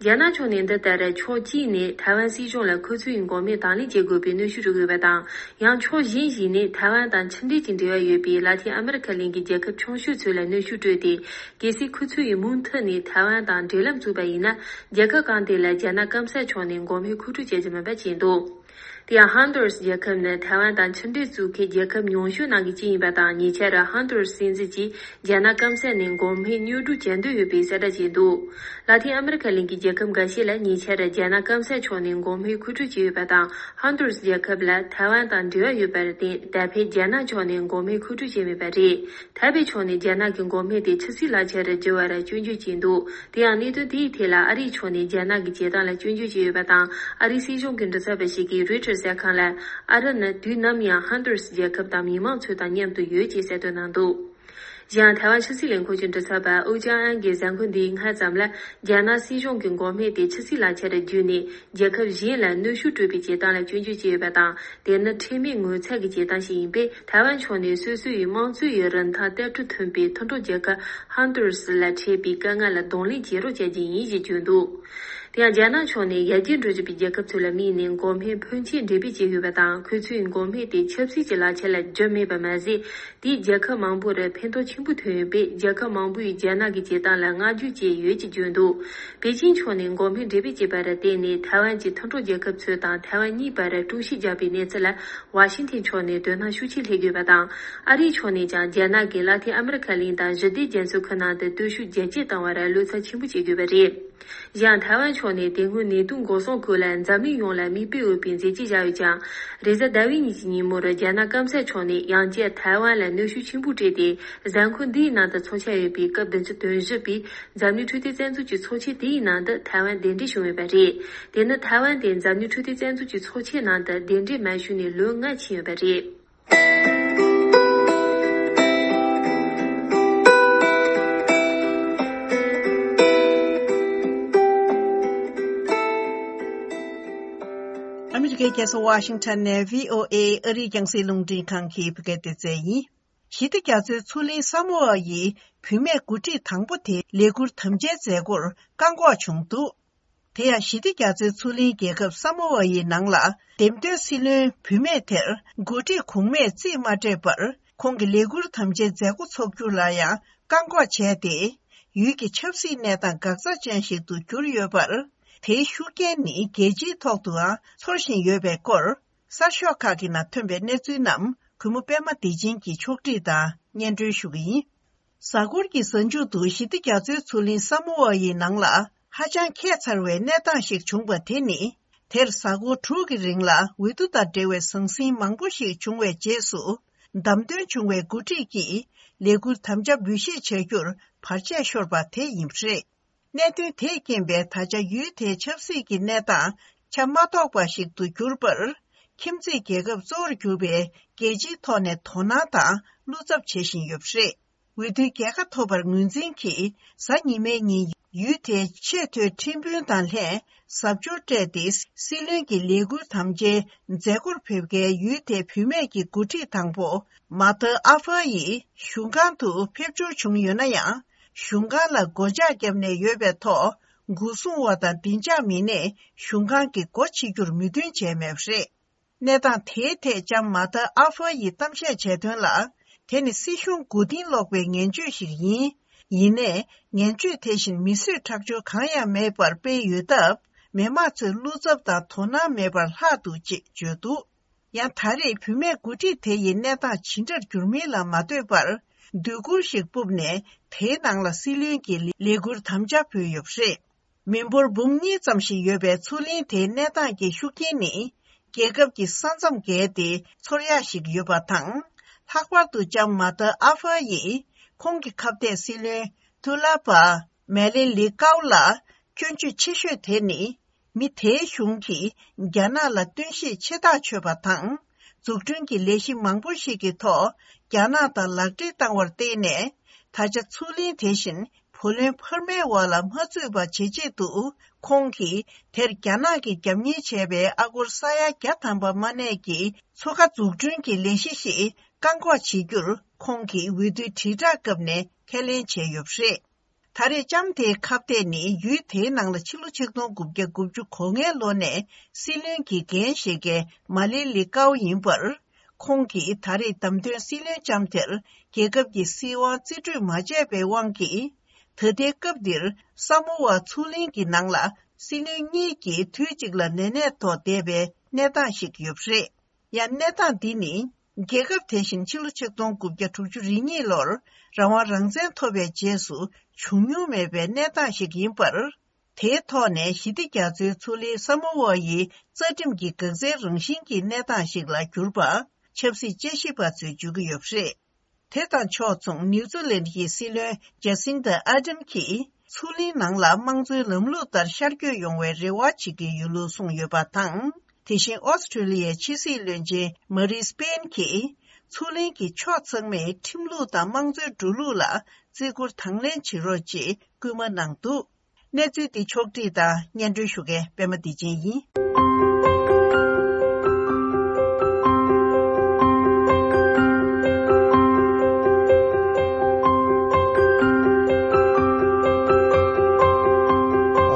རྒྱ་ནག་ཕྱོགས་ནས་འདི་ལྟར་ཕྱོགས་གཅིག་ནས་ཐའེ་ཝན་སྲིད་གཞུང་ལ་ཁོ་ཚོ་ཡི་འགོག་སྨན་དང་ལེན་བྱེད་དགོས་པའི་གནོན་ཤུགས་སྤྲོད་དགོས་པ་དང་། ཡང་ཕྱོགས་གཞན་ཞིག་ནས་ཐའེ་ཝན་དང་ཆུང་འབྲེལ་གྱི་འབྲེལ་བ་ཡོད་པའི་ལ་ཏིན་ཨ་མི་རི་ཁ་གླིང་གི་རྒྱལ་ཁབ་ཆུང་ཤོས་ཚོ་ལ་གནོན་ཤུགས་སྤྲོད་དེ། གལ་སྲིད་ཁོ་ཚོ་ཡིས་མུ་མཐུད་ནས་ཐའེ་ཝན་དང་འབྲེལ་ལམ་བཙུགས་པ་ཡིན་ན། རྒྱལ་ཁབ་གང་དེ་ལ་རྒྱ་ནག་སྐམ་ས་ཕྱོགས་ནས་འགོག་སྨན་མཁོ་སྤྲོད་བྱེད་རྒྱུ་མིན་པ་བྱས་འདུག་དེ་ཡང་ཧོན་ཏུ་རུ་སི་རྒྱལ་ཁབ་ནི་ཐའེ་ཝན་དང་ཆུང་འབྲེལ་བཙུགས་མཁན་རྒྱལ་ཁབ་ཉུང་ཤོས་ནང་གི་གཅིག་ཡིན་པ་དང་། ཉེ་ཆར་ཧོན་ཏུ་རུ་སི་སྲིད་འཛིན་གྱིས་རྒྱ་ནག་སྐམ་ས་ནས་འགོག་སྨན་གཉེར་སྒྲུག་བྱ་འདོད་ཡོད་པའི་གསལ་བསྒྲགས་བྱས་འདུག་ལ་ཏིན་ཨ་མི་རི་ཁ་གླིང་གི་རྒྱལ་ཁབ་འགའ་ཤས་ལ་ཉེ་ཆར་རྒྱ་ནག་སྐམ་ས་ཕྱོགས་ནས་འགོག་སྨན་མཁོ་སྤྲོད་བྱས་ཡོད་པ་དང་། ཧོན་ཏུ་རུ་སི་རྒྱལ་ཁབ་ལ་ཐའེ་ཝན་དང་འབྲེལ་བ་ཡོད་པར་བརྟེན། ད་ཕན་རྒྱ་ནག་ཕྱོགས་ནས་འགོག་སྨན་མཁོ་སྤྲོད་བྱས་མེད་པ་རེད། ཐའེ་པེ་ཕྱོགས་ནས་རྒྱ་ནག་གི་འགོག་སྨན་དེ་ཕྱི་སྲིད་ལག་ཁྱེར་བསྒྱུར་བར་སྐྱོན་བརྗོད་བྱས་འདུག་དེ་ཡང་གནད་དོན་དེའི་ཐད་ལ་ཨ་རིའི་ཕྱོགས་ནས་རྒྱ་ནག་གི་བྱེད་སྟངས་ལ་སྐྱོན་བརྗོད་བྱས་ཡོད་པ་དང་། ཨ་རིའི་སྲིད་གཞུང་གི་མགྲིན་ཚབ་པ་ཞིག་གིས་རོའི་ཊར་གསར་ཁང་ལ། ཨ་རི་ནི་དུས་ནམ་ཡང་ཧོན་ཏུ་རུ་སི་རྒྱལ་ཁབ་དང་མི་མང་ཚོ་དང་མཉམ་དུ་ཡོད་ཅེས་གསལ་སྟོན་གནང་འདུག་གཞན་ཡང་ཐའེ་ཝན་ཕྱི་སྲིད་ལས་ཁུངས་ཀྱི་མགྲིན་ཚབ་པ་ཨུ་ཅང་ཨན་གྱིས་གཟའ་འཁོར་འདིའི་སྔ་ཙམ་ལ། རྒྱ་ནག་སྲིད་གཞུང་གི་འགོག་སྨན་དེ་ཕྱི་སྲིད་ལག་ཁྱེར་བརྒྱུད་ནས་རྒྱལ་ཁབ་གཞན་ལ་གནོན་ཤུགས་སྤྲོད་པའི་བྱེད་སྟངས་ལ་སྐྱོན་བརྗོད་བྱས་ཡོད་པ་དང་། དེ་ནི་ཁྲེལ་མེད་ངོ་ཚ་གི་བྱེད་སྟངས་ཤིག་ཡིན་པས། ཐའེ་ཝན་ཕྱོགས་ནས་སོ་སོ་ཡི་དམངས་གཙོ་ཡི་རིན་ཐང་གཏད་ཁྲལ་མཐུན་པའི་མཐུན་གྲོགས་རྒྱལ་ཁབ་ཧོན་ཏུ་རུ་སི་ལ་འཕྲད་པའི་དཀའ་ངལ་ལ་གདོང་ལེན་བྱེད་རོགས་བྱ་རྒྱུ་ཡིན་ཞེས་བརྗོད་འདུག་དེ་ཡང་རྒྱ་ནག་ཕྱོགས་ནས་ཡར་རྒྱས་འགྲོ་བཞིན་པའི་རྒྱལ་ཁབ་ཚོ་ལ་དམིགས་ནས་འགོག་སྨན་ཕོན་ཆེ་འབྲེལ་སྤེལ་བྱས་ཡོད་པ་དང་། ཁོ་ཚོས་འགོག་སྨན་དེ་ཆབ་སྲིད་ཀྱི་ལག་ཁྱེར་ལ་བསྒྱུར་མེད་པ་མ་ཟད། དེས་རྒྱལ་ཁབ་མང་པོར་ཕན་ཐོགས་ཆེན་པོ་ཐོན་ཡོད་པས། རྒྱལ་ཁབ་མང་པོས་རྒྱ་ནག་གི་བྱེད་སྟངས་ལ་བསྔགས་བརྗོད་བྱས་ཡོད་ཅེས་བརྗོད་འདུག་པེ་ཅིན་ཕྱོགས་ནས་འགོག་སྨན་འབྲེལ་སྤེལ་བྱས་པར་བརྟེན་ནས། ཐའེ་ཝན་གྱི་མཐུན་གྲོགས་རྒྱལ་ཁབ་ཚོ་དང་ཐའེ་ཝན་གཉིས་བར་དཀྲུག་ཤིང་བརྒྱབ་པའི་གནས་ཚུལ་ལ་ཝ་ཤིང་ཐན་ཕྱོགས་ནས་དོ་སྣང་ཤུགས་ཆེ་སླེབས་ཡོད་པ་དང་། ཨ་རིའི་ཕྱོགས་ནས་ཀྱང་རྒྱ་ནག་གིས་ལ་ཏིན་ཨ་མི་རི་ཁ་གླིང་དང་ཞི་བདེ་རྒྱ་མཚོའི་ཁུལ་ནང་དུ་སྟོབས་ཤུགས་རྒྱ་སྐྱེད་བཏང་བར་བློ་འཚབ་ཆེན་པོ་བྱེད་དགོས་པ་རེད། གཞན་ཐའེ་ཝན་ཕྱོགས་ནས་དེ་སྔོན་ནད་དུག་འགོག་སྲུང་སྐོར་ལ་འཛམ་གླིང་ཡོངས་ལ་མིག་དཔེ་འོས་པའི་མཛད་རྗེས་བཞག་ཡོད་ཀྱང་། རེས་གཟའ་ཟླ་བའི་ཉིན་གྱི་ཉིན་མོར་རྒྱ་ནག་སྐམ་ས་ཕྱོགས་ནས་ཡང་བསྐྱར་ཐའེ་ཝན་ལ་གནོན་ཤུགས་ཆེན་པོ་སྤྲད་དེ། གཟའ་འཁོར་འདིའི་ནང་དུ་འཚོགས་འཆར་ཡོད་པའི་སྐབས་བདུན་ཅུ་དོན་བཞི་པའི་འཛམ་གླིང་འཕྲོད་བསྟེན་རྩ་འཛུགས་ཀྱི་ཚོགས་ཆེན་དེའི་ནང་དུ་ཐའེ་ཝན་གདན་འདྲེན་བྱུང་ཡོད་པ་རེད། དེ་ནི་ཐའེ་ཝན་དེ་འཛམ་གླིང་འཕྲོད་བསྟེན་རྩ་འཛུགས་ཀྱི་ཚོགས་ཆེན་ནང་དུ་གདན་འདྲེན་མ་ཞུས་ནས་ལོ་ལྔ་ཕྱིན་ཡོད་པ་རེད། ཨ་མི་རི་ཀའི་རྒྱལ་ས་ཝ་ཤིང་ཊོན་ནས་བྷི་ཨོ་ཨེ་ཨ་རིའི་རྒྱང་སྲིང་རླུང་འཕྲིན་ཁང་གི་བོད་སྐད་སྡེ་ཚན་ཡིན། ཞི་བདེ་རྒྱ་མཚོའི་མཚོ་གླིང་ས་མོ་ཨ་ཡི་བུད་མེད་འགོ་ཁྲིད་དང་པོ་དེ་ལས་འཁུར་དམ་བཅའི་མཛད་སྒོར་བཀག་འགོག་བྱུང་འདུག་དེ་ཡང་ཞི་བདེ་རྒྱ་མཚོའི་མཚོ་གླིང་རྒྱལ་ཁབ་ས་མོ་ཨ་ཡི་ནང་ལ་འདེམས་ཐོན་སྲིད་བློན་བུད་མེད་དེར་འགོ་ཁྲིད་གོང་མས་རྩིས་མ་སྤྲད་པར། ཁོང་གི་ལས་འཁུར་དམ་བཅའི་མཛད་སྒོ་འཚོགས་རྒྱུ་ལ་ཡང་བཀག་འགོག་བྱས་ཏེ། ཡུལ་གྱི་ཆབ་སྲིད་གནས་སྟངས་འགག་རྩ་ཅན་ཞིག་ཏུ་གྱུར་ཡོད་པར། དེའི་ཤུགས་རྐྱེན་ནི་རྒྱལ་སྤྱིའི་ཐོག་ཏུའང་ཚོར་བཞིན་ཡོད་པའི་སྐོར། གསར་ཤོག་ཁག་གི་ནང་ཐོན་པའི་གནས་ཚུལ་རྣམས་གུས་མོ་པད་མ་བདེ་ཆེན་གྱིས་ཕྱོགས་སྒྲིག་དང་སྙན་སྒྲོན་ཞུ་གི་ཡིན། གཟའ་འཁོར་གྱི་གཟའ་མཇུག་ཏུ་ཞི་བདེ་རྒྱ་མཚོའི་མཚོ་གླིང་ས་མོ་ཨ་ཡི་ནང་ལ་ཧ་ཅང་ཁྱད་མཚར་བའི་གནས་སྟངས་ཤིག་བྱུང་བ་དེ་ནི། དེར་གཟའ་འཁོར་དྲུག་གི་རིང་ལ་འོས་བསྡུ་དང་འབྲེལ་བའི་ཟང་ཟིང་མང་པོ་ཞིག་བྱུང་བའི་རྗེས་སུ། བདམས་ཐོན་བྱུང་བའི་འགོ་ཁྲིད་ཀྱིས་ལས་འཁུར་དམ་བཅའ་འབུལ་བཞེས་བྱ་རྒྱུར་བར་ཆད་ཤོར་པ་དེ་ཡིན་པ་རེད། གནད་དོན་དེས་རྐྱེན་པས་ད་ཆ་ཡུལ་དེའི་ཆབ་སྲིད་ཀྱི་གནས་སྟངས་ཆ་མ་རྟོགས་པ་ཞིག་ཏུ་གྱུར་པར། ཁྱིམ་མཚེས་རྒྱལ་ཁབ་གཙོ་བོར་གྱུར་པའི་རྒྱལ་སྤྱིའི་ཐོག་ནས་དོ་སྣང་དང་བློ་འཚབ་བྱེད་བཞིན་ཡོད་པ་རེད། འོས་བསྡུའི་རྒྱལ་ཁ་ཐོབ་པར་ངོས་འཛིན་གྱིས་གཟའ་ཉི་མའི་ཉིན་ཡུལ་དེའི་ཆེས་མཐོའི་ཁྲིམས་དཔོན་དང་ལྷན་གཟབ་མཆོར་སྤྲས་ཏེ་སྲིད་བློན་གྱི་ལས་འཁུར་དམ་བཅའི་མཛད་སྒོར་ཕེབས་མཁན་ཡུལ་དེའི་བུད་མེད་ཀྱི་འགོ་ཁྲིད་དང་པོ་མ་ཐི་ཨ་ཧྥ་ཡི་གཞུང་ཁང་དུ་ཕེབས་འབྱོར་བྱུང་ཡོད་ན་ཡང་། གཞུང་ཁང་ལ་སྒོ་ལྕགས་བརྒྱབ་ནས་ཡོད་པའི་ཐོག་འགོག་སྲུང་བ་དང་བདེ་འཇགས་མི་སྣས་གཞུང་ཁང་གི་སྒོ་ཕྱེ་རྒྱུར་མོས་མཐུན་བྱས་མེད་པ་རེད། གནས་སྟངས་དེའི་ཐད་ལྕམ་མ་ཐི་ཨ་ཧྥ་ཡིས་གཏམ་བཤད་བྱས་དོན་ལ། དེ་ནི་སྲིད་གཞུང་མགོ་རྟིང་སློག་པའི་ངན་བྱུས་ཤིག་ཡིན། ཡིན་ནའི་ངན་བྱུས་དེ་བཞིན་མི་གསོད་ཁྲག་སྦྱོར་གང་ཡང་མེད་པར་སྤེལ་ཡོད་སྟབས། མི་མང་ཚོས་བློ་འཚབ་དང་དོ་སྣང་མེད་པར་ལྷག་འདུག་ཅེས་བརྗོད་འདུག་ཡང་ད་རེས་བུད་མེད་འགོ་ཁྲིད་དེ་ཡི་གནས་སྟངས་ཇི་འདྲར་འགྱུར་མིན་ལ་མ་ལྟོས་པར། སྡོད་གུར་ཞིག་སྤུབས་ནས་དེའི་ནང་ལ་སྲིད་བློན་གྱི་ལས་འཁུར་དམ་བཅའ་ཕུལ་ཡོད་པ་རེད། མི་འབོར་འབུམ་གཉིས་ཙམ་ཞིག་ཡོད་པའི་མཚོ་གླིང་དེའི་གནས་སྟངས་ཀྱི་ཤུགས་རྐྱེན་ནི། རྒྱལ་ཁབ་ཀྱི་ས་མཚམས་བརྒལ་ཏེ་ཚོར་ཡག་ཞིག་ཡོད་པ་དང་། ལྷག་པར་དུ་ལྕམ་མ་ཐི་ཨ་ཧྥ་ཡིས་ཁོང་གི་ཁ་གཏད་སྲིད་བློན་ཐུ་ལ་པ་མེ་ལིན་ལི་ཀའུ་ལ་སྐྱོན་བརྗོད་ཆེ་ཤོས་དེ་ནི། མི་དེའི་གཞུང་གིས་རྒྱ་ནག་ལ་བསྟུན་ཤེད་ཆེ་ཐག་ཆོད་པ་དང་། འཛུགས་སྐྲུན་གྱི་ལས་གཞི་མང་པོ་ཞིག་གི་ཐོག་རྒྱ་ནག་དང་ལག་འབྲེལ་བཏང་བར་བརྟེན་ནས། ད་ཆ་མཚོ་གླིང་དེ་བཞིན་བུ་ལོན་འཕར་མའི་འོག་ལ་མ་ཚུད་པ་བྱེད་ཆེད་དུ། ཁོང་གིས་དེར་རྒྱ་ནག་གིས་རྒྱབ་གཉེར་བྱས་པའི་ཨ་སྒོར་ས་ཡ་བརྒྱ་ཐམ་པ་མ་གནས་ཀྱི་མཚོ་ཁ་འཛུགས་སྐྲུན་གྱི་ལས་གཞི་ཞིག་བཀག་འགོག་བྱེད་རྒྱུར། ཁོང་གིས་འོས་བསྡུའི་དྲིལ་བསྒྲགས་སྐབས་ནས་ཁས་ལེན་བྱས་ཡོད་པ་རེད། ད་རེས་ལྕམ་དེའི་ཁ་གཏད་ནི་ཡུལ་དེའི་ནང་ལ་ཕྱི་ལོ་ཆིག་སྟོང་དགུ་བརྒྱ་དགུ་བཅུ་གོ་ལྔའི་ལོ་ནས་སྲིད་བློན་གྱི་འགན་བཞེས་མཁན་མ་ལི་ལི་ཀའོ་ཡིན་པར། ཁོང་གིས་ད་རེས་བདམས་ཐོན་སྲིད་བློན་ལྕམ་དེར་རྒྱལ་ཁབ་ཀྱི་སྲིད་དབང་རྩིས་སྤྲོད་མ་བྱས་པའི་དབང་གིས། ད་ལྟའི་སྐབས་འདིར་ས་མོ་ཝ་མཚོ་གླིང་གི་ནང་ལ་སྲིད་བློན་གཉིས་ཀྱིས་དུས་གཅིག་ལ་ནད་ནད་ཐོག་བསྡད་པའི་གནས་སྟངས་ཤིག་ཡོད་པ་རེད། ཡང་གནས་སྟངས་འདི་ནི། རྒྱལ་ཁབ་དེ་བཞིན་ཕྱི་ལོ་ཆིག་སྟོང་དགུ་བརྒྱ་དྲུག་ཅུ་རེ་གཉིས་ལོར་རང་དབང་རང་བཙན་ཐོབ་པའི་རྗེས་སུ་བྱུང་མྱོང་མེད་པའི་གནས་སྟངས་ཤིག་ཡིན་པར། དེའི་ཐོག་ནས་ཞི་བདེ་རྒྱ་མཚོའི་མཚོ་གླིང་ས་མོ་ཝ་ཡི་རྩ་ཁྲིམས་ཀྱི་འགག་རྩའི་རང་བཞིན་གྱི་གནས་སྟངས་ཤིག་ལ་གྱུར་པ་ཆབ་སྲིད་དཔྱད་ཞིབ་པ་ཚོས་བརྗོད་ཀྱི་ཡོད་པ་རེད། དེ་དང་ཕྱོགས་མཚུངས་ནིའུ་ཛི་ལན་གྱི་སྲིད་བློན་ཇེ་སིན་ད་ཨ་ཏན་གྱིས་མཚོ་གླིང་ནང་ལ་དམངས་གཙོའི་ལམ་ལུགས་ལྟར་ཤར་བསྐྱོད་ཡོང་བའི་རེ་བ་བྱེད་ཀྱི་ཡོད་ལུགས་གསུངས་ཡོད་པ་དང་། དེ་བཞིན་ཨོ་སི་ཁྲུ་ལི་ཡའི་ཕྱི་སྲིད་བློན་ཆེན་མ་རི་སི་པེན་གྱིས་མཚོ་གླིང་གི་ཕྱོགས་ཚང་མས་ཁྲིམས་ལུགས་དང་དམངས་གཙོའི་འགྲོ་ལུགས་ལ་བརྩི་བཀུར་དང་ལེན་བྱེད་རོགས་ཅེས་སྐུལ་མ་གནང་འདུག་གནས་ཚུལ་འདི་ཕྱོགས་བསྒྲིགས་དང་སྙན་སྒྲོན་ཞུ་མཁན་པད་མ་བདེ་ཆེན་ཡིན།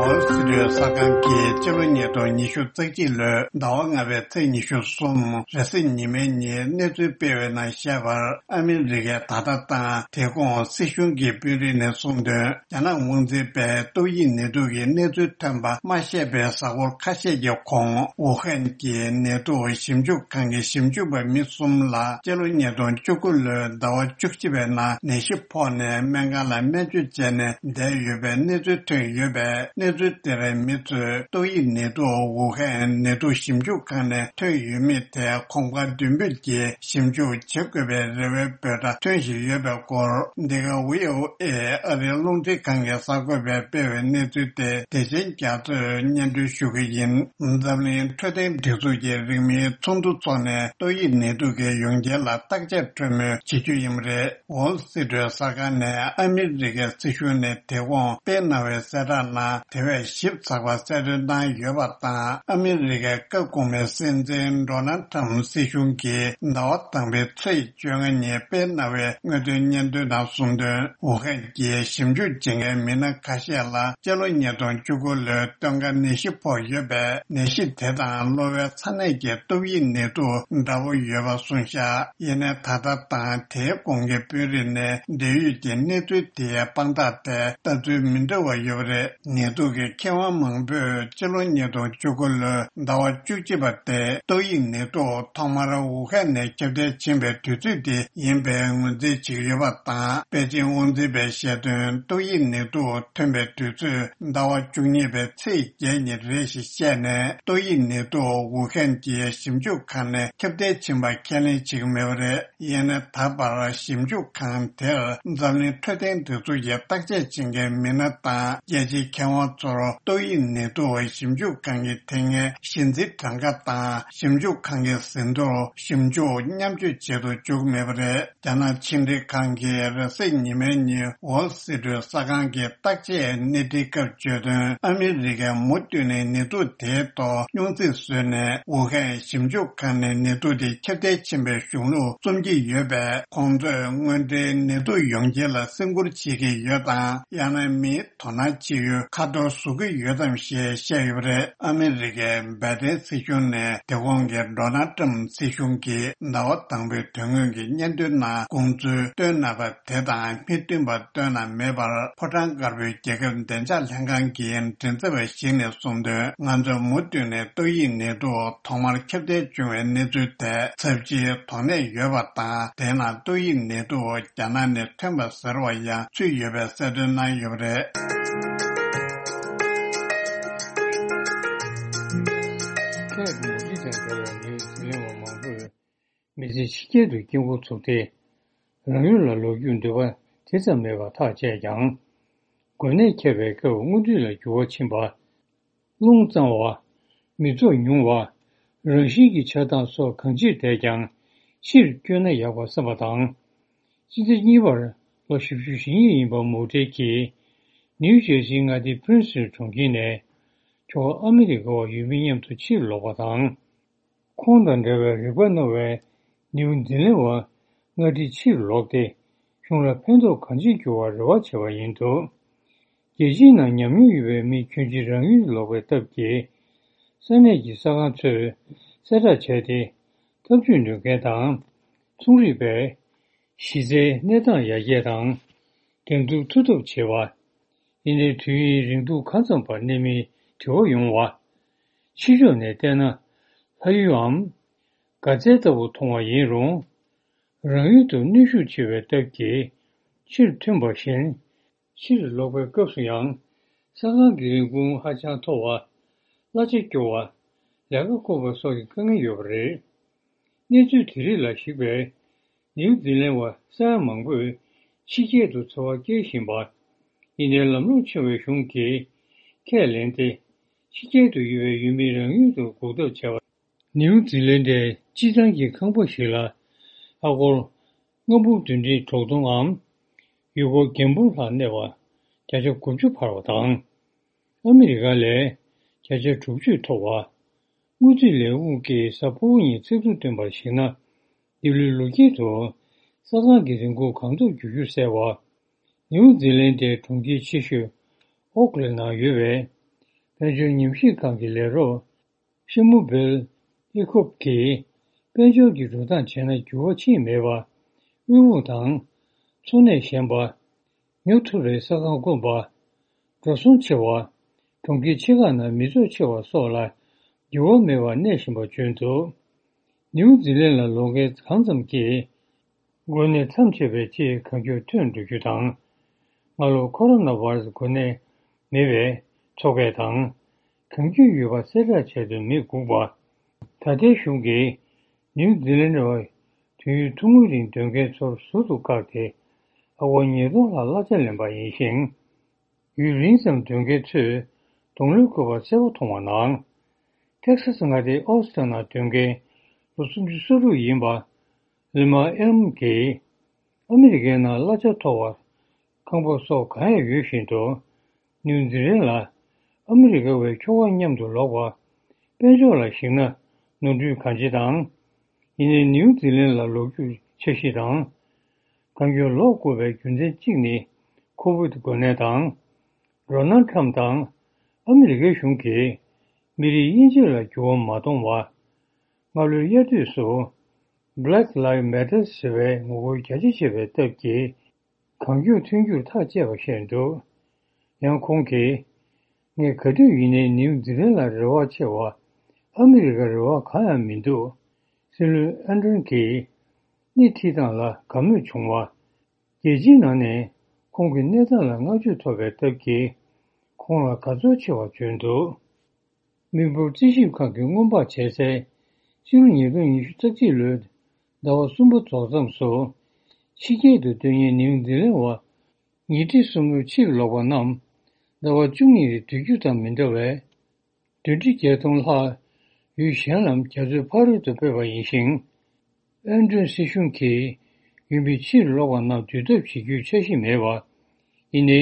ཨོ་སི་ཀྲི་ཡ་གསར་ཁང་གིས་སྤྱི་ལོ་ཉིས་སྟོང་ཉི་ཤུ་རྩ་གཅིག་ལོའི་ཟླ་བ་ལྔ་པའི་ཚེས་ཉི་ཤུ་གསུམ་རེས་གཟའ་ཉི་མའི་ཉིན་གནས་ཚུལ་སྤེལ་བའི་ནང་བཤད་པར། ཨ་མི་རི་ཀས་ད་ལྟ་དང་དེ་གོང་སྲིད་གཞུང་གི་དཔོན་རིགས་ནས་གསུངས་དོན། རྒྱ་ནག་དབང་འཛིན་པས་ཏོག་དབྱིབས་ནད་དུག་གི་གནས་ཚུལ་ཐོན་པ་མ་བཤད་པའི་གཟའ་འཁོར་ཁ་ཤས་ཀྱི་གོང་ཝུ་ཧན་གྱི་ནད་དུག་ཞིབ་འཇུག་ཁང་གི་ཞིབ་འཇུག་པ་མི་གསུམ་ལ་སྤྱི་ལོ་ཉིས་སྟོང་བཅུ་དགུ་ལོའི་ཟླ་བ་བཅུ་གཅིག་པའི་ནང་ནད་གཞི་ཕོག་ནས་སྨན་ཁང་ལ་སྨན་བཅོས་བྱས་ནས་བསྡད་ཡོད་པའི་གནས་ཚུལ་ཐོན་ཡོད་པས། གནས་ཚུལ་དེར་མི་ཚོས་ཏོག་དབྱིབས་ནད་དུག་ཝུ་ཧན་ནད་དུག་ཞིབ་འཇུག་ཁང་ནས་ཐོན་ཡོད་མེད་ཐད་གོམ་ཁ་མདུན་སྤོས་ཀྱིས་ཞིབ་འཇུག་བྱེད་དགོས་པའི་རེ་བའི་འབོད་སྒྲ་ཐོན་བཞིན་ཡོད་པའི་སྐོར། འདི་ག་ཝི་ཨོ་ཨེ་ཨ་རིའི་རླུང་འཕྲིན་ཁང་གི་གསར་འགོད་པས་སྤེལ་བའི་གནས་ཚུལ་དེ་བདེ་ཆེན་རྒྱ་མཚོས་སྙན་སྒྲོན་ཞུ་གི་ཡིན། འཛམ་གླིང་འཕྲོད་བསྟེན་སྒྲིག་འཛུགས་ཀྱི་རིང་མིན་ཚོགས་འདུ་འཚོགས་ནས་ཏོག་དབྱིབས་ནད་དུག་གི་ཡོངས་རྐྱེན་ལ་བརྟག་དཔྱད་གྲོས་མོལ་བྱེད་རྒྱུ་ཡིན་པ་རེད། ཝོལ་སི་ཊི་རི་ཊི་གསར་ཁང་ནས་ཨ་མི་རི་ཀའི་སྲིད་གཞུང་ནས་དེ་གོང་སྤེལ་གནང་བའི་གསལ་བསྒྲགས་ནང་དེ་བས་ཞིབ་ཚགས་པ་གསལ་སྟོན་གནང་ཡོད་པ་དང་། ཨ་མི་རི་ཀའི་སྐབས་གོང་མའི་སྲིད་འཛིན་ཌོ་ནལ་ཊམ་སྲིད་གཞུང་གིས་ཟླ་བ་དང་པོའི་ཚེས་བཅོ་ལྔ་ཉིན་སྤེལ་གནང་བའི་དངོས་དོན་སྙན་ཐོའི་ནང་གསུངས་དོན། ཝུ་ཧན་གྱི་ཞིབ་འཇུག་བྱེད་མཁན་མི་སྣ་ཁ་ཤས་ལ་སྤྱི་ལོ་ཉིས་སྟོང་བཅུ་དགུ་ལོའི་སྟོན་ཁ་ནད་གཞི་ཕོག་ཡོད་པས། ནད་གཞི་དེ་དང་གློ་བའི་ཚ་ནད་ཀྱི་ཏོག་དབྱིབས་ནད་དུག་འདྲ་བོ་ཡོད་པ་གསུངས་བཞག་ཡིན་ནའི་ད་ལྟ་དང་དེའི་གོང་གི་དཔོན་རིགས་ནས་འབྲེལ་ཡོད་ཀྱི་གནས་ཚུལ་དེའི་དཔང་རྟགས་ཐད་ལྟ་ཚུལ་མི་འདྲ་བ་ཡོད་པ་རེད། ནད་དུག་གི་མཁས་དབང་མང་ དང་པོས་སྤྱི་ལོ་ཉིས་སྟོང་བཅུ་དགུ་ལོའི་ཟླ་བ་བཅུ་གཅིག་པ་སྟེ་ཏོག་དབྱིབས་ནད་དུག་ཐོག་མར་ཝུ་ཧན་ནས་ཁྱབ་གདལ་ཕྱིན་པའི་དུས་ཚོད་དེ་ཡིན་པའི་ངོས་འཛིན་བྱེད་ཀྱི་ཡོད་པ་དང་། པེ་ཅིང་དབང་འཛིན་པས་བཤད་དོན། ཏོག་དབྱིབས་ནད་དུག་ཐོན་པའི་དུས་ཚོད་ཟླ་བ་བཅུ་གཉིས་པའི་ཚེས་བརྒྱད་ཉིན་རེད་ཞེས་བཤད་ནས། ཏོག་དབྱིབས་ནད་དུག་ཝུ་ཧན་གྱི་ཞིབ་འཇུག་ཁང་ནས་ཁྱབ་གདལ་ཕྱིན་པ་ཁས་ལེན་བྱེད་ཀྱི་མེད་པ་རེད། ཡིན་ན་ད་བར་ཞིབ་འཇུག་ཁང་དེར་འཛམ་གླིང་འཕྲོད་བསྟེན་སྒྲིག་འཛུགས་ཀྱི་བརྟག་དཔྱད་བྱེད་མཁན་མི་སྣ་དང་རྒྱལ་སྤྱིའི་མཁས་དབང་ཚོར་ཏོག་དབྱིབས་ནད་དུག་ཞིབ་འཇུག་ཁང་གི་དེ་སྔའི་གཞི་འཛིན་གྲངས་ཀ་དང་ཞིབ་འཇུག་ཁང་གི་ཟིན་ཐོར་ཞིབ་འཇུག་མཉམ་སྤྱོད་བྱེད་དུ་འཇུག་མེད་པ་རེད། རྒྱ་ནག་ཕྱི་འབྲེལ་ཁང་གིས་རེས་གཟའ་ཉི་མའི་ཉིན་ཝོལ་སི་ཊི་གསར་ཁང་གི་བརྟག་དཔྱད་སྣེ་ཁྲིད་སྐབས་བརྗོད་དོན། ཨ་མི་རི་ཀས་མུ་མཐུད་ནས་ནད་དུག་དེའི་ཐོག་སྙོང་ཚིག་བཟོས་ནས། ཝུ་ཧན་ཞིབ་འཇུག་ཁང་ནས་ནད་དུག་དེ་ཁྱབ་གདལ་ཕྱིན་པའི་གཞུང་ལུགས་རྩོམ་གྱི་ཡོད་པས། ཁོང་ཚོས་དངོས་འབྲེལ་ནད་དུག་ཡོང་རྐྱེན་ལ་སེམས་ཁུར་བྱེད་ཀྱི་ཡོད་དམ། ཡང་ན་མིའི་དོ་སྣང་བྱེད་ཡུལ་ཁ་ཐོར་བཟོ་གི་ཡོད་དམ་ཞེས་བཤད་ཡོད་པ་རེད། ཨ་མི་རི་ཀའི་བའི་ཏན་སྲིད་གཞུང་ནས་དེ་གོང་གི་ཌོ་ནལ་ཊམ་སྲིད་གཞུང་གིས་ཟླ་བ་དང་པོའི་དོན་དངོས་ཀྱི་སྙན་ཐོའི་ནང་དགོངས་ཚུལ་བཏོན་གནང་བ་དེ་དང་མི་མཐུན་པ་བཏོན་གནང་མེད་པར། ཕོ་བྲང་དཀར་པོའི་རྒྱལ་ཁབ་བདེ་འཇགས་ལྷན་ཁང་གི་མགྲིན་ཚབ་པ་ཞིག་ནས་གསུངས་དོན། ང་ཚོས་མུ་མཐུད་ནས་ཏོག་དབྱིབས་ནད་དུག་ཐོག་མར་ཁྱབ་གདལ་བྱུང་བའི་གནས་ཚུལ་ཐད་ཚབས་ཆེའི་དོགས་གནད་ཡོད་པ་དང་། དེ་ནང་ཏོག་དབྱིབས་ནད་དུག་རྒྱ་ནག་ནས་ཐོན་པ་ཟེར་བ་ཡང་ཚུད་ཡོད་པའི་གསལ་སྟོན་གནང་ཡོད་པ་རེད། ཁྱེད་མུ་ཁྲི་དང་འབྲེལ་བའི་ནིའུ་ཛི་ལན་བ་མང་པོས་མི་ཚེ་ཕྱི་རྒྱལ་དུ་སྐྱེལ་འགོ་ཚུགས་ཏེ། རང་ཡུལ་ལ་ལོག་རྒྱུའི་འདོད་པ་དེ་ཙམ་མེད་པར་ཐག་བཅད་ཀྱང་། འགོས་ནད་ཁྱབ་པའི་སྐབས་དངོས་དུས་ལ་འགྱུར་བ་ཕྱིན་པ། རླུང་གཙང་བ། མི་ཚོགས་ཉུང་བ། རང་བཞིན་གྱི་ཆགས་སྡང་སོགས་གང་ཅིར་བསྡད་ཀྱང་ཕྱིར་བསྐྱོད་ན་ཡག་པ་བསམ་པ་དང་། སྤྱི་ཟླ་གཉིས་པར་ལོ་བཞི་བཅུ་ཞེ་གཉིས་ཡིན་པ་མུ་ཁྲི་གིས་ནིའུ་ཇེར་སིའི་མངའ་སྡེ་Princeton གྲོང་ཁྱེར་ནས་ཁྱོ་ག་ཨ་མི་རི་ཀ་བ་ཡུལ་མི་མཉམ་དུ་ཕྱིར་ལོག་པ་དང་། ཁོང་དང་འབྲེལ་བའི་རིག་པ་རྣོ་བའི་ནིའུ་ཛི་ལན་བ་མངའ་སྡེ་ཕྱིར་ལོག་སྟེ་གཞུང་ལ་ཕན་ཐོགས་གང་ཅི་འགྱུར་བར་རེ་བ་བྱེད་པ་ཡིན་འདུག་རྒྱལ་སྤྱིའི་ནང་ཉམས་མྱོང་ཡོད་པའི་མི་ཁྱོན་ཆེ་རང་ཡུལ་ལོག་པའི་སྟབས་ཀྱིས། ས་གནས་ཀྱི་གསར་ཁང་ཚོས་གསལ་བསྒྲགས་བྱས་ཏེ། ཐབས་ཇུས་འདོན་མཁན་དང་། ཚོང་རིག་པས་གཞི་རྩའི་གནས་སྟངས་ཡར་རྒྱས་དང་། འགྲན་བསྡུར་མཐུ་སྟོབས་ཆེ་བ། ཡིན་ནའི་དུས་ཡུན་རིང་ཐུང་གང་ཙམ་བར་གནས་མིན་དྲི་བ་ཡོང་བ། ཕྱི་ཕྱོགས་ནས་བལྟས་ན་ལྷ་ཡུལ་འམ། དགའ་ཚལ་ལྟ་བུ་མཐོང་བ་ཡིན་རུང་། རང་ཡུལ་དུ་གནོན་ཤུགས་ཆེ་བའི་སྟབས་ཀྱིས་ཕྱིར་ཐོན་པ་བཞིན། ཕྱིར་ལོག་པའི་སྐབས་སུ་ཡང་། ས་ཁང་གི་རིན་གོང་ཧ་ཅང་མཐོ་བ། གླ་ཆ་སྐྱོ་བ། ལས་ཀ་བཀོད་པ་སོགས་ཀྱི་དཀའ་ངལ་ཡོད་པ་རེད། གནས་ཚུལ་དེ་རིགས་ལ་གཞིགས་པའི་ནིའུ་ཛི་ལན་བ་ས་ཡ་མང་པོས་ཕྱི་རྒྱལ་དུ་འཚོ་བ་སྐྱེལ་བཞིན་པ། ཡིན་ནའི་ལམ་ལྷོང་ཆེ་བའི་གཞུང་གིས་ཁས་ལེན་ཏེ། ཕྱི་རྒྱལ་དུ་ཡོད་པའི་ཡུལ་མི་རང་ཡུལ་དུ་འགོག་ཐབས་བྱས་པ། ནིའུ་ཛི་ལན་ཌའི་སྤྱི་བཏང་གི་ཁང་པ་ཞིག་ལ་ཨ་སྒོར་ལྔ་འབུམ་བདུན་ཁྲི་དྲུག་སྟོང་འམ། ཡུལ་སྒོར་རྒྱན་འབུམ་ལྷག་གནས་པ་བརྒྱ་ཆ་དགུ་བཅུ་འཕར་བ་དང་། ཨ་མི་རི་ཀ་ལས་བརྒྱ་ཆ་དྲུག་ཅུ་མཐོ་བ། དངུལ་རྩིས་ལས་ཁུངས་ཀྱིས་གཟའ་ཕུར་བུ་ཉིན་ཚིག་ཐོ་བཏོན་པར་གཞིགས་ན། འདི་ལོའི་ལོ་དཀྱིལ་དུ་ས་ཁང་གི་རིན་གོང་གང་ཐུབ་བསྒྱུར་རྒྱུ་གསལ་བ། ནིའུ་ཛི་ལན་ཌའི་གྲོང་ཁྱེར་ཆེ་ཤོས་ཨོག་ལན་ནང་ཡོད་པའི་དཔལ་འབྱོར་ཉམས་ཞིབ་ཁང་གི་ལས་རོགས་ཤེ་མུ་བེལ་ཨི་ཁོབ་ཀྱིས། དཔལ་འབྱོར་གྱི་འགྲོ་སྟངས་བྱས་ན་འགྱུར་བ་ཕྱིན་མེད་པ། དབུལ་ཕོངས་དང་། འཚོ་གནས་ཞན་པ། ཉོ་ཐུབ་པའི་ས་ཁང་དཀོན་པ། འགྲོ་སོང་ཆེ་བ། གྲོང་ཁྱེར་ཆེ་ཁག་ནང་མི་ཚོགས་ཆེ་བ་སོགས་ལ་འགྱུར་བ་མེད་པར་གནས་བཞིན་པ་བརྗོད་འདུག་ནིའུ་ཛི་ལན་ལ་ལོག་མཁན་གང་ཙམ་གྱིས། འགོས་ནད་མཚམས་ཆད་པའི་ཆེད་གང་མགྱོགས་ཐོན་འགྲོ་རྒྱུ་དང་། སྔ་ལོ་ཁོ་རོ་ན་བྷ་ར་སི་འགོས་ནད་མེད་པའི་ཚོགས་པ་དང་། གང་མགྱོགས་ཡོད་པ་གསལ་བསྒྲགས་བྱས་དོན་མི་སྒུག་པ། ད་ལྟའི་གཞུང་གིས་ནིའུ་ཛི་ལན་ཌ་བ་དུས་ཡུན་ཐུང་ངུའི་རིང་སྡོད་མཁན་ཚོར་ཟུར་དུ་བཀག་སྟེ། ཨ་སྒོར་ཉིས་སྟོང་ལྷག་གླ་ཆ་ལེན་པ་ཡིན་ཞིང་། ཡུན་རིང་ཙམ་སྡོད་མཁན་ཚོས་གདོང་ལེན་དགོས་པ་གསལ་པོ་མཐོང་བ་ནང་། ཏེག་ས་སི་མངའ་སྡེའི་ཨོ་སི་ཊིན་ནང་སྡོད་མཁན་ལོ་སུམ་ཅུ་སོ་དྲུག་ཡིན་པ། ལི་མ་ཨེལ་མ་གིས། ཨ་མི་རི་ཀའི་ནང་གླ་ཆ་མཐོ་བ། ཁང་པ་སོགས་གང་ཡང་ཡོད་བཞིན་དུ། ནིའུ་ཛི་ལན་ལ་ཨ་མི་རི་ཀ་བའི་ཁྱོ་ག་མཉམ་དུ་ལོག་པ། དཔལ་འབྱོར་ལ་གཞིགས་ན་ནོར་འཁྲུལ་གང་ཆེ་དང་། ཡིན་ནའི་ནིའུ་ཛི་ལན་ལ་ལོག་རྒྱུའི་འཆར་གཞི་དང་། གང་མགྱོགས་ལོག་དགོས་པའི་རྒྱུ་མཚན་གཅིག་ནི། ཁོ་བིད་འགོས་ནད་དང་། ཌོ་ནལ་ཁྲམ་དང་། ཨ་མི་རི་ཀའི་གཞུང་གིས། མི་རིགས་དབྱེ་འབྱེད་ལ་འགྱུར་བ་མ་གཏོང་བ། སྔ་ལོའི་དབྱར་དུས་སུ། Black Lives Matter ཟེར་བའི་ངོ་རྒོལ་རྒྱ་ཆེ་བྱས་པའི་སྟབས་ཀྱིས། གང་མགྱོགས་ཐོན་རྒྱུར་ཐག་བཅད་པ་ཞིག་འདུག་ཡང་ཁོང་གིས། ངས་ག་དུས་ཡིན་ནའི་ནིའུ་ཛི་ལན་ལ་རེ་བ་ཆེ་བ། ཨ་མི་རི་ཀར་རེ་བ་གང་ཡང་མི་འདུག་སྲིད་བློན་ཨན་ཏོན་གྱིས་སྣེ་ཁྲིད་སྟངས་ལ་དགའ་མོས་བྱུང་བ། རྒྱལ་སྤྱིའི་ནང་ནས་ཁོང་གི་གནས་སྟངས་ལ་བསྔགས་བརྗོད་ཐོབ་པའི་སྟབས་ཀྱིས་ཁོང་ལ་དགའ་ཚོར་ཆེ་བ་བྱུང་འདུག་མི་འབོར་རྩིས་ཞིབ་ཁང་གི་སྔོན་དཔག་བྱས་ཚེ། ཕྱི་ལོ་ཉིས་སྟོང་ཉི་ཤུ་རྩ་གཅིག་ལོའི་ཟླ་བ་གསུམ་པ་རྫོགས་མཚམས་སུ། ཕྱི་རྒྱལ་དུ་སྡོད་མཁན་ནིའུ་ཛི་ལན་བ་ཉིས་ཁྲི་གསུམ་བརྒྱ་ཕྱིར་ལོག་པ་རྣམས་ཟླ་བ་བཅུ་གཉིས་རིང་སྡོད་རྒྱུ་དང་མི་འདྲ་བས། བདུན་ཁྲི་བརྒྱད་སྟོང་ལྷག་ཡུལ་གཞན་ལམ་རྒྱ་མཚོའི་ཕ་རོལ་ཏུ་སྤོས་པ་ཡིན་ཞིང་། ཨན་ཏོན་སྲིད་གཞུང་གིས་ཡུལ་མི་ཕྱིར་ལོག་པ་རྣམས་འདུལ་ཐབས་བྱེད་རྒྱུའི་འཆར་གཞི་མེད་པ། ཡིན་ནའི།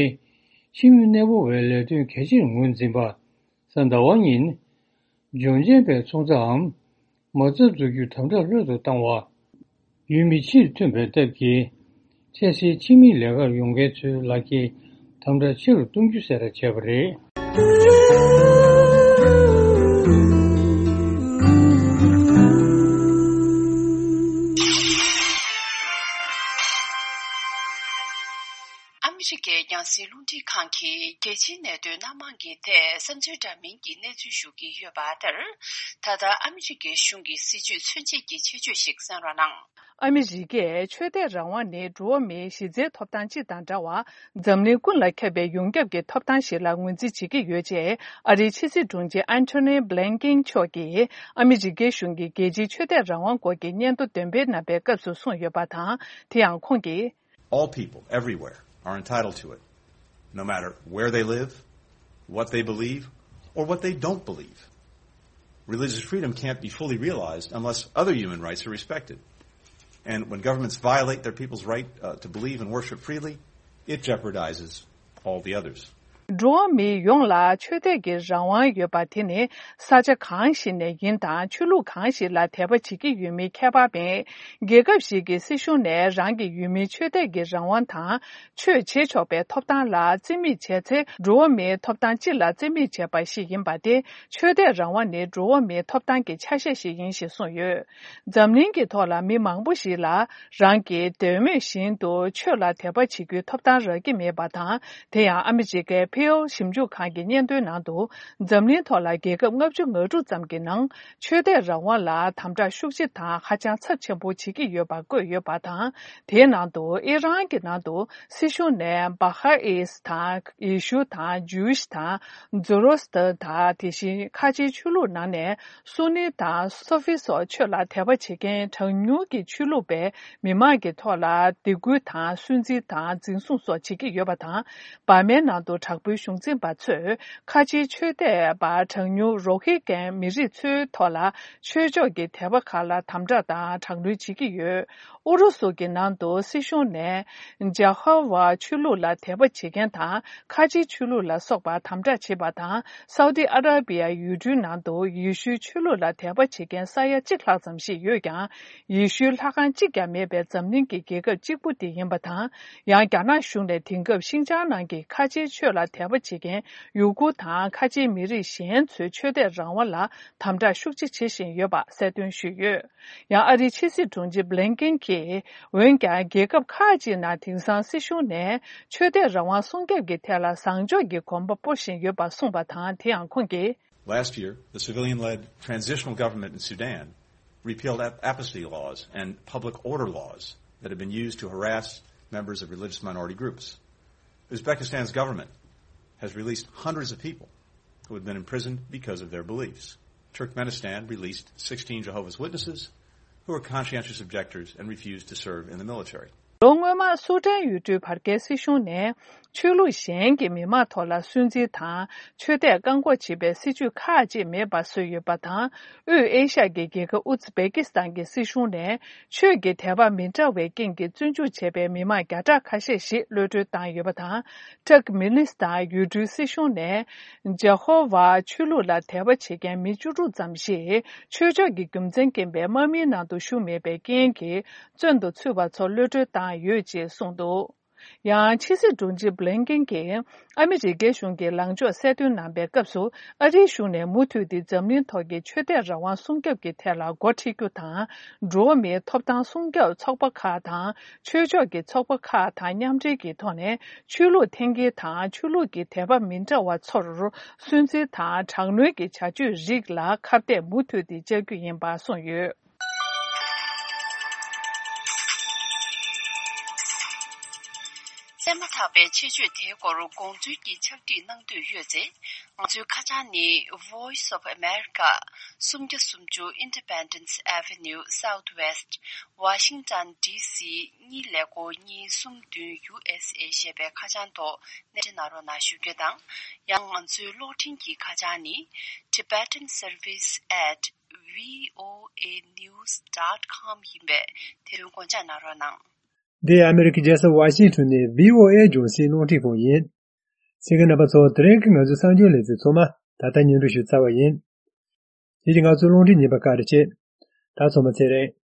ཕྱི་མི་གནས་སྤོ་བའི་ལས་དོན་གལ་ཆེར་ངོས་འཛིན་པ། གཟའ་ཟླ་བ་ཉིན། ལྗོངས་མཁན་པའི་ཚོང་རྩྭའམ། མ་རྩ་འཛུགས་རྒྱུ་དམ་དྲག་སླར་དུ་བཏང་བ། ཡུལ་མི་ཕྱིར་ཐོན་པའི་སྟབས་ཀྱིས། འཕྲལ་སེལ་ཕྱི་མིའི་ལས་ཀར་ཡོང་མཁན་ཚོའི་ལག་འཁྱེར་དམ་དྲག་ཆེ་རུ་གཏོང་རྒྱུ་གསལ་བསྒྲགས་བྱས་པ་རེད། ཨ་མི་རི་ཀའི་རྒྱང་སྲིང་རླུང་འཕྲིན་ཁང་གིས་རྒྱལ་སྤྱིའི་གནད་དོན་སྣ་མང་གི་ཐད་བསམ་ཚུལ་འདྲ་མིན་གྱི་གནས་ཚུལ་ཞུ་གི་ཡོད་པ་ལྟར། ད་ལྟ་ཨ་མི་རི་ཀའི་གཞུང་གི་སྲིད་བྱུས་མཚོན་བྱེད་ཀྱི་ཆེད་བརྗོད་ཞིག་གསན་རོགས་གནང་། ཨ་མི་རི་ཀས་ཆོས་དད་རང་དབང་ནི་འགྲོ་བ་མིའི་གཞི་རྩའི་ཐོབ་ཐང་སྤྱི་དང་འདྲ་བར། འཛམ་གླིང་ཀུན་ལ་ཁྱབ་པའི་ཡོངས་ཁྱབ་ཀྱི་ཐོབ་ཐང་ཞིག་ལ་ངོས་འཛིན་བྱེད་ཀྱི་ཡོད་ཅེས། ཨ་རིའི་ཕྱི་སྲིད་དྲུང་ཆེ་ཨན་ཐོ་ནི་བྷི་ལིན་ཀིན་མཆོག་གིས་ཨ་མི་རི་ཀའི་གཞུང་གི་རྒྱལ་སྤྱིའི་ཆོས་དད་རང་དབང་སྐོར་གྱི་སྙན་ཐོ་འདོན་སྤེལ་གནང་པའི་སྐབས་སུ་གསུངས་ཡོད་པ་དང་། དེ་ཡང་ཁོང་གིས། All people, everywhere, are entitled to it, no matter where they live, what they believe, or what they don't believe. Religious freedom can't be fully realized unless other human rights are respected. And when governments violate their people's right, uh, to believe and worship freely, it jeopardizes all the others. འགྲོ་བ་མི་ཡོངས་ལ་ཆོས་དད་ཀྱི་རང་དབང་ཡོད་པ་དེ་ནི་ས་ཆ་གང་ཞིག་ནས་ཡིན་དང་ཆོས་ལུགས་གང་ཞིག་ལ་དད་པ་བྱེད་ཀྱི་ཡོད་མིན་ཁྱད་པར་མེད། རྒྱལ་ཁབ་ཞིག་གི་སྲིད་གཞུང་ནས་རང་གི་ཡུལ་མིའི་ཆོས་དད་ཀྱི་རང་དབང་དང་། ཆོས་བྱེད་ཆོག་པའི་ཐོབ་ཐང་ལ་རྩིས་མེད་བྱས་ཚེ། འགྲོ་བ་མིའི་ཐོབ་ཐང་སྤྱི་ལ་རྩིས་མེད་བྱས་པ་ཞིག་ཡིན་པ་སྟེ། ཆོས་དད་རང་དབང་ནི་འགྲོ་བ་མིའི་ཐོབ་ཐང་གི་ཆ་ཤས་ཤིག་ཡིན་ཞེས་གསུངས་ཡོད། འཛམ་གླིང་གི་ཐོག་ལ་མི་མང་པོ་ཞིག་ལ། རང་གིས་འདོད་མོས་བཞིན་དུ་ཆོས་ལ་དད་པ་བྱེད་རྒྱུའི་ཐོབ་ཐང་རག་གི་མེད་པ་དང་། དེ་ཡང་ཨ་མི་རི་ཀའི་Pew ཞིབ་འཇུག་ཁང་གི་སྙན་ཐོའི་ནང་དུ། འཛམ་གླིང་ཐོག་ལ་རྒྱལ་ཁབ་ལྔ་བཅུ་ང་དྲུག་ཙམ་གྱི་ནང་། ཆོས་དད་རང་དབང་ལ་དམ་དྲག་ཤུགས་ཆེ་དང་ཧ་ཅང་ཚབས་ཆེན་པོ་བྱེད་ཀྱི་ཡོད་པ་བཀོད་ཡོད་པ་དང་། དེའི་ནང་དུ་ཨི་རན་གྱི་ནང་དུ་སྲིད་གཞུང་ནས་བྷ་ཧ་ཨིས་དང་ཡེ་ཤུ་དང་ཇུའུ་ཤི་དང་ཛོ་རོ་སི་ཏར་དང་། དེ་བཞིན་ཁ་ཆེའི་ཆོས་ལུགས་ནང་ནས་སུ་ནི་དང་སོ་ཕི་སོགས་ཆོས་ལ་དད་པ་བྱེད་མཁན་གྲངས་ཉུང་གི་ཆོས་ལུགས་པས་མི་མང་གི་ཐོག་ལ་སྡིགས་སྐུལ་དང་སུན་གཙེར་དང་འཛིན་བཟུང་སོགས་བྱེད་ཀྱི་ཡོད་པ་དང་། འབར་མའི་ནང་དུ་དྲག་པོའི་གཞུང་འཛིན་པ་ཚོས་ཁ་ཆེའི་ཆོས་དད་པ་གྲངས་ཉུང་རོ་ཧི་གན་མི་རིགས་ཚོའི་ཐོག་ལ་ཆོས་ཕྱོགས་ཀྱི་དད་པ་ཁག་ལ་དམ་དྲག་དང་དྲག་གནོན་བྱེད་ཀྱི་ཡོད། ཨུ་རུ་སུ་གི་ནང་དུ་སྲིད་གཞུང་ནས་ཇ་ཧོ་ཝཱ་ཆོས་ལུགས་ལ་དད་པ་བྱེད་མཁན་དང་ཁ་ཆེའི་ཆོས་ལུགས་ལ་སོགས་པ་དམ་དྲག་བྱེད་པ་དང་། སའུ་ཏི་ཨ་ར་པི་ཡ་ཡུལ་གྲུའི་ནང་དུ་ཡེ་ཤུའི་ཆོས་ལུགས་ལ་དད་པ་བྱེད་མཁན་ས་ཡ་གཅིག་ལྷག་ཙམ་ཞིག་ཡོད་ཀྱང་། ཡེ་ཤུའི་ལྷ་ཁང་གཅིག་ཀྱང་མེད་པའི་འཛམ་གླིང་གི་རྒྱལ་ཁབ་གཅིག་པུ་དེ་ཡིན་པ་དང་། ཡང་རྒྱ་ནག་གཞུང་ནས་དེང་སྐབས་ཤིན་ཅང་ནང་གི་ཁ་ཆེའི་ཆོས་ལ་དད་པ་བྱེད་མཁན་ཡུ་གུར་དང་ཁ་ཆེའི་མི་རིགས་གཞན་ཚོའི་ཆོས་དད་རང་དབང་ལ་དམ་དྲག་ཤུགས་ཆེ་བྱེད་བཞིན་ཡོད་པ་གསལ་སྟོན་ཞུས་ཡོད། ཡང་ཨ་རིའི་ཕྱི་སྲིད་དྲུང་ཆེ་བྷི་ལིན་ཀིན་གྱིས། འོན་ཀྱང་རྒྱལ་ཁབ་ཁག་ཅིག་ནང་དེང་སང་སྲིད་གཞུང་ནས་ཆོས་དད་རང་དབང་སྲུང་སྐྱོབ་ཀྱི་ཐད་ལ་བཟང་ཕྱོགས་ཀྱི་གོམ་པ་སྤོ་བཞིན་ཡོད་པ་གསུངས་པ་དང་། དེ་ཡང་ཁོང་གིས། Last year, the civilian-led transitional government in Sudan repealed ap- amnesty laws and public order laws that had been used to harass members of religious minority groups. Uzbekistan's government has released hundreds of people who had been imprisoned because of their beliefs. Turkmenistan released sixteen Jehovah's Witnesses who were conscientious objectors and refused to serve in the military. ལོ་སྔོན་མ་སུ་ཏན་ཡུལ་གྲུའི་བར་བརྒལ་སྲིད་གཞུང་ནས་ཆོས་ལུགས་གཞན་གྱི་མི་མང་ཐོག་ལ་སུན་གཙེར་དང་ཆོས་དད་བཀག་འགོག་བྱེད་པའི་སྲིད་ཇུས་ཁག་ཅིག་མེད་པ་བཟོས་ཡོད་པ་དང་། དབུས་ཨེ་ཤ་ཡའི་རྒྱལ་ཁབ་ཨུ་ཛི་བེ་ཀི་སི་ཐན་གྱི་སྲིད་གཞུང་ནས་ཆོས་ཀྱི་དད་པ་མི་འདྲ་བའི་རྐྱེན་གྱིས་བཙོན་འཇུག་བྱས་པའི་མི་མང་བརྒྱ་ཕྲག་ཁ་ཤས་ཤིག་གློད་གྲོལ་བཏང་ཡོད་པ་དང་། ཏུར་ཀི་མི་ནི་སི་ཐན་ཡུལ་གྲུའི་སྲིད་གཞུང་ནས་ཇ་ཧོ་ཝཱ་ཆོས་ལུགས་ལ་དད་པ་བྱེད་མཁན་མི་བཅུ་དྲུག་ཙམ་ཞིག་ཆོས་ཕྱོགས་ཀྱི་རྒྱུ་མཚན་རྐྱེན་པས་དམག་མིའི་ནང་དུ་ཞུགས་མེད་པའི་རྐྱེན་གྱིས་བཙོན་དུ་ཚུད་པ་ཚོ་གློད་གྲོལ་བཏང་ཡོད་ཅེས་གསུངས་འདུག་ཡང་ཕྱི་སྲིད་དྲུང་ཆེ་བྷི་ལིན་ཀེན་གྱིས་ཨ་མི་རི་ཀའི་གཞུང་གི་ལངས་ཕྱོགས་གསལ་སྟོན་གནང་པའི་སྐབས་སུ། ཨ་རིའི་གཞུང་ནས་མུ་མཐུད་དེ་འཛམ་གླིང་ཐོག་གི་ཆོས་དད་རང་དབང་སྲུང་སྐྱོབ་ཀྱི་ཐད་ལ་འགོ་ཁྲིད་རྒྱུ་དང་། འགྲོ་བ་མིའི་ཐོབ་ཐང་སྲུང་སྐྱོབ་ཚོགས་པ་ཁག་དང་། ཆོས་ཕྱོགས་ཀྱི་ཚོགས་པ་ཁག་དང་མཉམ་འབྲེལ་གྱི་ཐོག་ནས། ཆོས་ལུགས་འཐེན་འཁྱེར་དང་ཆོས་ལུགས་ཀྱི་དད་པ་མི་འདྲ་བ་ཚོར་སུན་གཙེར་དང་དྲག་གནོན་གྱི་བྱ་སྤྱོད་རིགས་ལ་ཁ་གཏད་མུ་མཐུད་དེ་བཅག་རྒྱུ་ཡིན་པ་གསུངས་ཡོད། བཙས་མ་ཐག་པའི་ཆེད་བརྗོད་དེའི་སྐོར་དགོངས་ཚུལ་གྱི་ཕྱག་བྲིས་གནང་འདོད་ཡོད་ཚེ། ང་ཚོའི་ཁ་བྱང་ནི། Voice of America། སུམ་བརྒྱ་སུམ་ཅུ་Independence Avenue Southwest། Washington D C གཉིས་ཀླད་ཀོར་གཉིས་གསུམ་བདུན། U S A ཞེས་པའི་ཁ་བྱང་ཐོག་གནས་འབྲེལ་གནང་རོགས་གནང་ཞུ་རྒྱུ་དང་། ཡང་ང་ཚོའི་གློག་འཕྲིན་གྱི་ཁ་བྱང་ནི། Tibetan Service at V O A news dot com ཡིན་པས། དེ་དོན་དགོངས་འཇགས་གནང་རོགས་གནང་། འདི་ཨ་མེ་རི་ཁའི་རྒྱལ་ས་ཝ་ཤིང་ཊོན་ནས་V O A ལྗོངས་གཞིས་རླུང་འཕྲིན་ཁང་ཡིན། གསན་མཁན་རྣམ་པ་ཚོ། དེ་རིང་གི་ང་ཚོའི་གསར་འགྱུར་ལེ་ཚན་ཚང་མ་ད་ལྟ་སྙན་སྒྲོན་ཞུ་ཚར་བ་ཡིན། དེ་རིང་ང་ཚོའི་རླུང་འཕྲིན་ཉན་པར་བཀའ་དྲིན་ཆེ། ད་ཚང་མ་ཚེ་རིང་།